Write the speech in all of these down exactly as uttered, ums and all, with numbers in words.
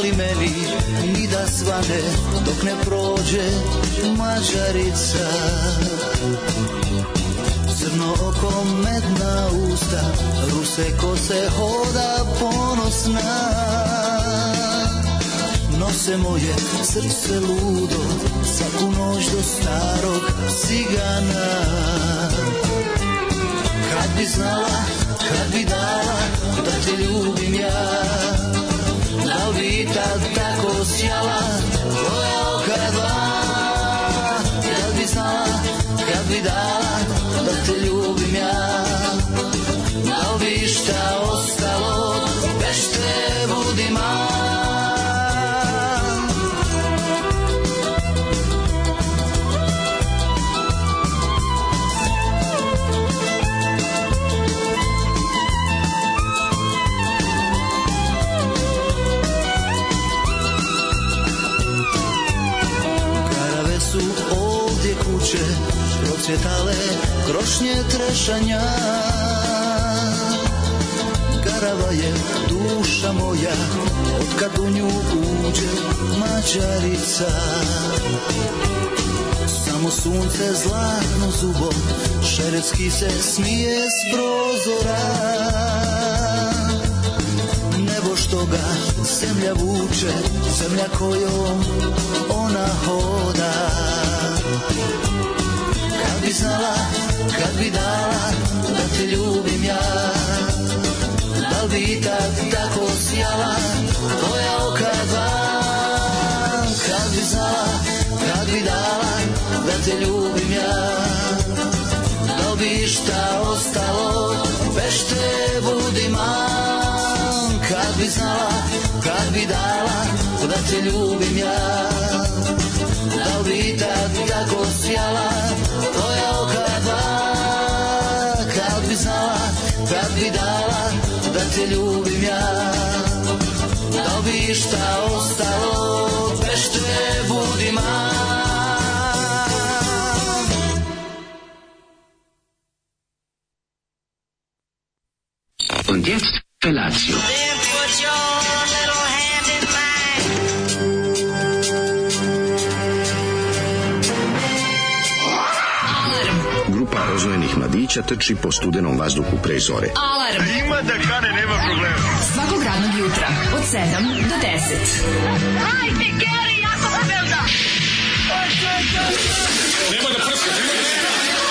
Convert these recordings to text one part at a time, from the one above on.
fali meni ni da svane dok ne prođe Mađarica. Crno oko, medna usta, ruse kose, hoda ponosna. Nose moje srce ludo svaku noć do starog cigana. Kad bi znala, kad bi dala da te ljubim ja, da li bi tad tako sjala tvoja oka dva. Kad bi znala, kad bi dala da te ljubim ja, da li bi šta ostalo bez te budima. Procvjetale krošnje trešanja, garava je duša moja otkad u nju uđe Mađarica. Samo sunce zlatno zubom šeretski se smije s prozora. Nebo što ga zemlja vuče, zemlja kojom ona hoda. Kad bi znala, kad bi dala da te ljubim ja, da li bi tad tako sjala tvoja oka dva. Kad bi znala, kad bi dala da te ljubim ja, da li bi šta ostalo bez te budima. Kad bi znala, kad bi dala da te ljubim ja, da li bi tad tako sjala tvoja oka dva. Kad bi znala, kad bi dala da te ljubim ja, da li bi šta ostalo bez te budima. Und jetzt Felatio. Grupa oznojenih mladića trči po studenom vazduhu pre zore. Alarm! Ima da kane, nema problema. Svakog radnog jutra, od sedam do deset. Hajde, Geri, jako se velda! Nema da prska, nema da prska!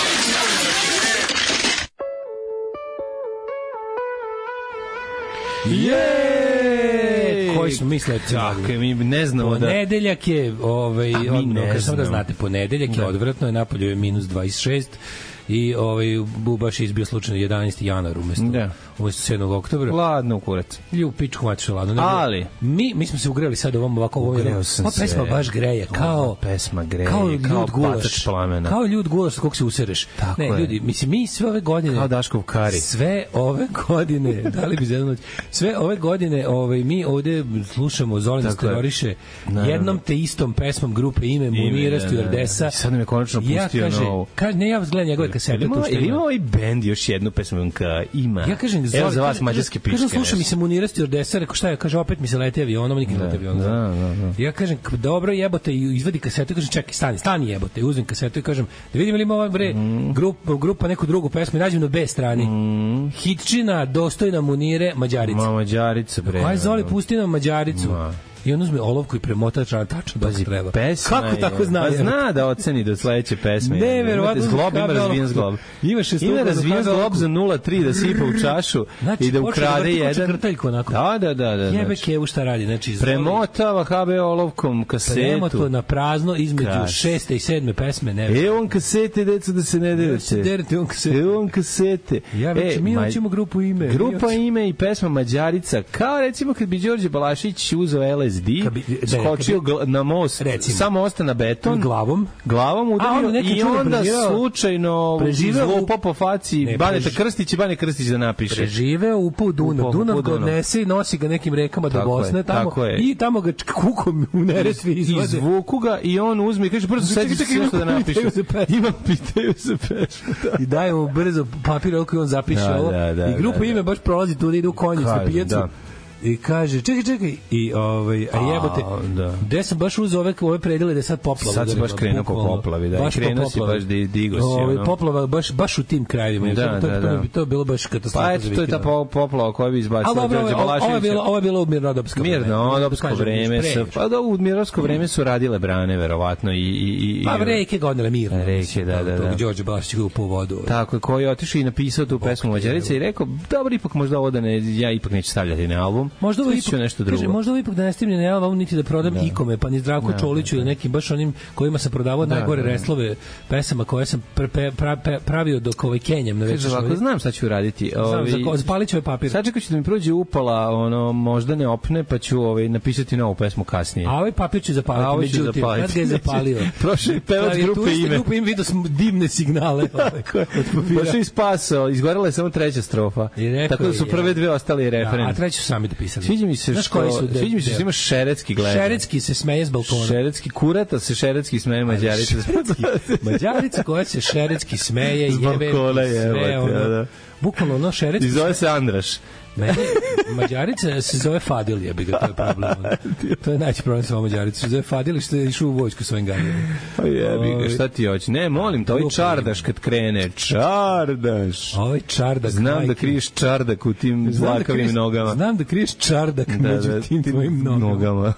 Jej! Koji smo mislili? Tako, mi ne znamo da... Ponedeljak je, ovaj, odmah, samo da znate, ponedeljak je odvratno, je napolju je minus dvadeset šest i ovaj baš je izbio slučajno jedanaesti januar umesto, da. umesto sedmog oktobra. Ladno u kurac. Ljup pičku maču ladno. Ne, ali mi, mi smo se ugreli sad ovom ovako ovom. Ugreo sam ova pesma se. baš greje, kao ova pesma greje, kao ljud gulaš plamena. Kao ljud gulaš kog se usereš. Tako ne, je. ljudi, mislim mi sve ove godine kao Daškov kari. Sve ove godine, da li bi za jednu noć, sve ove godine ovaj, mi ovde slušamo Zolina Stenoriše jednom te istom pesmom grupe Ime Munira Stewardesa. Sad nam je konačno pustio ja kaže, novu. Kaže, ne, ja gledam njegove kasete. Ima ovaj bend još jednu pesmu ka ima. Ja kažem, evo za vas mađarske pičke. Kažem, slušam mi se Munira Stewardesa, rekao šta je, kaže, opet mi se leti avionom, nikad ne leti avionom. Da, da, da. Ja kažem, dobro jebote, i izvadi kasetu, kažem, čekaj, stani, stani jebote, uzmem kasetu i kažem, da vidim li ima ovaj bre, mm. grupa, grupa neku drugu pesmu i nađem na B strani. Mm. Hitčina, dostojna Munire, Mađarica. Ma, Mađarica, bre. Aj, Zoli, pusti nam Mađaricu. Ma. I on uzme olovku i premota tačno dok treba. Pesma kako tako zna? Pa zna da oceni do sledeće pesme. Ne, verovatno. Zglob ima razvijen zglob. Ima šest ima razvijen zglob za nula tri da sipa u čašu znači, i da ukrade jedan. Da, da, da. da jebe kevu šta radi. Znači, premotava ha be olovkom kasetu. Premoto na prazno između Kras. šeste i sedme pesme. Ne, e, on kasete, deco, da se ne derete. Derete, on kasete. E, on kasete. Ja već, e, mi hoćemo grupu Ime. Grupa Ime i pesma Mađarica. Kao recimo kad bi Đorđe Balašić uzeo L S D, skočio na most, recimo, samo osta na beton, glavom, glavom udario i onda slučajno zlo po faci Baneta Krstić i Bane Krstić da napiše. Preživeo, upao u Dunav, Dunav ga odnese i nosi ga nekim rekama do Bosne, tamo, i tamo ga kukom u Neretvi izvode. Izvuku ga i on uzme i kaže, brzo sedi se nešto da napiše. Imam pitaju za pesmu. I daje mu brzo papir, ako on zapiše ovo. I grupa Ime baš prolazi tu da ide u konjicu na pijacu. I kaže, čekaj, čekaj, i ovaj, a jebote, da. Gde sam baš uzeo ove, ove predele da je sad poplava. Sad si baš krenuo po poplavi, da, i krenuo si baš da digo si. Ove, poplava baš, baš u tim krajevima. Da, to, da, to, da. to, to je bilo baš katastrofa. Pa eto, to je ta poplava koja bi izbacila Đorđe Balaševića. Ovo je bilo, ovo je bilo u mirnodopsko vreme. Mirnodopsko vreme. Pa da, u mirnodopsko vreme su radile brane, verovatno. I, i, i, pa reke gonile mirno. Reke, da, da, da. Đorđe Balašević ga upao u vodu. Tako je, koji je otišao i napisao tu pesmu Mađarica i rekao, dobro, ipak možda ovo da ne, ja ipak neću stavljati na album. Možda ovo ipak, nešto drugo. Kaže, možda ovo ipak da ne stavljam na album, niti da prodam da. Ikome, pa ni Zdravko da, Čoliću ili nekim baš onim kojima sam prodavao da, najgore da, da. Reslove pesama koje sam pre, pre, pra, pravio dok ovaj Kenjam na večer. Kaže, znam šta ću uraditi. Znam, za, zapalit ću ovaj papir. Sad čekaj ću da mi prođe upala, ono, možda ne opne, pa ću ovaj, napisati novu pesmu kasnije. A ovaj papir ću zapaliti, međutim, kad ga je zapalio. Prošao i pevač grupe Ime. Grupe Ime vidio sam divne signale. Prošao i spasao, izgorela je samo treća strofa. Tako da su prve dve ostali referen. A treću sami dopisali. Sviđa mi se što, sviđa mi se što ima šeretski gleda. Šeretski se smeje s balkona. Šeretski kurata se šeretski smeje Mađarica. Mađarica koja se šeretski smeje, jebe sve ono. Bukvalno ono šeretski. I zove se Andraš. Meni, Mađarica se zove Fadil, jebi ga, to je problem. To je najveći problem sa ovom Mađaricom. Se zove Fadil i što je išao u vojsku svojim ganjima. Pa jebi ga, šta ti hoće? Ne, molim te, ovaj čardaš kad krene. Čardaš. Ovaj čardak. Znam da kriješ čardak u tim zlakavim nogama. Znam da kriješ čardak među tim tvojim nogama.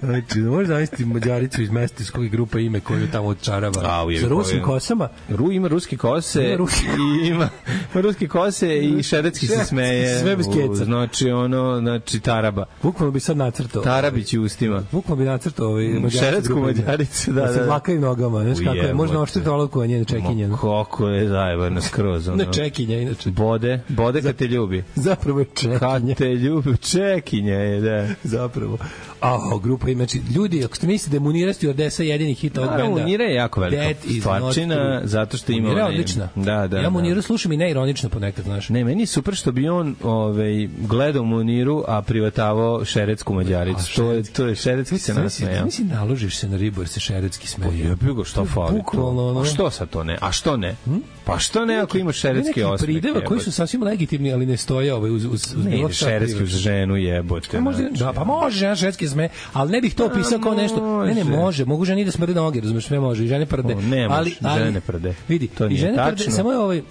Znači, možeš zamisliti Mađaricu iz mesta iz kojeg grupa Ime koju tamo odčarava. Sa ruskim kosama. Ru ima ruski kose ima ruski. I ima, ima ruski kose i šeretski se smeje. Sve bez keca. Znači, ono, znači, taraba. Bukvalno bi sad nacrtao. Tarabić u ustima. Bukvalno bi nacrtao ovaj šeretsku Mađaricu, da, da. Sa vlakavim nogama. Znaš kako je, možda oštriti olovku, a njene čekinje. Kako je zajebano skroz. Ne čekinje, inače. Bode, bode kad te ljubi. Zapravo je čekinje. Kad te ljubi, čekinje je, da. Zapravo. A, grupa Ime, znači, ljudi, ako ste mislite da je Munira stewardesa jedini hit od benda. Munira je jako velika stvarčina, zato što ima... Munira je odlična. Da, da, ja Muniru slušam i neironično ponekad, znaš. Ne, meni je super što bi on ovaj, gledao Muniru, a privatavao šeretsku Mađaricu. To je, to je šeretski se nasmeja. Mislim, naložiš se na ribu jer se šeretski smeje. Ja bih go, što fali to? A što sad to ne? A što ne? Pa što ne ako ima šeretski osmeh? Neki prideva koji su sasvim legitimni, ali ne stoje ovaj uz, uz, uz ne, šeretski uz ženu jebote. Da, pa može žena šeretski sme, ali ne bih to pisao kao nešto. Ne, ne, može. Mogu ženi da smrde noge, razumeš, sve može. I žene prde. Ne, ali, žene prde. Vidi, to i žene prde, samo je ovaj...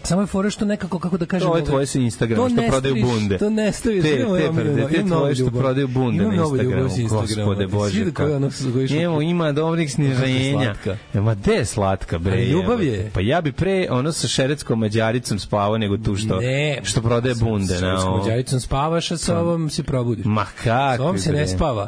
Samo je fora što nekako, kako da kažem... To je tvoje sa Instagrama, što prodaju bunde. To ne staviš. Te, te prde, te tvoje što prodaju bunde na Instagramu. Gospode Bože. Evo, ima dobrih sniženja. Ma gde je slatka, bre? Ljubav je. Pa ja bi pre ono sa šeretskom Mađaricom spavao nego tu što, što prodaje bunde. Sa šeretskom Mađaricom spavaš, a sa ovom se probudiš. Ma kako? Sa ovom se ne spava.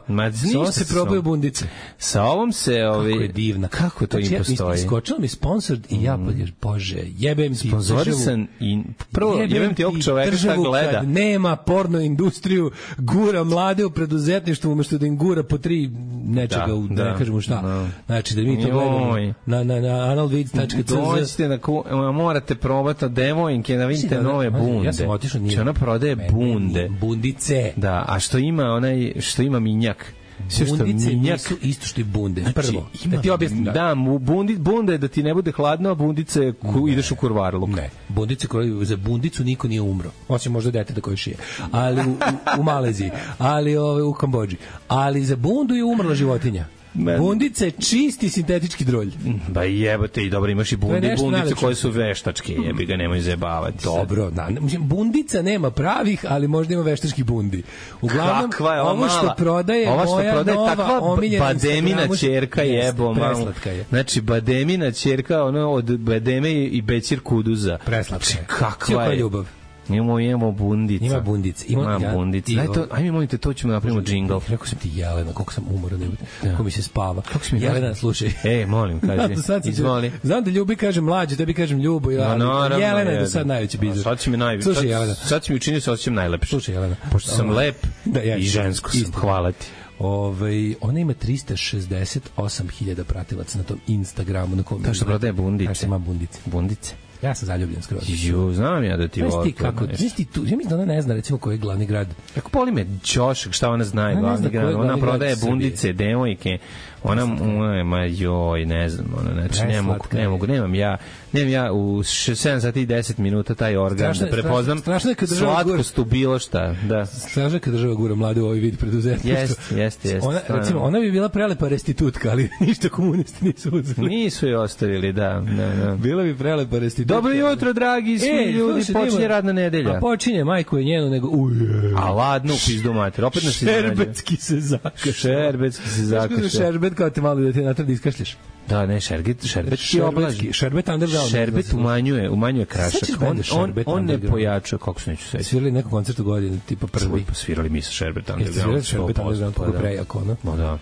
Sa ovom se probaju bundice. Sa ovom se... Kako je divna. Kako to im postoji? Iskočilo mi sponsored i ja, Bože, jebem ti Sam i prvo jebem ti ovog čoveka šta gleda. Kad nema porno industriju, gura mlade u preduzetništvu umesto da im gura po tri nečega, da, u, da, da ne kažemo šta. Da. Znači da mi to gledamo na, na, na analvids tačka c z. Dođite da ku, morate probati devojke da vidite nove bunde. Ja sam otišao nije. Ona prodaje bunde. Bundice. Da, a što ima onaj, što ima minjak. Sve što bundice minjak, nisu isto što i bunde. Znači, prvo, ima, da ti objasnim. Da, da bundi, bunde da ti ne bude hladno, a bundice ku, ideš u kurvarluk. Ne, bundice koje, za bundicu niko nije umro. Osim možda deteta koje šije. Ali u, u, u Maleziji, ali ove, u Kambodži. Ali za bundu je umrla životinja. Man. Bundice čisti sintetički drolj. Ba jebote i dobro, imaš i bundi, bundice najlepše koje su veštačke, jebi ga, nemoj zajebavati. Dobro, da, bundica nema pravih, ali možda ima veštački bundi. Uglavnom, ovo što prodaje ova što moja prodaje, nova takva omiljena bademina ćerka jebo, malo. Znači, bademina ćerka, ono od bademe i becir kuduza. Preslatka je. Kakva je ljubav. Imamo, imamo bundica. Ima bundica. Ima, ima ja, bundica. Daj to, ajme, molite, to ćemo napravimo džingl. Rekao sam ti Jelena, koliko sam umoran, ja. Kako mi se spava. Jelena, da? Slušaj. Ej, molim, kaži. Izvoli. Znam da Ljubi kaže mlađe, tebi kažem Ljubo. Ja, no, naravno, Jelena je do sad najveći bizar. Sad će mi najveći. Slušaj, Jelena. Sad će mi učiniti se osjećam najlepše. Slušaj, Jelena. Pošto sam lep da, ja, i žensko sam. Hvala ti. Ove, ona ima trista šezdeset osam hiljada pratilaca na tom Instagramu. Na kom to što prodaje bundice. Ima bundice. Bundice. Ja sam zaljubljen skroz. Jo, znam ja da ti volim. volim. Znaš ti kako, znaš ti tu, ja mislim da ona ne zna recimo koji je glavni grad. Kako boli me Ćošak, šta ona zna je glavni grad. Ona prodaje bundice, devojke. Ona, ona, ma joj, ne znam, ona, znači, ne mogu, ne mogu, nemam ja, nemam ja u sedam sati i deset minuta taj organ strašno, da prepoznam slatkost u bilo šta, da. Strašno kad država gura mlade u ovaj vid preduzetništva. Jeste, jeste, jeste. Ona, recimo, ona bi bila prelepa restitutka, ali ništa komunisti nisu uzeli. Nisu je ostavili, da, da, da. Bila bi prelepa restitutka. Dobro jutro, dragi svi e, ljudi, sluši, počinje radna nedelja. A počinje, majko je njenu, nego, uje. A ladno u pizdu mater, opet nas iznenađe. Šerbetski se zakaša. Šerbetski se zakaša. Šerbet kao te malo da te natradi iskašljaš. Da, ne, šerbet, šerbet ti oblaži. Šerbet underground. Šerbet umanjuje, umanjuje krašak. On, on, on ne pojačuje, kako se neću sveći. Svirali neku koncertu godine, tipa prvi. Pa svirali mi sa Šerbet underground. Svirali Šerbet underground, kako prejako, ono. No, da.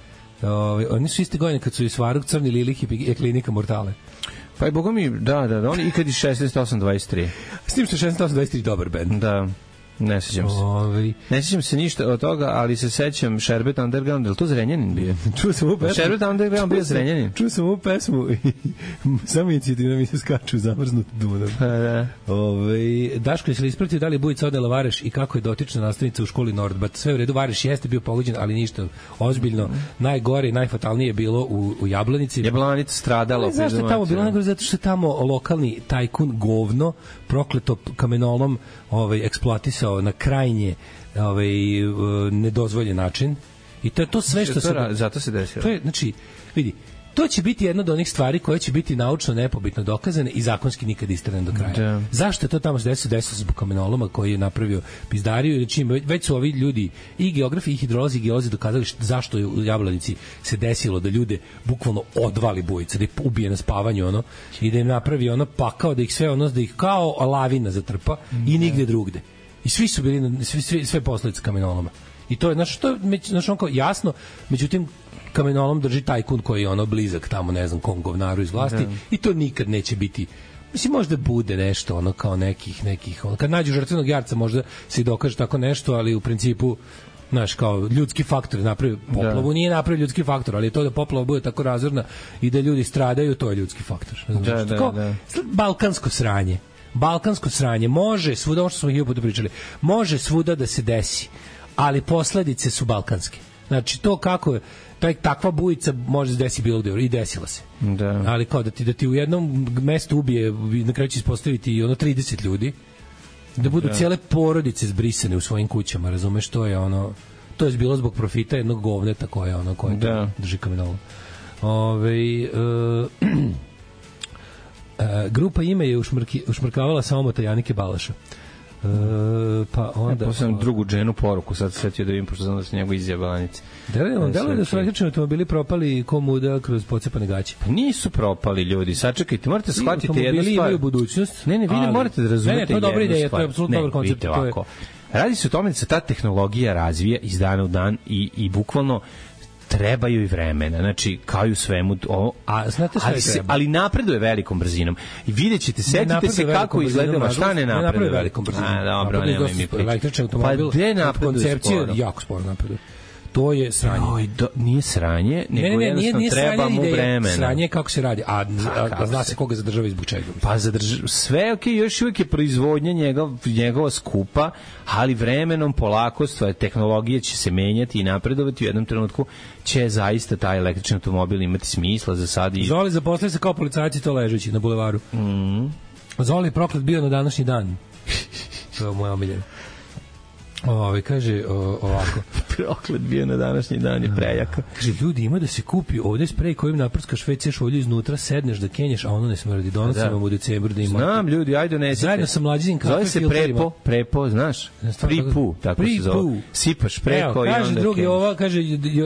Ove, oni su iste godine kad su i Svaruk, Crni Lilik i Klinika Mortale. Pa i boga mi, da, da, da, oni i kad je šesnaest osam dvadeset tri. S tim što šesnaest osam dvadeset tri dobar band. Da. Ne sećam se. Ovi. Ne sećam se ništa od toga, ali se sećam Šerbet Underground, je li to Zrenjanin bio? Čuo sam u pesmu. Šerbet Underground bio Zrenjanin. Čuo sam u pesmu i samo inicijativno mi se skaču zamrznut Dunav. Pa da. Ove, Daško, jesi li ispratio da li je Bujica odela Vareš i kako je dotična nastavnica u školi Nordbat? Sve u redu, Vareš jeste bio pogođen, ali ništa ozbiljno. Najgore i najfatalnije je bilo u, u Jablanici. Jablanica stradala. Zašto je tamo bilo? Najgore zato što je tamo lokalni tajkun govno prokleto kamenolom ovaj, eksploatisao na krajnje ovaj, nedozvoljen način. I to je to sve što se... Zato se desilo. To je, znači, vidi, to će biti jedna od onih stvari koje će biti naučno nepobitno dokazane i zakonski nikad istrane do kraja. Da. Zašto je to tamo se desilo? Desilo zbog kamenoloma koji je napravio pizdariju. Znači, već su ovi ljudi, i geografi, i hidrolozi, i geolozi dokazali što, zašto je u Jablanici se desilo da ljude bukvalno odvali Bujica, da ih ubije na spavanju, ono, i da im napravi ono pakao, da ih sve ono, da ih kao lavina zatrpa mm, i nigde drugde. I svi su bili, na, svi, svi, sve posledice kamenoloma. I to je, znaš, to je, znaš, on kao jasno, međutim, kamenolom drži tajkun koji je ono blizak tamo, ne znam, kom govnaru iz vlasti, da. I to nikad neće biti, mislim, možda bude nešto, ono, kao nekih, nekih, ono, kad nađu žrtvenog jarca, možda se i dokaže tako nešto, ali u principu, znaš, kao ljudski faktor je napravio poplavu, da. Nije napravio ljudski faktor, ali to da poplava bude tako razorna i da ljudi stradaju, to je ljudski faktor. Znaš, da, da, kao, da. Balkansko sranje. Balkansko sranje može svuda, ono što smo hiljadu puta pričali, može svuda da se desi, ali posledice su balkanske. Znači, to kako je, taj, takva bujica može se desiti bilo gde, i desila se. Da. Ali kao da ti, da ti u jednom mestu ubije, na kraju će ispostaviti i ono trideset ljudi, da budu da. Cijele porodice zbrisane u svojim kućama, razumeš, to je ono, to je bilo zbog profita jednog govneta koje ono, koje da. Drži kamenolom. Ove, uh, Uh, grupa Ime je ušmrki, ušmrkavala samomota Janike Balaša. Uh, pa onda... Ja posledam drugu dženu poruku, sad se setio da vidim, pošto znam da su njegove izjebanice. Delo je da su električni automobili propali ko muda kroz pocepane gaće. Pa nisu propali, ljudi, sačekajte, morate shvatiti jednu stvar. Automobili imaju budućnost. Ne, ne, vi ne morate da razumete jednu stvar. Ne, ne, to je dobra ideja, to je apsolutno dobar koncept. Ne, vidite ovako. Radi se o tome da se ta tehnologija razvija iz dana u dan i, i bukvalno trebaju i vremena, znači kao i u svemu ovo, a znate šta ali, se, ali napreduje velikom brzinom i vidjet ćete, setite se kako izgledalo, šta ne napreduje velikom brzinom, a dobro, nemoj mi pričati, električni automobil, pa koncepcija jako sporo napreduje. To je sranje. Oj, do, nije sranje, nego ne, ne, jednostavno nije, nije treba mu vremena. Sranje je kako se radi, a, a, a zna se koga zadržava i zbog čega. Pa zadržava, sve ok, još uvijek je proizvodnja njegov, njegova skupa, ali vremenom, polako, stvar, tehnologija će se menjati i napredovati, u jednom trenutku će zaista taj električni automobil imati smisla za sad. I... Zoli zaposlije se kao policajci to ležeći na bulevaru. Mm. Zoli je proklet bio na današnji dan. To je moja omiljena. Ove, kaže o, ovako. Proklet bio na današnji dan je prejaka. Kaže, ljudi, ima da se kupi ovde sprej kojim naprskaš ve ce šolju iznutra, sedneš da kenješ, a ono ne smrdi. Donosim vam u decembru da ima. Znam, ljudi, ajde donesite. Zajedno sa mlađinim kafe filterima. Zove se prepo, prepo, znaš? Pripu, tako se zove. Sipaš preko. Evo, kaže drugi, ova, kaže,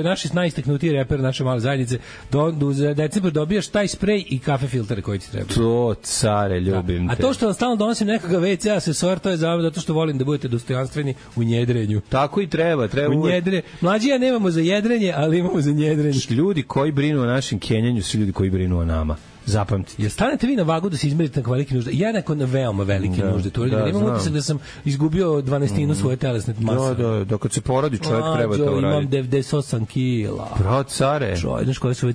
naši najistaknutiji reper naše male zajednice, do, do, za decembar dobijaš taj sprej i kafe filtere koji ti treba. To, care, ljubim da. te. A to što vam stalno donosim nekakav ve ce asesor, to je zato što volim da budete dostojanstveni u njedrenju. Tako i treba, treba u njedre. Mlađi ja nemamo za jedrenje, ali imamo za njedrenje. Ljudi koji brinu o našem kenjanju su ljudi koji brinu o nama. zapamtiti. Jel stanete vi na vagu da se izmerite na velike nužde? Ja neko na veoma velike da, nužde. To da, da, imam utisak da sam izgubio dvanaestinu mm. svoje telesne mase. Da, da, da kad se porodi čovjek A, treba to uraditi. Imam devedeset osam kila. Bro, care. Čo, znaš koje su,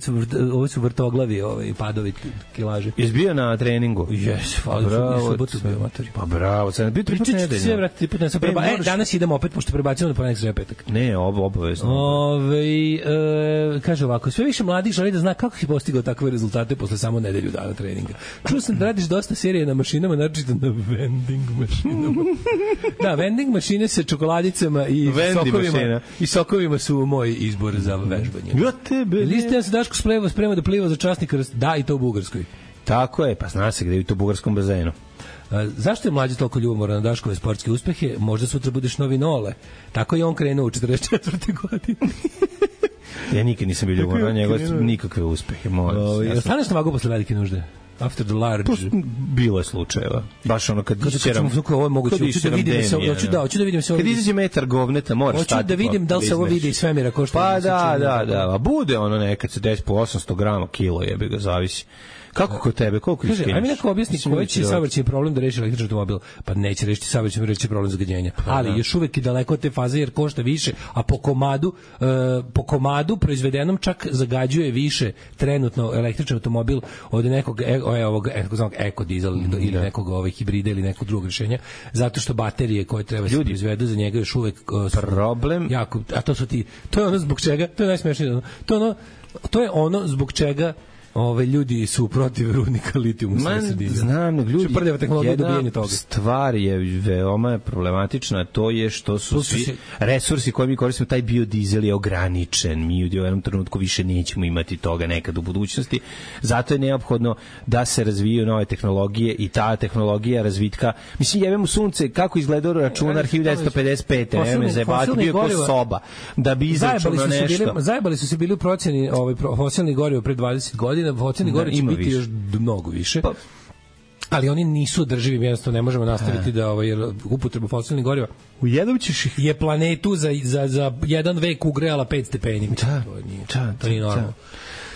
ovo su vrtoglavi, ovaj, padovi kilaže. Jesi bio na treningu? Jes, hvala, bravo, subotu bio matori. Pa bravo, sad bio tri put nedeljno. Sve, vrati, tri put nedeljno. Preba... E, danas idemo opet, pošto prebacimo na ponedeljak sreda petak. Ne, ob, obavezno. Ove, e, kaže ovako, sve više mladih želi da zna kako si postigao takve rezultate posle samo nedelju dana treninga. Čuo sam da radiš dosta serije na mašinama, naročito na vending mašinama. Da, vending mašine sa čokoladicama i Vendi sokovima. Mašina. I sokovima su moj izbor za vežbanje. Ja tebe. Liste se Daško sprema, sprema da pliva za časnika, da, i to u Bugarskoj. Tako je, pa zna se gde je u to bugarskom bazenu. A, zašto je mlađi toliko ljubomoran na Daškove sportske uspehe? Možda sutra budeš novi Nole. Tako je on krenuo u četrdeset četvrtoj godine. Ja nikad nisam bio ljubomoran na njegove nikakve uspehe. O, ja staneš na vagu posle velike nužde? After the large. To bilo je slučajeva. Baš ono kad isceram. Kako ovo je moguće? Hoću da vidim se, hoću da, hoću da vidim se. Kad izađe metar govneta, moraš stati. Hoću da vidim da li se ovo vidi iz svemira ko što. Pa da, da, da, a bude ono nekad se desi po osamsto grama kilo, jebi ga, zavisi. Kako kod tebe, koliko kaže, ajme neko objasni koji će saobraćajni problem da reši električni automobil. Pa neće rešiti saobraćajni, reći problem zagađenja. Ali da. Još uvek je daleko od te faze jer košta više, a po komadu uh, po komadu proizvedenom čak zagađuje više trenutno električni automobil od nekog e, ovog takozvanog eko dizel mm, ili da. nekog ovaj hibrida ili nekog drugog rešenja, zato što baterije koje treba se proizvedu za njega još uvek uh, problem jako, a to su ti to je ono zbog čega, to je najsmešnije, to ono to je ono zbog čega ove ljudi su protiv rudnika litijuma. Znam, ljudi, prljava tehnologija dobijanja toga. Stvar je veoma problematična, to je što su, su svi se... resursi koje mi koristimo, taj biodizel je ograničen. Mi u jednom trenutku više nećemo imati toga nekad u budućnosti. Zato je neophodno da se razvijaju nove tehnologije i ta tehnologija razvitka. Mislim, jebemo sunce, kako izgledao računar hiljadu devetsto pedeset pete, ne me zajebati, bio kao soba, da bi izračunao nešto. Zajebali su se bili u procjeni ovaj, fosilnih goriva pre dvadeset godina, fosilni goriva će biti više. Još mnogo više. Pa, ali oni nisu održivi, jednostavno ne možemo nastaviti da ovaj, jer upotrebu fosilnih goriva u jednom ćeš ih... je planetu za, za, za jedan vek ugrejala pet stepeni. Da, to nije, da, to nije normalno. Da.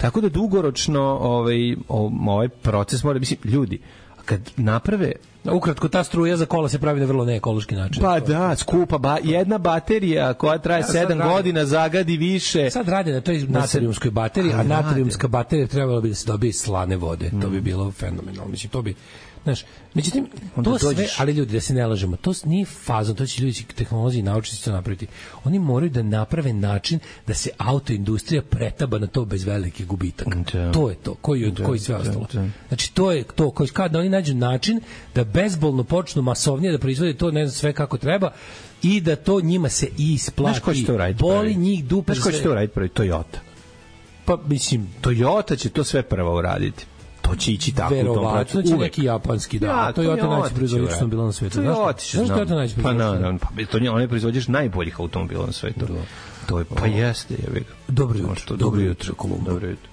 Tako da dugoročno ovaj, ovaj proces mora, mislim, ljudi, kad naprave ukratko, ta struja za kola se pravi na vrlo neekološki način. Pa da, skupa. Ba, jedna baterija koja traje ja, sedam godina zagadi više. Sad radi na toj natrijumskoj bateriji, a natrijumska baterija trebala bi da se dobije iz slane vode. Mm. To bi bilo fenomenalno. Mislim, to bi... Znaš, međutim, to sve, ali ljudi, da se ne lažemo, to nije fazon, to će ljudi, tehnolozi i naučnici to napraviti. Oni moraju da naprave način da se autoindustrija pretaba na to bez velike gubitaka. Da. To je to, koji, da, koji sve da, ostalo. Da. Znači, to je to, koji, kada oni nađu način da bezbolno počnu masovnije da proizvode to, ne znam sve kako treba, i da to njima se isplati. Znaš ko će to raditi? Boli njih dupe. Znaš ko će to raditi prvi? Toyota. Pa, mislim... Toyota će to sve prvo uraditi. To će ići tako u tom pracu. Verovatno će neki japanski, da. Ja, Toyota najveći proizvođač automobila na svetu. Znaš što je to najveći proizvođač? Pa naravno, pa to on je proizvođač najboljih automobila na svetu. Da. To je, pa jeste, je vek. Dobro jutro. Dobro jutro, Kolumba. Dobro jutro.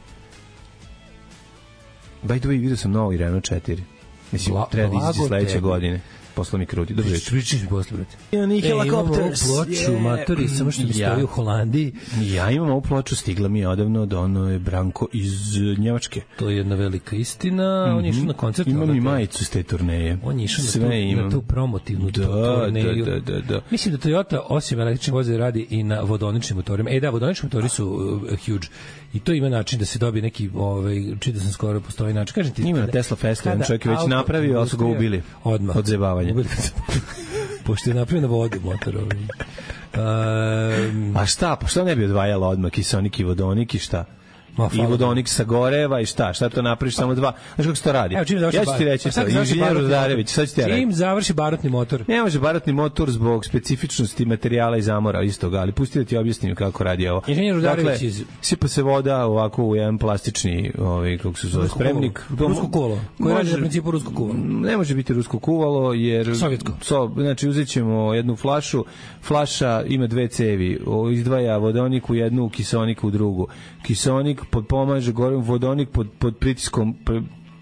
By the way, vidio sam novi Renault četiri. Mislim, treba da izaći sledeće godine. Posle mi kruti. Dobro jutro. Pričaš mi posle, brate. Ja, ni helikopter. Ploču, matori, samo što mi stoji u Holandiji. Ja imam ovu ploču, stigla mi je odavno da ono je Branko iz Njemačke. To je jedna velika istina. Mm-hmm. On je išao na koncert. Imam i majicu s te turneje. On je išao na, tu, na tu promotivnu da, turneju. Da, da, da. Mislim da Toyota osim električnih vozila radi i na vodoničnim motorima. E da, vodonični motori su uh, huge. I to ima način da se dobije neki, ovaj, čita sam skoro, postoji način. Kažem ti, ima na Tesla Festu, jedan čovjek je već napravio, ali su ga ubili. Odmah. Od zebavanja. Pošto je napravio na vodu motor. Um, A šta? Pa šta ne bi odvajalo odmah kiseonik i vodonik i šta? Ma, i vodonik sa goreva i šta? Šta to napraviš samo dva? Znaš kako se to radi? Evo, ja ću ti reći to. Inženjer Rudarević, sad ću ti ja reći. Čim završi barotni motor? Ne može barotni motor zbog specifičnosti materijala i zamora istoga, ali pusti da ti objasnim kako radi ovo. Inženjer Rudarević iz... sipa se voda ovako u jedan plastični, ovaj, kako se zove, spremnik. Rusko kuvalo. Koje radi na principu rusko kuvalo? Ne može biti rusko kuvalo, jer... Sovjetsko. So, znači, uzet ćemo jednu flašu, flaša ima dve cevi, izdvaja vodonik u jednu, kiseonik u drugu. Kiseonik podpomaže gorim, vodonik pod, pod pritiskom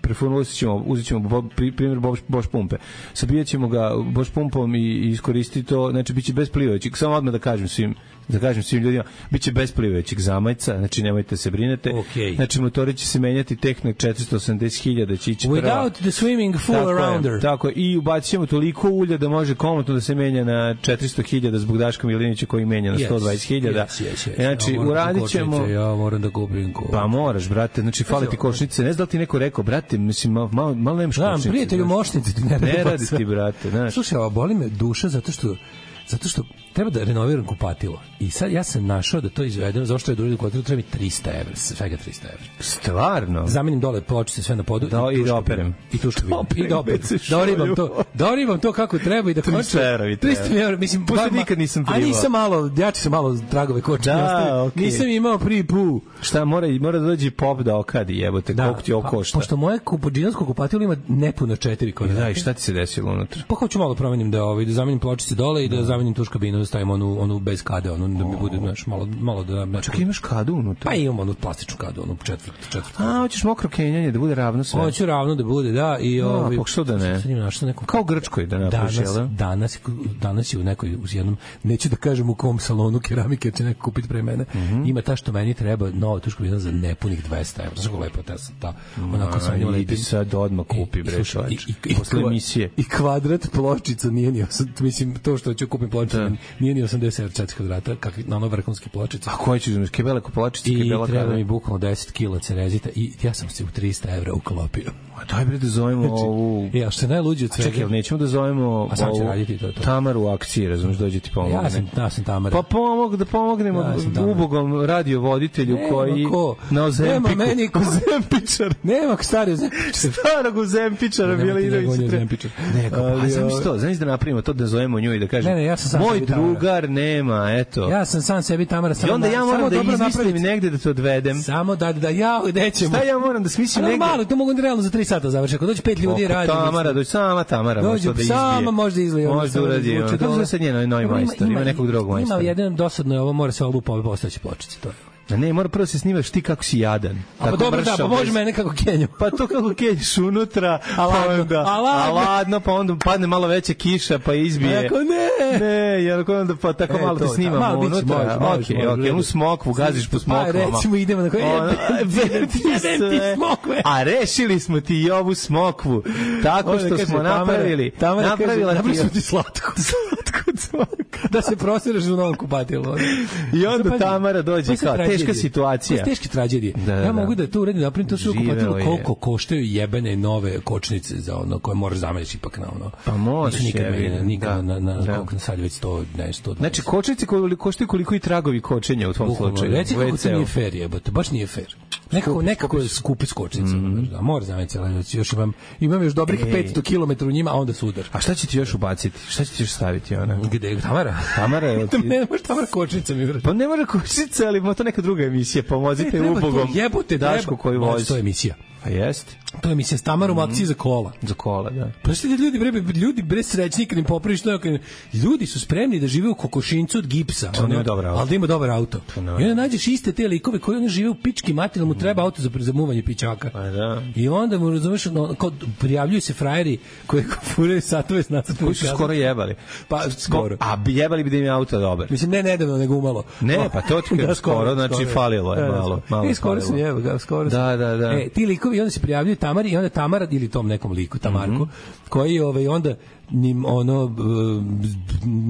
preformulisat ćemo, uzet ćemo bo, primjer Bosch, Bosch pumpe. Sabijat ćemo ga Bosch pumpom i, i iskoristiti to, znači bit će bez plivajućeg, samo odmah da kažem svim da kažem svim ljudima, bit će bez plivajućeg zamajca, znači nemojte se brinete. Okay. Znači motori će se menjati tek na četiristo osamdeset hiljada će ići Without prva. the swimming full tako arounder. Je, tako je, i ubacit ćemo toliko ulja da može komotno da se menja na četiristo hiljada zbog Daška Milinića koji menja na sto dvadeset hiljada. Yes, yes, yes. Znači, ja uradit ćemo... Ja moram da kupim kočnice. Pa moraš, brate, znači fali ti kočnice. Ne znam da li ti neko rekao, brate, mislim, malo, malo nemaš kočnice. Da, prijatelju mošnice ti ne radi. Ne radi ti, brate, znaš. Slušaj, ovo boli me duša zato što zato što treba da renoviram kupatilo. I sad ja sam našao da to izvedeno, zašto je dužno kupatilo, treba mi trista evra, svega trista evra. Stvarno? Zamenim dole pločice sve na podu da, i, i da operem. I tušku vidim. I da operem. Da oribam to, da oribam to kako treba i da trista evra. trista evra, mislim, pošto nikad nisam privao. A nisam malo, ja ću se malo tragove kočne. Da, okay. Nisam imao prvi pu. Šta, mora, mora da dođe pop da okadi, jebote, da, koliko ti ovo košta. Pošto moje kupođinarsko kupatilo ima nepuno četiri kvadrata. Da, i šta ti se desilo unutra? Pa hoću malo promenim da ovaj da zamenim pločice dole i da zamenim tuš kabinu, da stavim onu onu bez kade, onu da mi bude znaš malo malo da znači. Čekaj, imaš kadu unutra? Pa imam onu plastičnu kadu, onu četvrt, četvrt. A, hoćeš mokro kenjanje da bude ravno sve. Hoću ravno da bude, da, i ovaj pa što da ne. Nekom, kao Grčkoj da napraviš, danas, jel? Danas, danas je u nekoj u jednom, neću da kažem u kom salonu keramike će neko kupiti pre mene. Mm -hmm. Ima ta što meni treba nova tuš kabina za nepunih dvesta evra. Znaš kako lepo ta ta. Onako sam njima lepi sad odmah kupi bre čovjek. Posle emisije. I kvadrat pločica nije ni mislim to što ću kupiti pločicu nije ni osamdeset evra četiri kvadrata, kakvi na ono vrhunske pločice. A koje ćeš uzeti? Kebele pločice, kebela kada? I treba mi bukvalno deset kila cerezita i ja sam se u trista evra uklopio. A daj bre da zovemo znači, ovu... Ja, što je najluđe od svega... Čekaj, nećemo da zovemo a sam će raditi to, to. Tamaru u akciji, razumiješ, dođe ti pomogne. Ja sam, ja sam Tamara. Pa pomog, da pomognemo ja ubogom radiovoditelju nema koji... Ko? Na Ozempiku. Nema meni ko Zempičar. Nema ko stari Ozempičar. Starog Ozempičara, Bjelinović. Neko, pa znam što, znaš da napravimo to da zovemo nju i da kažem, ne, ne, ja sam moj drugar nema, eto. Ja sam sam sebi Tamara. I onda ja moram da izmislim negde da to odvedem. Samo da, da ja, gde ćemo? Šta ja moram da smislim negde? Malo, to mogu realno za tri sata završiti. Ako dođe pet ljudi radi. Tamara, dođe sama Tamara, može da izbije. Sama može izlije. Može da uradi. To je sad njeno novi majstor, ima nekog drugog majstora. Ima jedan dosadno je ovo, mora se olupa ove postojeće pločice, to je. Da ne, mora prvo se snimaš ti kako si jadan. A pa dobro, da, pa može mene kako kenjam. Pa to kako kenjiš unutra, a ladno, pa onda, a ladno. A ladno, pa onda padne malo veća kiša, pa izbije. Ako ne. Ne, jer ako onda pa tako e, malo te snimamo unutra. Okej, okej, onu smokvu, gaziš po smokvama. Pa recimo idemo na koje, jebem ti smokve. A rešili smo ti i ovu smokvu, tako što smo napravili. Napravila ti slatko. Da se prosiraš u novom kupatilu. I onda Tamara dođe kao teška situacija. Teške tragedije. Da, da, ja mogu da to uradim, napravim to sve kupatilo koliko je. Koštaju jebene nove kočnice za ono koje moraš zameniti ipak na ono. Pa možeš nikad je, nikad da, na, na, na koliko sad već sto, ne, sto. Znači kočnice koje koštaju koliko i tragovi kočenja u tvom slučaju. Reci kako to nije fair jebote, baš nije fair. Nekako, nekako je skupi s kočnicama. Mm. Da, mora zameniti cijela, još imam, imam još dobrih e. petsto kilometara u njima, a onda sudar. A šta će ti još ubaciti? Šta će ti još staviti ona? Gde? Tamara? Tamara je... Ti... ne može Tamara kočnica mi vrati. Pa ne može kočnica, ali ima to neka druga emisija. Pomozite e, ubogom jebote, Dašku koji vozi. To je emisija. Pa jest. To je emisija s Tamarom mm. akciji za kola. Za kola, da. Pa što ljudi, bre, ljudi bre srećni kad im popraviš to. Ljudi su spremni da žive u kokošincu od gipsa. To nije dobar auto. Ali da ima dobar auto. I onda nađeš iste te likove koji oni žive u pički materiju, mu treba auto za zamuvanje pičaka. Pa da. I onda mu razumeš, no, kao prijavljuju se frajeri koji furaju satove s nacrtom. Koji su skoro jebali. Pa skoro. A jebali bi da im je auto dobar. Mislim, ne nedavno, nego umalo. Ne, pa to ti da, skoro, znači skoro, falilo je malo. malo I skoro sam jebao, skoro sam. Da, da, da. E, ti likovi onda se prijavljuju Tamari i onda Tamara ili tom nekom liku Tamarku mm -hmm. koji ovaj onda njim ono uh,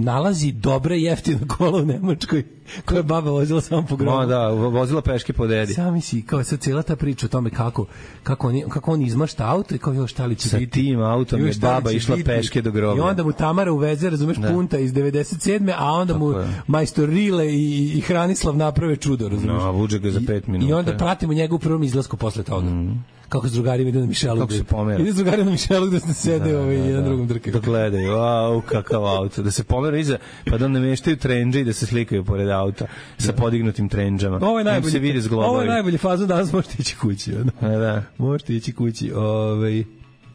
nalazi dobre jeftine kola u Nemačkoj koje je baba vozila samo po grobu. No, da, vozila peške po dedi. Sami si, kao sad cijela ta priča o tome kako, kako, on, kako on izmašta auto i kao još šta li će sa biti. Sa tim autom je baba išla biti. Peške do groba. I onda mu Tamara uveze, razumeš, da. Punta iz devedeset sedme a onda tako mu je. Majstor Rile i, i Hranislav naprave čudo, razumeš. No, vuče ga za pet minuta. I onda pratimo njegov prvom izlasku posle toga. Mm. Kako s drugarima ide na Mišelu. Kako se pomera. Ide s drugarima na Mišelu gde se sede da, ovaj, da, jedan da. Drugom drkaju. Da gledaju, au, kakav auto. Da se pomera iza, pa da nameštaju trendže i da se slikaju pored auta sa podignutim trendžama. Ovo je najbolji, se vidi ovo je najbolji fazon, danas možete ići kući. Ono. Da. Možete ići kući. Ovaj...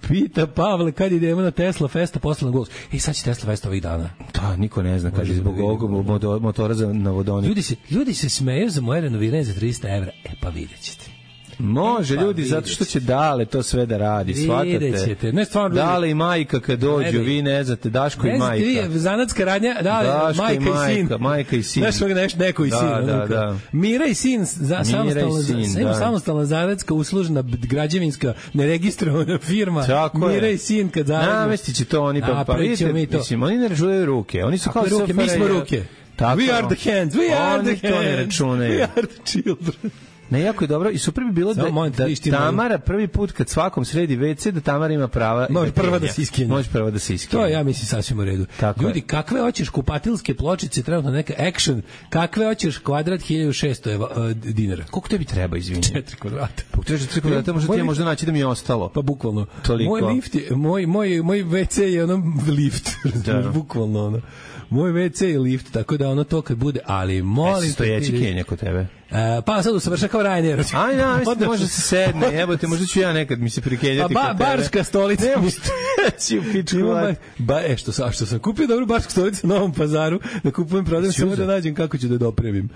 Pita Pavle kad idemo na Tesla Festa posle na Golf. Ej, sad će Tesla Festa ovih dana. Da, niko ne zna kad je zbog ovog motora za na vodonik. Ljudi se, ljudi se smeju za moje renoviranje za trista evra. E, pa vidjet ćete. Može, pa, ljudi, zato što će Dale to sve da radi, shvatate. Ne, stvarno, Dale i majka kad dođu, vi ne znate, Daško i majka. Ne znate, vi, zanatska radnja, Dale, Daško majka i, majka, i sin. Majka i sin. Znaš, neš, neko i da, sin. Da, da. Mira i sin, za, samostalna, sin, da. samostalna zanatska, uslužna, građevinska, neregistrovana firma. Tako Mira je. i sin kad zaradimo. Namesti će to oni, pa, pa vidite, mislim, oni ne računaju ruke, oni su kao ruke, mi smo ruke. Tako, we are the hands, we are oni the hands, to ne računaju. we are the children. Ne, jako je dobro i super bi bilo da, da Tamara prvi put kad svakom sredi ve ce da Tamara ima prava može prva da se iskenja. Može prva da se iskenja. To ja mislim sasvim u redu. Tako ljudi, je. kakve hoćeš kupatilske pločice, trenutno neka action, kakve hoćeš kvadrat hiljadu šesto uh, dinara. Koliko tebi treba, izvini? četiri kvadrata. Pa četiri kvadrata, možda ti je možda naći da mi je ostalo. Pa bukvalno. Toliko. Moj lift je, moj, moj, moj ve ce je ono lift. Da. Bukvalno ono. Moj ve ce je lift, tako da ono to kad bude, ali molim... E, stojeći kenja kod tebe? Uh, pa sad usavrša kao Ryanair. Aj, na, mislim, može se sedne, jebote, možda ću ja nekad mi se prikenjati pa, ba, kod tebe. Barska stolica. Nemo stojeći u pičku. Ba, ba, e, što, sa, što sam kupio dobru barsku stolicu na Novom Pazaru, da kupujem, prodajem, samo da nađem kako ću da dopremim.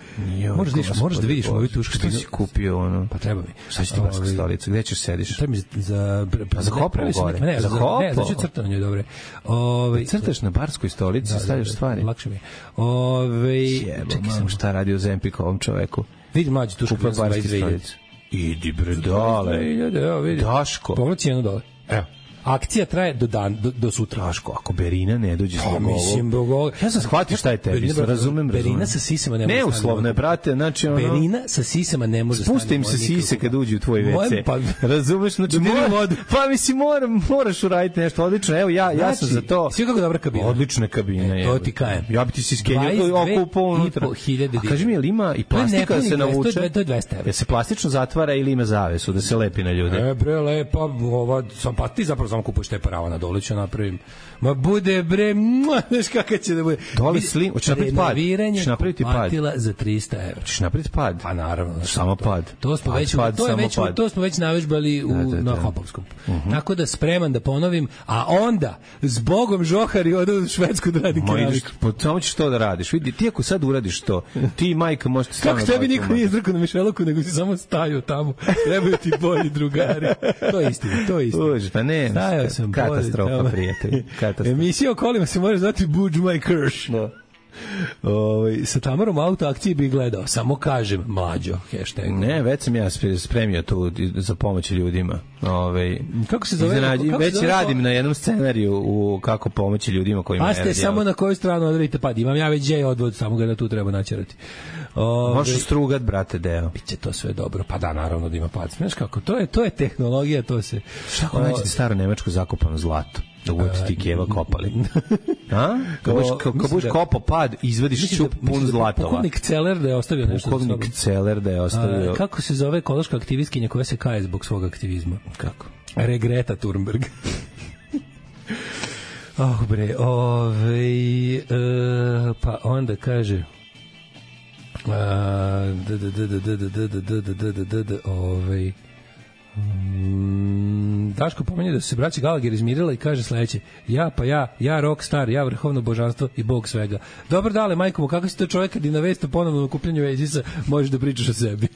Možeš, vidiš, možeš da vidiš moju tušku. Što si kupio, ono? Pa treba mi. Šta će ti barska stolica? Gde ćeš sediš? Treba mi za... Pa za Kopovo gore? Ne, za Kopovo? Ne, znači crtano njoj, dobre. Ove, crtaš na barskoj stolici, stavljaš stvari? Lakše mi je. Ove, čekaj sam šta radi u Zempiku ovom čoveku. Vidi mlađi tušku za dvadeset dve hiljade. Idi bre, dale. Evo vidi. Daško. Pogledaj cijenu dole. Evo. Akcija traje do dan do, do sutra. Daško, ako Berina ne dođe s ovog. Mislim, bogo. Ja sam shvatio šta je tebi, razumem, razumem. Berina sa sisama ne može. Neuslovno je, brate, znači ono. Berina sa sisama ne može. Spusti im se sise kad uđu u tvoj ve ce. Pa, razumeš, znači mora, pa mislim moram, moraš uraditi nešto odlično. Evo ja, ja sam za to. Sve kako dobra kabina. Odlična kabina je. To ti kajem. Ja bi ti se skenjao oko po unutra. A kaži mi, jel ima i plastika da se navuče? To je dvesta evra. Jel se plastično zatvara ili ima zavesu da se lepi na ljude? E bre, lepa, ova sam pa ti zapravo samo kupuješ te parava na dole ću napravim. Ma bude bre, znaš kako će da bude. Dole slim, hoćeš napraviti pad. Hoćeš napraviti pad. Platila za trista evra. Hoćeš napraviti pad. Pa naravno. Samo pad. To smo već, to je već, to smo već navežbali u na Hopovskom. Tako da spreman da ponovim, a onda zbogom žohari odu u Švedsku da radi keramiku. Pa samo ćeš to da radiš. Vidi, ti ako sad uradiš to, ti majka možete stvarno. Kako tebi niko nije izrekao na Mišeluku, nego si samo stajao tamo. Trebaju ti bolji drugari. To je istina, to je istina. Už, pa ne, katastrofa, prijatelj. Emisija o kolima se može zvati Budge My Kirsch. Da. Ovaj sa Tamarom auto akcije bi gledao, samo kažem mlađo hashtag. Ne, već sam ja spremio tu za pomoć ljudima. Ovaj kako se zove? Iznenađi, kako već se zove radim na jednom scenariju u kako pomoći ljudima kojima je. A ste samo na koju stranu odredite pad. Imam ja već J odvod, samo ga da tu treba načerati. Ovaj možeš strugat, brate, deo. Biće to sve dobro. Pa da, naravno da ima pad. Znaš kako? To je to je tehnologija, to se. Kako naći staro nemačko zakopano zlato? Da budete ti keva kopali. A? Kad budeš kopao pad, izvadiš čup pun zlatova. Pukovnik Celer da je ostavio nešto. Pukovnik Celer da je ostavio. A, kako se zove ekološka aktivistkinja koja se kaje zbog svog aktivizma? Kako? Regreta Thunberg. Oh bre, ovaj e, pa onda kaže a d d d d d d d d d d d ovaj Mm, Daško pomenje da su se braći Gallagher izmirila i kaže sledeće: ja pa ja, ja rockstar, ja vrhovno božanstvo i bog svega. Dobro dale, majko mu, kako si to čovjek kad i na vest o ponovnom okupljanju Vezisa možeš da pričaš o sebi.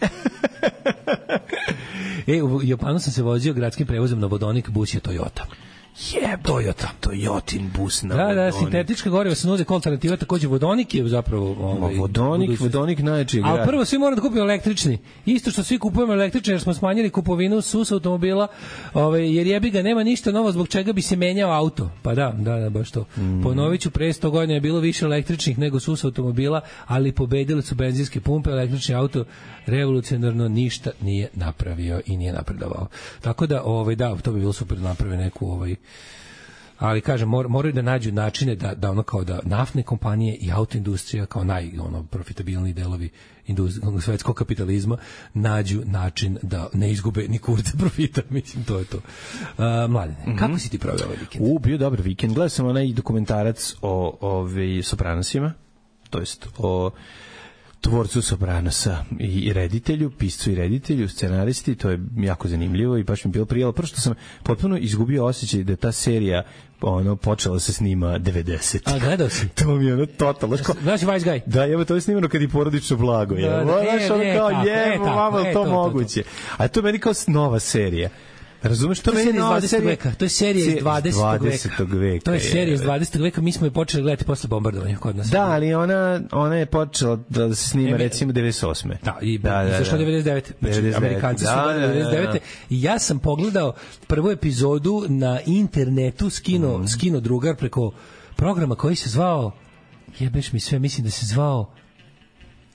E, u Japanu sam se vozio gradskim prevozom na vodonik, bus je Toyota. Je, Toyota, Toyotin bus na da, vodonik. Da, sintetička goriva se nude kao alternativa, takođe vodonik je zapravo ovaj, vodonik, budućnost. Vodonik najjači grad. A prvo svi moramo da kupimo električni. Isto što svi kupujemo električni jer smo smanjili kupovinu S U S automobila, ovaj, jer jebi ga nema ništa novo zbog čega bi se menjao auto. Pa da, da, da, baš to. Mm. Ponoviću, pre sto godina je bilo više električnih nego S U S automobila, ali pobedili su benzinske pumpe, električni auto revolucionarno ništa nije napravio i nije napredovao. Tako da, ovaj, da, to bi bilo super da naprave neku ovaj, ali kažem, mor, moraju da nađu načine da, da ono kao da naftne kompanije i autoindustrija kao naj ono, profitabilni delovi svetskog kapitalizma nađu način da ne izgube ni kurce profita, mislim, to je to. Uh, Mladene, mm-hmm. kako si ti proveo ovaj vikend? U, bio dobar vikend. Gledao sam onaj dokumentarac o, o Sopranosima, to jest o tvorcu Sopranosa i reditelju, piscu i reditelju, scenaristi, to je jako zanimljivo i baš mi bilo prijelo. Prvo što sam potpuno izgubio osjećaj da ta serija ono počela se snima devedeset. A gledao si? To mi je ono totalno. Znaš Wise Guy? Da, evo to je snimano kad je porodično blago. Je. Da, da, e, ono ne, kao tako, je, e, mama, tako, e, to, to, moguće. To, to. A to je meni kao nova serija. Razumeš, to, to meni nova serija veka. To je serija iz dvadesetog veka. To je serija iz dvadesetog veka, mi smo je počeli gledati posle bombardovanja kod nas. Da, ali ona ona je počela da se snima recimo devedeset osme. Da, i izašla devedeset devete. Znači, Amerikanci su devedeset devete. I ja sam pogledao prvu epizodu na internetu, skino, mm. skino drugar preko programa koji se zvao, jebeš mi sve, mislim da se zvao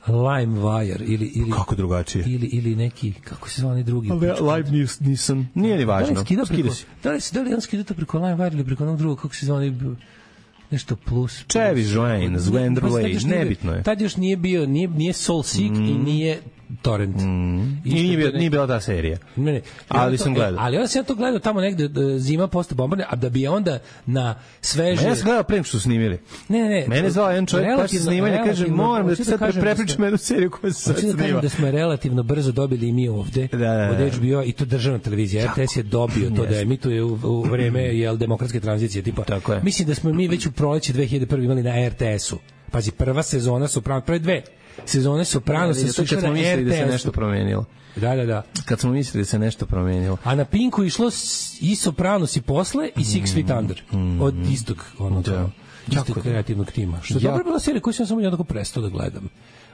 LimeWire ili ili kako drugačije ili ili neki kako se zove onaj drugi Live News nisam nije ni važno da li skida se da li se da li on skida to preko LimeWire ili preko onog drugog kako se zove nešto plus Chevy Joanne Zwendrley nebitno je tad još nije bio nije nije Soulseek mm. i nije Torrent. Mm. I nije, bio, nije bila ta serija. Ne, ne. Ali to, sam gledao. E, ali onda sam ja to gledao tamo negde zima posle bombardovanja, a da bi onda na sveže... Ma ja sam gledao pre nego što su snimili. Ne, ne, ne. Mene zvao jedan čovjek posle snimanja, kaže, moram da ti sad prepričam jednu seriju koja se sad snima. Da kažem da smo relativno brzo dobili i mi ovde da, da, da. od H B O i to državna televizija. R T S je dobio to yes. da emituje u, u vreme jel, demokratske tranzicije. Tipa. Mislim da smo mi već u proleće dve hiljade prve imali na R T S-u. Pazi, prva sezona Soprano, prve dve sezone Soprano se su kad smo mislili da se nešto promenilo. Da, da, da. Kad smo mislili da se nešto promenilo. A na Pinku išlo i Sopranos i posle i Six Feet Under. Mm, od istog onog da. istog kreativnog tima. Što je dobro bila serija koju sam samo jednako prestao da gledam.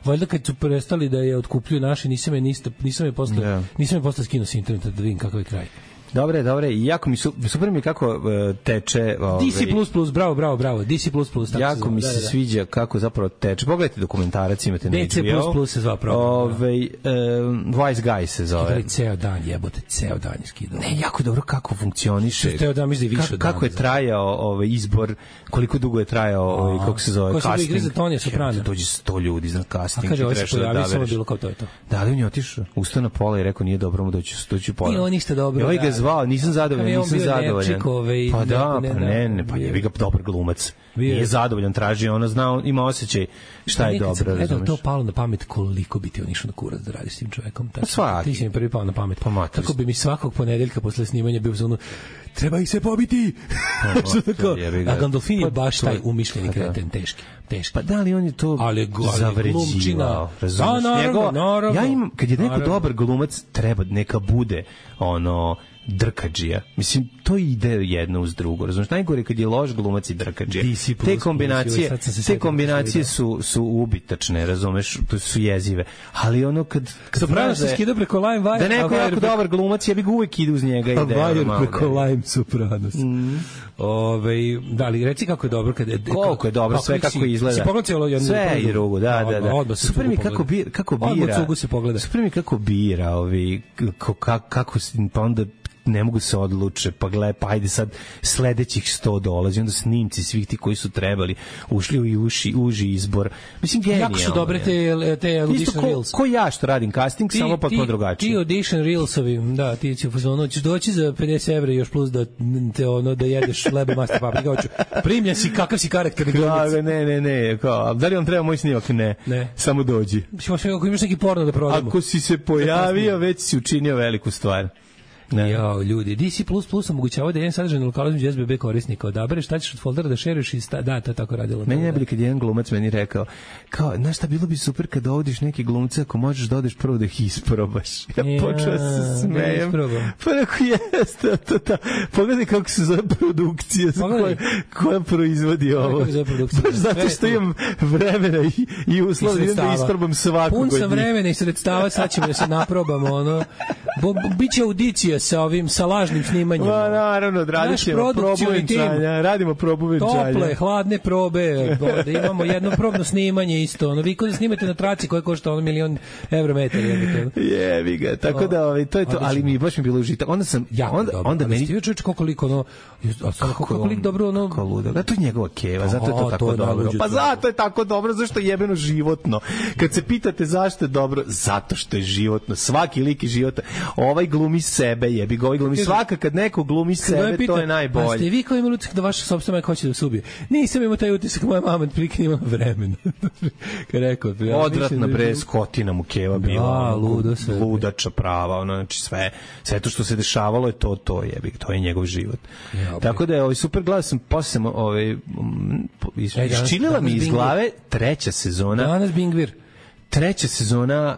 Valjda kad su prestali da je otkupljuju naši, nisam je, nisam je posle, yeah. nisam je posle skinuo s interneta da vidim kakav je kraj. Dobre, dobre, i jako mi su, super mi kako uh, teče... Ove, D C plus plus, bravo, bravo, bravo, D C plus plus. Jako mi se da, da. sviđa kako zapravo teče. Pogledajte dokumentarac, imate na H B O. D C plus plus se zvao program. Ove, um, Wise Guy se zove. Skidali ceo dan, jebote, ceo dan je skidali. Ne, jako dobro kako funkcioniše. Ceo dan, mislim da je više Ka, kako dan, je trajao ovaj izbor, koliko dugo je trajao, ovaj, kako se zove, ko casting. Ko se igre za Tonija Soprana? Dođe sto ljudi za casting. A kaže, ovo se pojavio, samo bilo kao to je to. Da, ali on je otišao, ustao na pola i rekao, nije dobro mu doći, doći pola. Nije on ništa dobro. I ovaj ga zvao, nisam zadovoljan. Nisam zadovoljan. Ove, pa da, ne, pa ne, ne, pa je ga dobar glumac. Bio. Nije zadovoljan, traži, ona zna, ima osjećaj šta je dobro, razumeš. Eto, to palo na pamet koliko bi ti on išao na kurac da radi s tim čovekom. Pa svaki. Ti si mi prvi pao na pamet. Pa kako bi mi svakog ponedeljka posle snimanja bio za ono, treba ih se pobiti. Što tako? A Gandolfini je baš taj umišljeni kreten, teški. Teški. Pa da li on je to ali, zavređivao, razumeš? Da, naravno, naravno. Ja imam, kad je neko dobar glumac, treba neka bude ono drkadžija. Mislim, to ide jedno uz drugo. Razumiješ, najgore kad je loš glumac i drkadžija. Te kombinacije, te kombinacije su, su ubitačne, razumeš, to su jezive. Ali ono kad... kad Soprano se skida preko LimeWire... Da neko jako preko... dobar glumac, ja bih uvijek ide uz njega. A Wire preko Lime Sopranos. Mm. Ove, da li reci kako je dobro kad je koliko je dobro sve kako si, izgleda. Sve i drugo, da, da, da. Super mi kako bira, kako bira. Super mi kako bira, ovi kako kako pa onda ne mogu se odluče, pa gledaj, pa ajde sad sledećih sto dolazi, onda snimci svih ti koji su trebali, ušli u uši, uži izbor. Mislim, genijalno. Jako su dobre te, te audition ko, reels. Ko ja što radim casting, ti, samo potpuno drugačije. Ti audition reelsovi, da, ti će u fazonu, ćeš doći za pedeset evra još plus da, te, ono, da jedeš lebe master paprika, hoću, primljen si, kakav si karakterni glumac. Ne, ne, ne, kao, da li vam treba moj snimak? Ne, ne. Samo dođi. Ako imaš neki porno da prodamo. Ako si se pojavio, već si učinio veliku stvar. Ne. Jo, ljudi, D C plus plus omogućava da jedan sadržaj na lokalu između S B B korisnika odabere šta ćeš od foldera da šeruješ i sta, da, to je tako radilo. Meni je bilo kad jedan glumac meni rekao, kao, znaš šta, bilo bi super kad dovodiš neki glumce, ako možeš da odeš prvo da ih isprobaš. Ja, ja počeo se smejem. Pa neko jeste, to, to, pogledaj kako se zove produkcija koja, koja proizvodi ovo. Baš zato što imam vremena i, i uslov da isprobam svakog. Pun sam vremena i sredstava, sad ćemo da se naprobamo, ono, bo, bo, biće audicija sa ovim, sa lažnim snimanjem. Ma, naravno, radit ćemo probu venčanja, radimo probu venčanja. Tople, hladne probe, da imamo jedno probno snimanje isto, ono, vi kod da snimate na traci koja košta ono milion evro metar. Jebi ga, tako da, ovaj, to je to, ali mi baš mi bilo užitak. Onda sam, ja, onda, dobro, onda meni... Stio čovječ koliko, ono, kako koliko dobro, ono... Kako ludo, da, to je njegova keva, zato je to tako to dobro. Pa zato je tako dobro, zašto je jebeno životno. Kad se pitate zašto je dobro, zato što je životno, svaki lik je života. Ovaj glumi sebe, jebi ga, ovaj glumi svaka kad neko glumi sebe, pita, to je najbolje. A ste vi kao imali utisak da vaša sopstvena majka hoće da se ubije? Nisam imao taj utisak, moja mama prilike imala vremena. Kad rekao, ja odvratna bre, skotina mu keva bila, da, ludo sve, ludača prava, ono, znači sve, sve to što se dešavalo je to, to jebi, to je njegov život. Ja, tako da je ovaj super glas sam posle ovaj iščilila mi iz glave treća sezona. Danas Bingvir. Treća sezona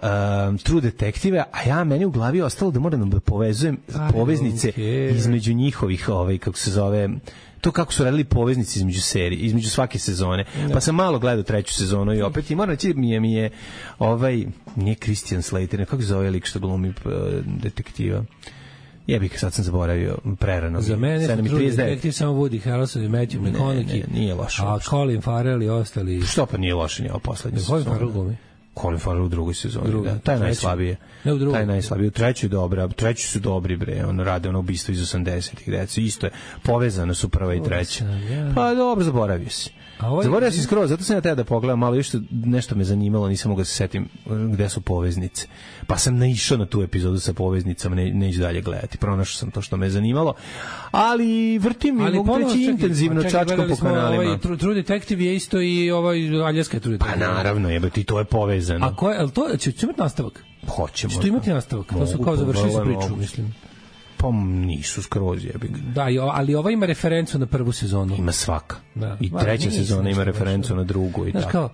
uh, True Detective, a ja meni u glavi ostalo da moram da povezujem Aj, poveznice okay. između njihovih, ovaj, kako se zove, to kako su radili poveznice između serije, između svake sezone. No. Pa sam malo gledao treću sezonu i opet i moram reći mi je, mi je ovaj, nije Christian Slater, kako se zove lik što glumi uh, detektiva? Jebik, sad sam zaboravio, prerano. Za mene je True Detective samo Woody Harrelson i Matthew McConaughey. Ne, ne, nije loše. A Colin Farrell i ostali... Što pa nije loše, nije ovo poslednje sezone. Colin Farrell glumi? Colin Farrell u drugoj sezoni, Drugi, da. Taj je najslabije. Ne, u taj je najslabije. U trećoj dobra, treći su dobri, bre. On rade ono ubistvo iz osamdesetih, deca. Isto je, povezano su prva i treća. Pa dobro, zaboravio si. Ovaj... Zaboravio si skroz, zato sam ja teo da pogledam malo, još nešto me zanimalo, nisam mogao da se setim gde su poveznice. Pa sam naišao na tu epizodu sa poveznicama, ne, neću dalje gledati. Pronašao sam to što me zanimalo. Ali vrtim i mogu reći intenzivno čačkom po kanalima. Ovaj, True Detective je isto i ovaj Aljaska True Detective. Pa naravno, jebati, to je povezano. A ko je, al to će, će imati nastavak? Hoćemo. Što imati nastavak? To su kao završili su priču, mislim. Pa nisu skroz jebi ga. Da, ali ova ima referencu na prvu sezonu. Ima svaka. Da. I treća sezona ima referencu na drugu i tako. Kao,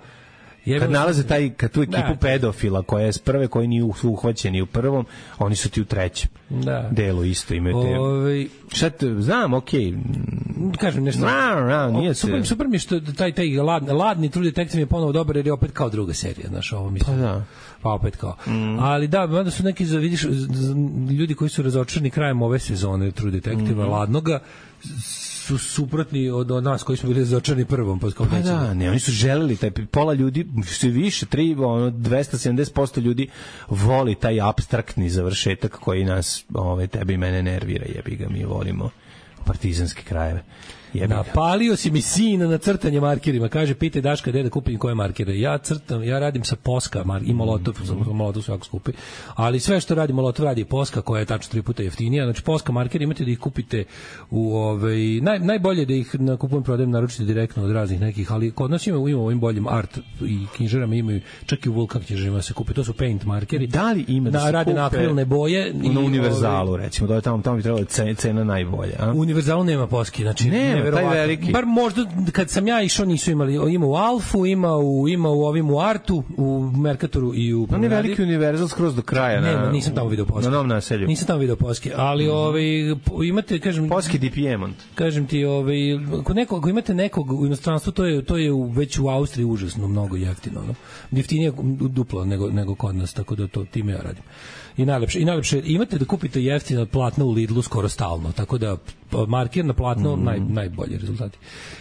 kad nalaze taj, kad tu ekipu da, pedofila koja je s prve, koji nisu uhvaćeni u prvom, oni su ti u trećem da. delu isto imaju te... Ove... Šta te, znam, okej. Okay. Kažem nešto. No, no, nije super, se... super mi što taj, taj lad, ladni True Detective je ponovo dobar jer je opet kao druga serija, znaš, ovo mislim. Pa da. Pa opet kao. Mm. Ali da, mada su neki, vidiš, ljudi koji su razočarani krajem ove sezone True Detective-a, mm-hmm. ladnoga, su suprotni od, od nas koji smo bili razočarani prvom. Pa, pa da, ne, oni su želeli, taj pola ljudi, sve više, tri, ono, dvesta sedamdeset posto ljudi voli taj apstraktni završetak koji nas, ove, tebe i mene nervira, jebi ga, mi volimo partizanske krajeve. Napalio si mi sina na crtanje markerima. Kaže, pitaj Daška gde da kupim koje markere. Ja crtam, ja radim sa Poska mar, i Molotov, mm. Molotov svako skupi. Ali sve što radi Molotov radi Poska, koja je tačno tri puta jeftinija. Znači Poska markeri imate da ih kupite u ovaj naj, najbolje da ih na kupujem prodajem naručite direktno od raznih nekih, ali kod nas ima ima ovim boljim art i knjižarama imaju, čak i u Vulkan knjižarama se kupe. To su paint markeri. Da li ima da, da rade na akrilne boje i na Univerzalu ovaj, recimo, da je tamo tamo bi trebalo cena, cena najbolja, a? U Univerzalu nema Poski, znači ne taj veliki. Bar možda kad sam ja išao nisu imali, ima u Alfu, ima u ima u ovim u Artu, u Mercatoru i u on je veliki Univerzal skroz do kraja. Ne, na, nisam tamo video Poski. Na Novom Naselju. Nisam tamo video Poski, ali mm-hmm. ovaj imate, kažem, Poski di Piemont. Kažem ti, ovaj kod nekog, ako imate nekog u inostranstvu, to je to je u, već u Austriji užasno mnogo jeftino, no. Jeftinije duplo nego nego kod nas, tako da to time ja radim. I najlepše, i najlepše imate da kupite jeftino platno u Lidlu skoro stalno, tako da marker na platno mm. naj, najbolji rezultati.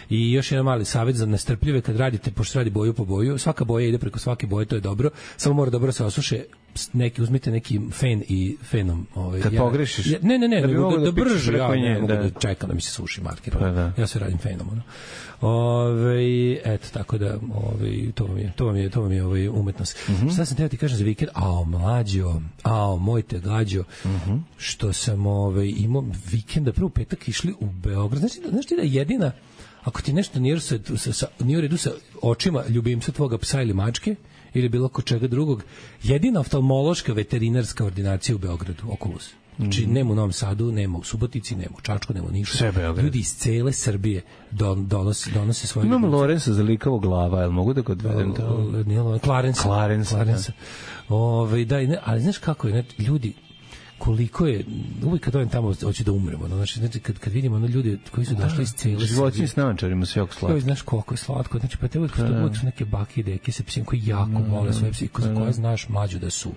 I još jedan mali savjet za nestrpljive kad radite, pošto se radi boju po boju, svaka boja ide preko svake boje, to je dobro, samo mora dobro se osuše, neki, uzmite neki fen i fenom. Ovaj, kad ja, pogrešiš? Ja, ne, ne, ne, da, nego da, da, da brže, ja nje, ne mogu da. da čekam da mi se suši marker. Pa, da. Ja se radim fenom. Ono. Ove, eto, tako da ove, to vam je, to vam je, to vam je ovaj umetnost. Mm-hmm. Šta sam teo ti kažem za vikend? Ao, mlađo, ao, moj te gađo, mm-hmm. što sam ovaj, imao vikenda, prvo petak išli u Beograd. Znači, znaš ti da jedina, ako ti nešto nije, sa, sa, nije u redu sa očima ljubimca tvoga psa ili mačke, ili bilo ko čega drugog, jedina oftalmološka veterinarska ordinacija u Beogradu, Oculus. Znači, mm. nema u Novom Sadu, nema u Subotici, nema u Čačku, nema u Nišu. Ljudi iz cele Srbije don, donose, donose svoje... Imam Lorenza za likavo glava, jel mogu da ga odvedem tamo? Nije Klarensa. Klarensa, Klarensa. Da. Ove, da, ne, ali znaš kako je, ne, ljudi, koliko je, uvijek kad dojem tamo hoće da umremo, no, znači, znači kad, kad vidimo ono ljudi koji su došli iz cele životinji s naočarima su jako slatko. Znaš koliko je slatko, znači pa te uvijek, uvijek su neke bake i deke sa psima koji jako mm, vole svoje psi, za koje znaš mlađu da su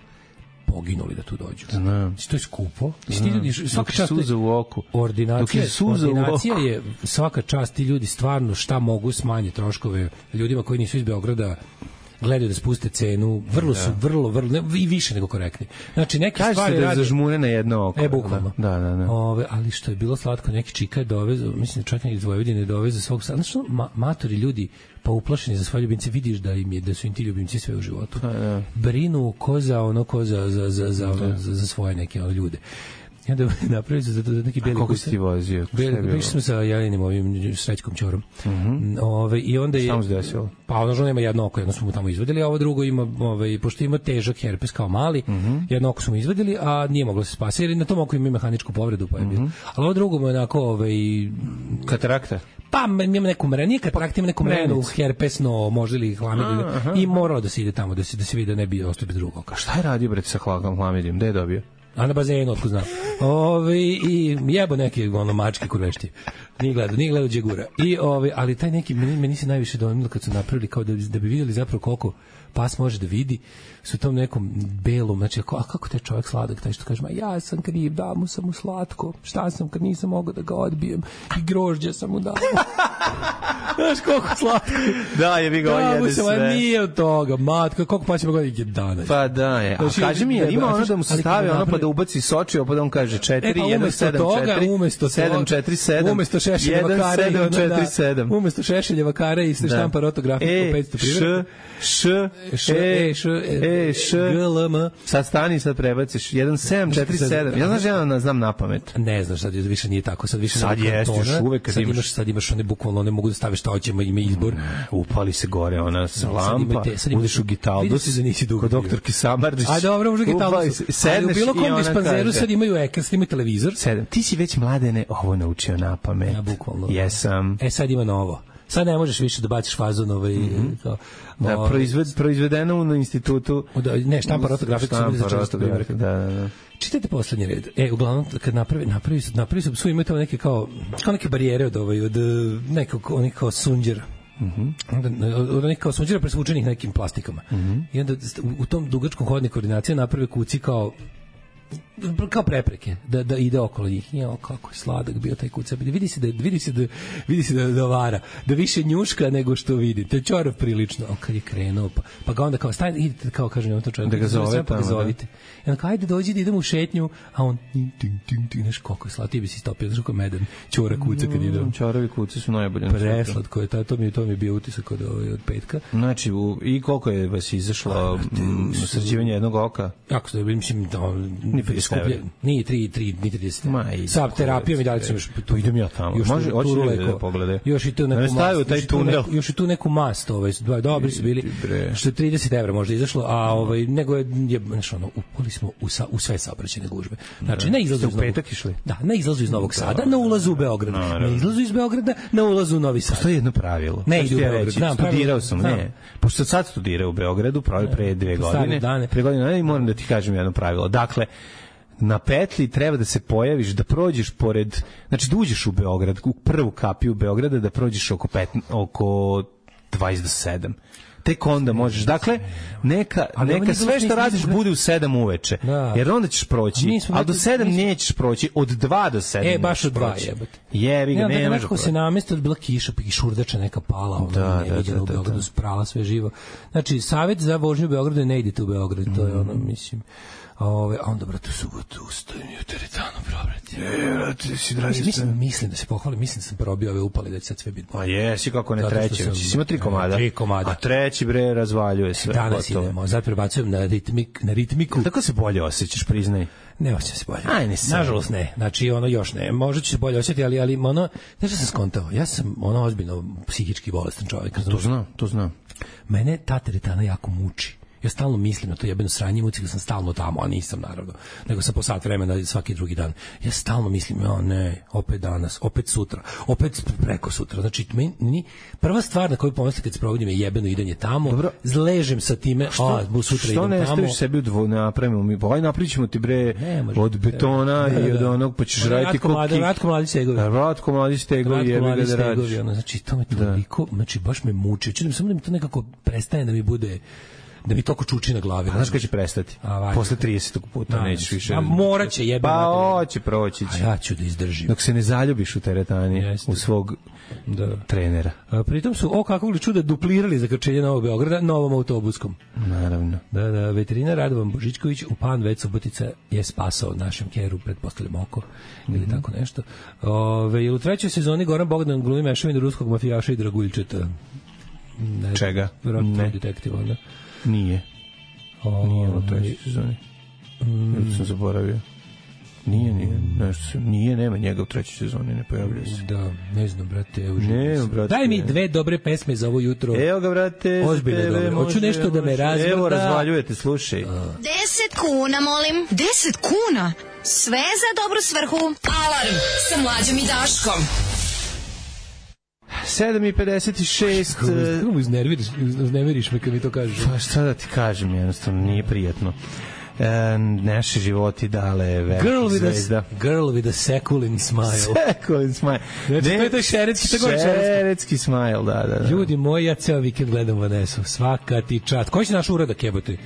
poginuli da tu dođu. Znam. To je skupo. Ti ljudi, svaka čast suza u oku. Ordinacija, je ordinacija u oku. Je svaka čast, ti ljudi stvarno šta mogu smanje troškove ljudima koji nisu iz Beograda gledaju da spuste cenu, vrlo su, vrlo, vrlo, ne, i više nego korektni. Znači, neke Kažete stvari da rade... zažmure na jedno oko. E, bukvalno. Da, da, da. Ove, ali što je bilo slatko, neki čika je dovezao, mislim da čak neki iz Vojvodine je dovezao svog... Znači, ma, matori ljudi, pa uplašeni za svoje ljubimce, vidiš da im je, da su im ti ljubimci sve u životu. A, da. Brinu ko za ono, ko za, za, za, za, za, za svoje neke ono, ljude. I onda napravili su za neki beli kuca. Koliko si ti vozio? Bili smo sa Jelinim ovim Srećkom Ćorom. Uh -huh. Ove, i onda je... Šta mu se desilo? Pa ono žena ima jedno oko, jedno smo mu tamo izvadili, a ovo drugo ima, ovaj, pošto ima težak herpes kao mali, uh -huh. jedno oko smo mu izvadili, a nije moglo se spasiti, jer na tom oko ima mehaničku povredu, pa je bilo. Uh -huh. Ali ovo drugo mu je onako... Ovaj, katarakta? Pa ima neku mrenu, nije katarakta, ima neku mrenu, herpesno, možda ili hlamidiju, i moralo da se ide tamo, da se, da se vidi da ne bi ostao bez drugog oka. Šta je radio, bre, sa hlamidijom? Gde je dobio? A na bazenu, otko znam. Ove, i jebo neke ono, mačke kurvešti. Nije gledao, nije gledao Đegura. I, ove, ali taj neki, meni, meni se najviše dojmilo kad su napravili, kao da, da bi vidjeli zapravo koliko pas može da vidi, su tom nekom belom, znači, a kako taj čovjek sladak, taj što kaže, ma ja sam kriv, dao mu sam mu slatko, šta sam kad nisam mogao da ga odbijem, i grožđe sam mu dao. Znaš koliko slatko. Da, je bi ga on jede sve. Da, nije od toga, matka, koliko pa ćemo goditi dana. Pa da je, a znači, kaži mi, je, ima ono da mu se stavi ono pa da ubaci soči, pa da on kaže četiri, jedan, sedam, četiri, sedam, četiri, sedam, umesto šešeljeva kare, sedam, četiri, sedam. Umesto šešeljeva kare i se štampa rotografiju po petsto primjera. Š, š, e, š, e, š, g, l, m. Sad stani, sad prebaciš. jedan, sedam, četiri, sedam. Ja znaš, ja znam na pamet. Ne znaš, sad više nije tako. Sad više sad jeste, još uvek kad sad imaš. imaš. Sad imaš one bukvalno, ne mogu da staviš šta hoćemo, ima izbor. Upali se gore, ona lampa, uđeš u Gitaldus, kod doktorki Samardžić. A dobro, možda Gitaldus. Ali u bilo kom dispanzeru sad imaju ekran, sad imaju televizor. Sedam. Ti si već, Mladene, ovo naučio na pamet. Ja, bukvalno. Jesam. E, sad ima novo. Sad ne možeš više da baciš fazon ovaj, mm -hmm. kao, da, ovaj, proizved, proizvedeno na institutu. Da, ne, štampa rotografika. Štampa rotografika, da, da, da. Čitajte poslednji red. E, uglavnom, kad napravi, napravi su, napravi su, su imaju tamo neke kao, kao neke barijere od, ovaj, od nekog, onih kao sunđera. Mhm. Onda od onih kao sunđera presvučenih nekim plastikama. Mm -hmm. I onda u, u tom dugačkom hodniku koordinacije naprave kuci kao kao prepreke da da ide okolo njih. Jo, kako je sladak bio taj kuca. Vidi se da vidi se da vidi se da, da vara, da više njuška nego što vidi. To je čorav prilično. A kad je krenuo pa pa ga onda kao stajte, idite kao kaže on to čovjek da ga zove pa ga zovite. I onda ajde dođi da idemo u šetnju, a on ting ting ting ting neš kako je sladak, ti bi se stopio znači kao medan ćora kuca kad ide. Ćoravi kuce su najbolje. Preslatko je, to mi to mi je bio utisak od od petka. Znači u, i koliko je vas izašlo sređivanje jednog oka? Kako se mislim da skuplje, nije tri, tri, ni trideset. Sa terapijom i dalje sam još tu idem ja tamo. Može, hoće da pogledaj. Još i tu neku mast, taj tunel. Još i tu neku mast, ovaj, dobri su bili. Što je trideset evra možda izašlo, a ovaj nego je znači ono upali smo u sa, u sve saobraćajne gužve. Znači na izlazu iz petak išli. Da, na izlazu iz Novog Sada, na ulazu u Beograd. Na izlazu iz Beograda, na ulazu u Novi Sad. Postoji jedno pravilo. Ne ide u Beograd. Studirao sam, ne. Pošto sad studirao u Beogradu, pre dve godine. Pre godine i moram da ti kažem jedno pravilo. Dakle, na petlji treba da se pojaviš, da prođeš pored, znači da uđeš u Beograd, u prvu kapiju Beograda, da prođeš oko, pet, oko dvadeset do sedam. Tek onda možeš. Dakle, neka, neka sve što radiš bude u sedam uveče. Jer onda ćeš proći. A do sedam nećeš proći. Od dva do sedam. E, baš od dva jebate. Jebi ga, ne možeš. Nekako se namesti od bila kiša, pa i šurdača neka pala. Ona je viđena u Beogradu, sprala sve živo. Znači, savjet za vožnju u Beogradu je ne idite u Beograd. To je ono, mislim... Ove, a onda, brate, u subotu ustajem i u teretanu probrati. E, brate, si draži se. Mislim, mislim da se pohvalim, mislim da sam probio ove upale, da će sad sve biti. Pa jesi, kako ne treći. Si ima tri komada. Tri komada. A treći, bre, razvaljuje sve. Danas idemo, sad prebacujem na, ritmik, na ritmiku. Tako se bolje osjećaš, priznaj. Ne osjećam se bolje. Aj, ne sam. Nažalost ne. Znači, ono još ne. Možda ću se bolje osjetiti, ali, ali ono, znaš što sam skontao? Ja sam ono ozbiljno psihički bolestan čovjek. To znam, to znam. Mene ta teretana jako muči. Ja stalno mislim na to jebeno sranje, muci sam stalno tamo, a nisam naravno, nego sam po sat vremena svaki drugi dan. Ja stalno mislim, ja ne, opet danas, opet sutra, opet preko sutra. Znači, meni, prva stvar na koju pomislim kad se provodim je jebeno idanje tamo, dobro, zležem sa time, što, a bu sutra idem tamo. Što ne staviš sebi u dvo, napravimo mi, pa aj napričimo ti bre od betona da, i od onog, pa ćeš da, raditi koki. Ratko mladi stegovi. Ratko mladi stegovi, jebi ga da radiš. Znači, to me toliko, znači, baš me muči. Čudim samo da mi to nekako prestane da mi bude da mi toliko čuči na glavi. Znaš kada će prestati? Posle tridesetog puta nećeš više. A moraće jebe. Pa hoće, proći će. A ja ću da izdržim. Dok se ne zaljubiš u teretani, Jeste. u svog da. trenera. A, pritom su, o kakvog li čuda, duplirali za krčenje Novog Beograda novom autobuskom. Naravno. Da, da, veterinar Radovan Božićković u Pan Već Subotica je spasao našem keru, pretpostavljam oko, mm-hmm. ili tako nešto. Ove, ili u trećoj sezoni Goran Bogdan glumi mešavinu ruskog mafijaša i draguljčeta. Ne, Čega? Ne. Detektiva, ne? Nije. O, nije u trećoj sezoni. Mm. Ja sam zaboravio. Nije, nije, nešto se, nije, nema njega u trećoj sezoni, ne pojavljuje se. Da, ne znam, brate, evo ne, brate. Daj mi dve dobre pesme za ovo jutro. Evo ga, brate. Ozbiljno dobro. Hoću nešto da me razvrda. Evo, razvaljujete, slušaj. Deset kuna, molim. Deset kuna? Sve za dobru svrhu. Alarm sa Mlađom i Daškom. sedam i pedeset šest. Kako iznerviriš, iznerviriš me kad mi to kažeš? Pa šta da ti kažem, jednostavno, nije prijatno. E, naše životi dale veliki zvezda. A, girl with a sekulin smile. Sekulin smile. Znači, ne, to je taj šeretski, tako je šeretski. Šeretski smile, da, da, da. Ljudi moji, ja ceo vikend gledam Vanesu. Svaka ti čast. Koji si naš uradak, jebote?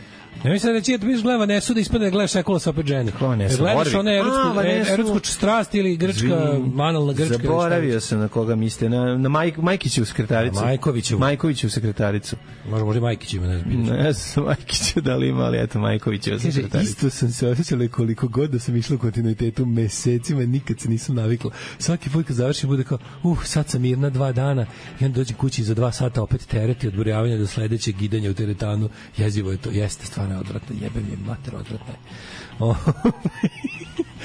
Ne mislim reći da biš gleda Vanesu da ispadne da gledaš Sekula sa opet žene. Gledaš one erotsku, erotsku strast ili grčka, manalna grčka. Zaboravio sam na koga mislite. Na, na Maj, Majkićevu sekretaricu. Majkovićevu. Majkovićevu sekretaricu. Možda možda Majkićeva, ne znam. Ne znam Majkićeva da li ima, ali eto Majkovićeva sekretarica. Isto sam se osjećala koliko god da sam išla u kontinuitetu mesecima, nikad se nisam navikla. Svaki put kad završim bude kao, uh, sad sam mirna dva dana i onda dođem kući za dva sata opet tereti od burjavanja do sledećeg gidanja u teretanu. Jezivo je to, jeste stvarno odvratno, jebem je mater, odvratno je.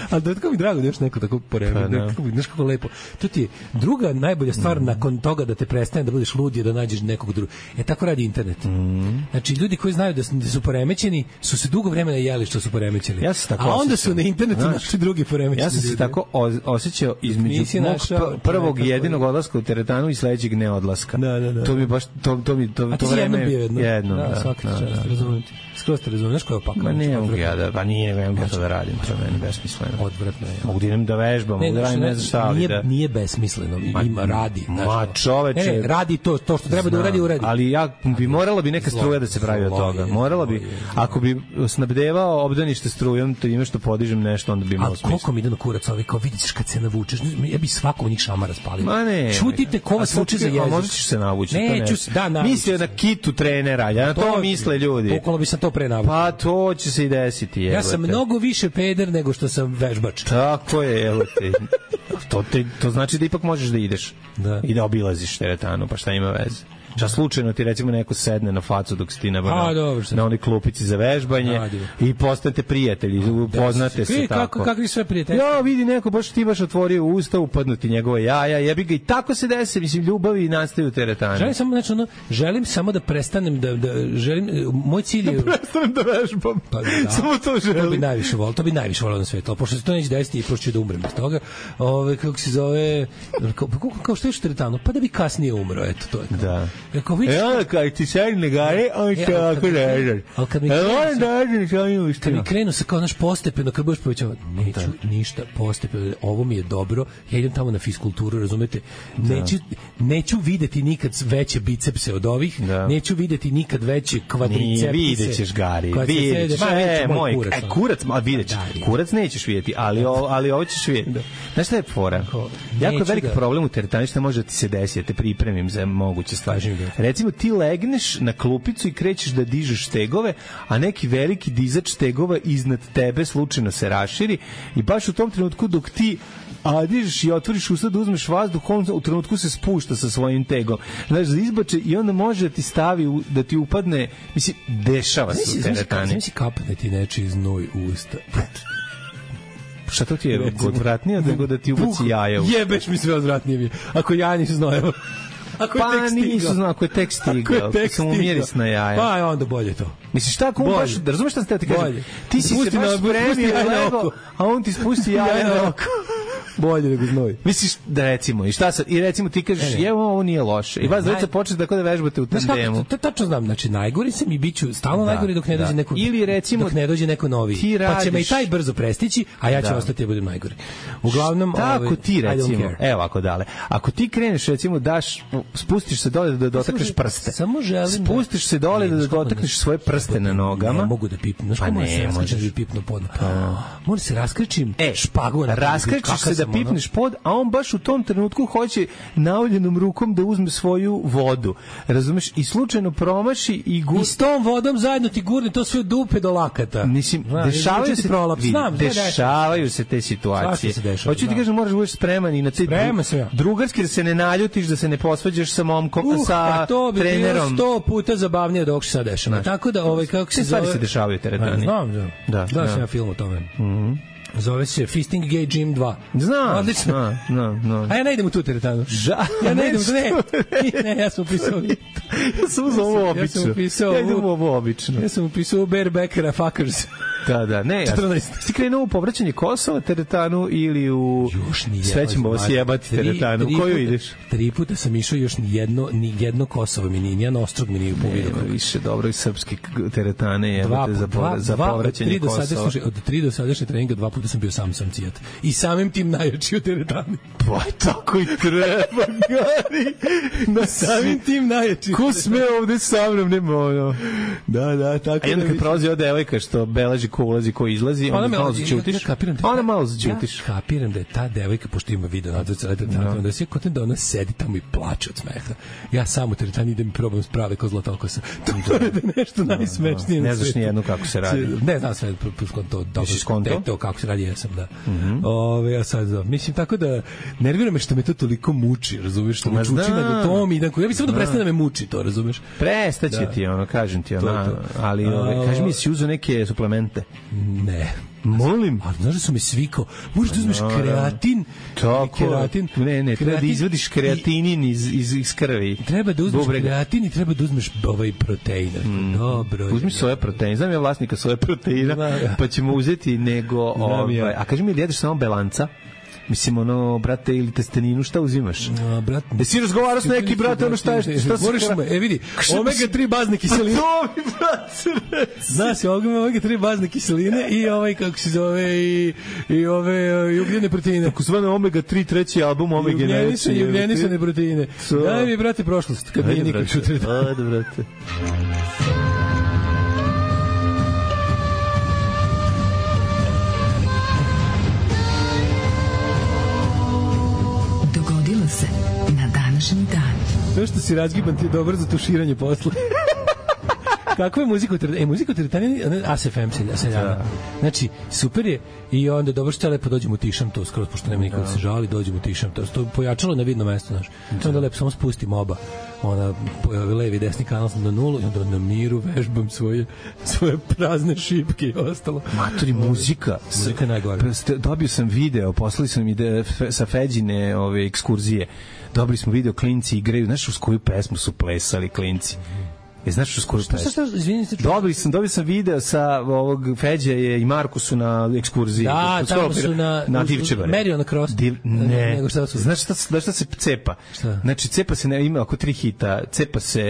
Ali da je tako mi drago da još neko tako poremeti, pa, znaš kako lepo. To ti je druga najbolja stvar mm. nakon toga da te prestane da budeš lud je da nađeš nekog drugog. E tako radi internet. Mm. Znači ljudi koji znaju da su, da su poremećeni su se dugo vremena jeli što su poremećeni. Ja se tako a onda osjećam. Su na internetu znaš, našli drugi poremećeni. Ja sam se ljudi. Tako osjećao između mog našao, prvog i jedinog odlaska u teretanu i sledećeg neodlaska. Da, da, da. To mi baš to to mi to a to vreme jedno. jedno da, da, svaki da, čas, razumem. Skroz te razumeš koja je opaka. Ma ne mogu ja da, pa nije, ne mogu to da radim, to je meni besmisleno. Odvratno je. Mogu da idem da vežbam, mogu da radim ne znam šta, ali nije, da... Nije besmisleno, ima radi. Ma čoveče... Ne, radi to, to što treba da uradi, uradi. Ali ja, bi morala bi neka struja da se pravi od toga. Morala bi, ako bi snabdevao obdanište strujom, to ima što podižem nešto, onda bi imao smisla. A koliko mi ide na kurac ovi, kao vidiš kad se navučeš, ja bi svakom njih šamara spalio. Ma ne. Čutite ko vas vuče za jezik. A možda ćeš se navući, to ne. Da, mislio na kitu trenera, ja na to misle ljudi. Okolo bi sam to pre navučio. Pa to će se i desiti. Ja sam mnogo više peder nego što sam vežbač. Tako je, evo te. To, te, to znači da ipak možeš da ideš da. I da obilaziš teretanu, pa šta ima veze. Šta slučajno ti recimo neko sedne na facu dok si ti na, A, na, dobro, na onoj klupici za vežbanje a, i postate prijatelji, upoznate se tako. Kako, kakvi sve prijatelji? Ja, vidi neko, baš ti baš otvorio usta, upadnuti njegove jaja, jebi ga i tako se desi, mislim, ljubavi nastaju u teretani. Želim samo, znači, ono, želim samo da prestanem da, da želim, moj cilj je... Da prestanem da vežbam. Pa, da, samo to želim. To bi najviše volio, to bi najviše volio na svetu, ali pošto se to neće desiti i pošto ću da umrem bez toga, ove, kako se zove, kao, kao što je u teretanu, pa da bi kasnije umro, eto, to je to. Da. Kao, vidiš, kad ti sedne gare, on će ovako režan. Ali kad mi krenu, kad mi krenu se kao naš postepeno, kad budeš povećavati, neću da. Ništa postepeno, ovo mi je dobro, ja idem tamo na fiskulturu, razumete, da. neću, neću videti nikad veće bicepse od ovih, da. Neću videti nikad veće kvadricepse. Nije, vidjet ćeš, Gari, vidjet ćeš, e, moj, kurac, e, kurac, a vidjet ćeš, kurac nećeš vidjeti, ali, o, ali ovo ćeš vidjeti. Da. Znaš šta je fora? Jako veliki problem u teretani što može da ti se desi, da te pripremim za moguće stvari. Recimo, ti legneš na klupicu i krećeš da dižeš stegove, a neki veliki dizač stegova iznad tebe slučajno se raširi i baš u tom trenutku dok ti a dižeš i otvoriš usta da uzmeš vazduh, on u trenutku se spušta sa svojim tegom. Znaš, da izbače i onda može da ti stavi, da ti upadne, mislim, dešava se u teretani. Znam si kapne ti nečiji znoj u usta. Šta to ti je odvratnije nego da ti ubaci jaja? Jebeš mi sve odvratnije mi. Ako ja nisu znojeva. Ako pa nisu znao, ako je tek stigao, ako je sam umiris na jaja. Pa onda bolje to. Misliš šta, ako baš, da razumeš šta sam te ti kažem? Ti si se baš spremio lego, a on ti spusti jaja na oko. Bolje nego znoj. Misliš da recimo, i šta sad, i recimo ti kažeš, ne, ne. Evo, ovo nije loše. I vas dvojica počnete tako da vežbate u tandemu. To tačno znam, znači najgori sam i biću stalno da, najgori dok ne dođe da. neko ili recimo dok ne dođe neko novi. Pa će me i taj brzo prestići, a ja ću da. ostati da budem najgori. Uglavnom, tako ovaj, ti recimo, evo ako dale. Ako ti kreneš recimo daš spustiš se dole da dotakneš prste. Samo želim spustiš se dole da dotakneš svoje prste na nogama. Ne mogu da pipnem. Znači ne možeš da pipnu pod. Mora se raskrčim špagu na. Raskrećeš se da pipneš pod, a on baš u tom trenutku hoće naoljenom rukom da uzme svoju vodu. Razumeš? I slučajno promaši i gur... I s tom vodom zajedno ti gurne to sve dupe do lakata. Mislim, Zna, dešavaju se prolaps. Znam, dešavaju se te situacije. Se hoću ti kažem, moraš da budeš spreman i na te dru... drugarski da se ne naljutiš, da se ne posvađaš sa momkom, uh, sa to bi trenerom. sto puta zabavnije dok se sad dešava. Tako da, ovaj, kako se zove... Te stvari se dešavaju teretani. Znam, znam. Da, da, sam ja film o tome. Mhm. Zove se Fisting Gay Gym dva. Znam. Odlično. No, no, no. A ja ne idem u tu teretanu. Ža. Ja ne idem u ne. Ne, ja sam upisao. Ja sam uzao ovo obično. Ja sam upisao ja idem ovo obično. Ja sam upisao Barebackera Fuckers. Da, da, ne, ja. Si krenuo u povraćanje Kosova teretanu ili u sve ćemo vas jebati teretanu. U koju ideš? Tri puta sam išao, još ni jedno, ni jedno Kosovo mi nije, nijedan ostrog mi nije povidio. Nema više dobro i srpske teretane jebate za, dva, za dva, povraćanje od Kosova. Slušaj, od tri do sadašnje treninga dva puta sam bio sam sam cijat. I samim tim najjači u teretani. Pa tako i treba, Gari. Na samim tim najjači. Ko sme ovde sa mnom, nema ono. Da, da, tako. A jedno kad prolazi ova devojka što beleži ko ulazi, ko izlazi, onda malo začutiš. Ja, ja onda malo začutiš. Ja kapiram da je ta devojka, pošto ima video nadzor cele teretane, da se kontent da ona sedi tamo i plače od smeha. Ja sam u teretani idem i probam sprave ko zlatokosa. To je nešto najsmešnije. Ne znaš ni jednu kako se radi. Ne znam sve, to dobro, to kako se radi, jesam, da. Ove, ja sad znam. Mislim, tako da nervira me što me to toliko muči, razumeš, što me čuči na tom i ja bih samo da prestane da me muči to, razumeš. Prestaće ti, ono, kažem ti, ono, ali kaži mi, si uzeo neke suplemente? Ne. Molim. A znaš da su mi svi kao, možeš da uzmeš kreatin? Tako. Kreatin. Ne, ne, treba da izvodiš kreatinin iz, iz, iz krvi. Treba da uzmeš Bubrega. kreatin i treba da uzmeš ovaj protein. Mm. Dobro. Uzmi soja protein. Znam ja vlasnika soja proteina, da, pa ćemo uzeti nego... Ovaj, ja. A kaži mi, jedeš samo belanca? Mislim, ono, brate, ili testeninu, šta uzimaš? A, brate... Da si razgovarao s neki, brate, ono šta je... Šta Boriš me, e vidi, omega tri bazne kiseline. Pa to mi, brate, znaš, omega tri bazne kiseline i ovaj, kako se zove, i, i ove i ugljene proteine. Tako zvane omega tri, treći album omega neće. I ugljenisane proteine. Daj mi, brate, prošlost, kad nije nikad čutre. Ajde, brate. Se na današnji dan. To što si razgiban ti je dobro za tuširanje posla. Kakva je muzika u teretani? E, muzika u teretani, A S F M seljana. Znači, super je i onda dobro što je lepo dođemo u tišam to skroz, pošto nema niko da se žali, dođemo u tišam to. To pojačalo na vidno mesto, znaš. Onda lepo samo spustim oba. Ona levi i desni kanal sam na nulu i onda na miru vežbam svoje, svoje prazne šipke i ostalo. Matori, muzika. Muzika je najgore. Dobio sam video, poslali sam ide sa Feđine ove ekskurzije. Dobili smo video, klinci igraju. Znaš uz koju pesmu su plesali klinci? E, znaš što skoro šta? Šta, šta, izvinite. Dobili sam, dobio sam video sa ovog Feđe i Marku su na ekskurziji. Da, tamo su na, na Divčebare. Merio na cross. Div, ne. Nego šta su? Znaš šta, znaš šta se cepa? Šta? Znači, cepa se, ne, ima oko tri hita. Cepa se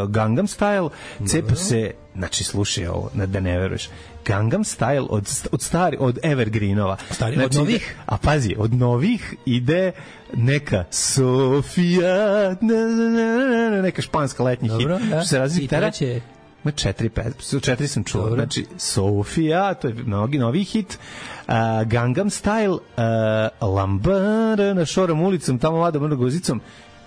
Gangnam Style, cepa no. se, znači, slušaj ovo, da ne veruješ. Gangnam Style od, od stari, od Evergreenova. Stari, znači, od novih? A pazi, od novih ide neka Sofia, neka španska letnji hit. Dobro, da. Što se razli gitara? Će... Ma četiri, pet, četiri sam čuo. Dobro. Znači, Sofia, to je mnogi novi hit. Uh, Gangnam Style, uh, Lambada na Šorom ulicom, tamo vada mrno gozicom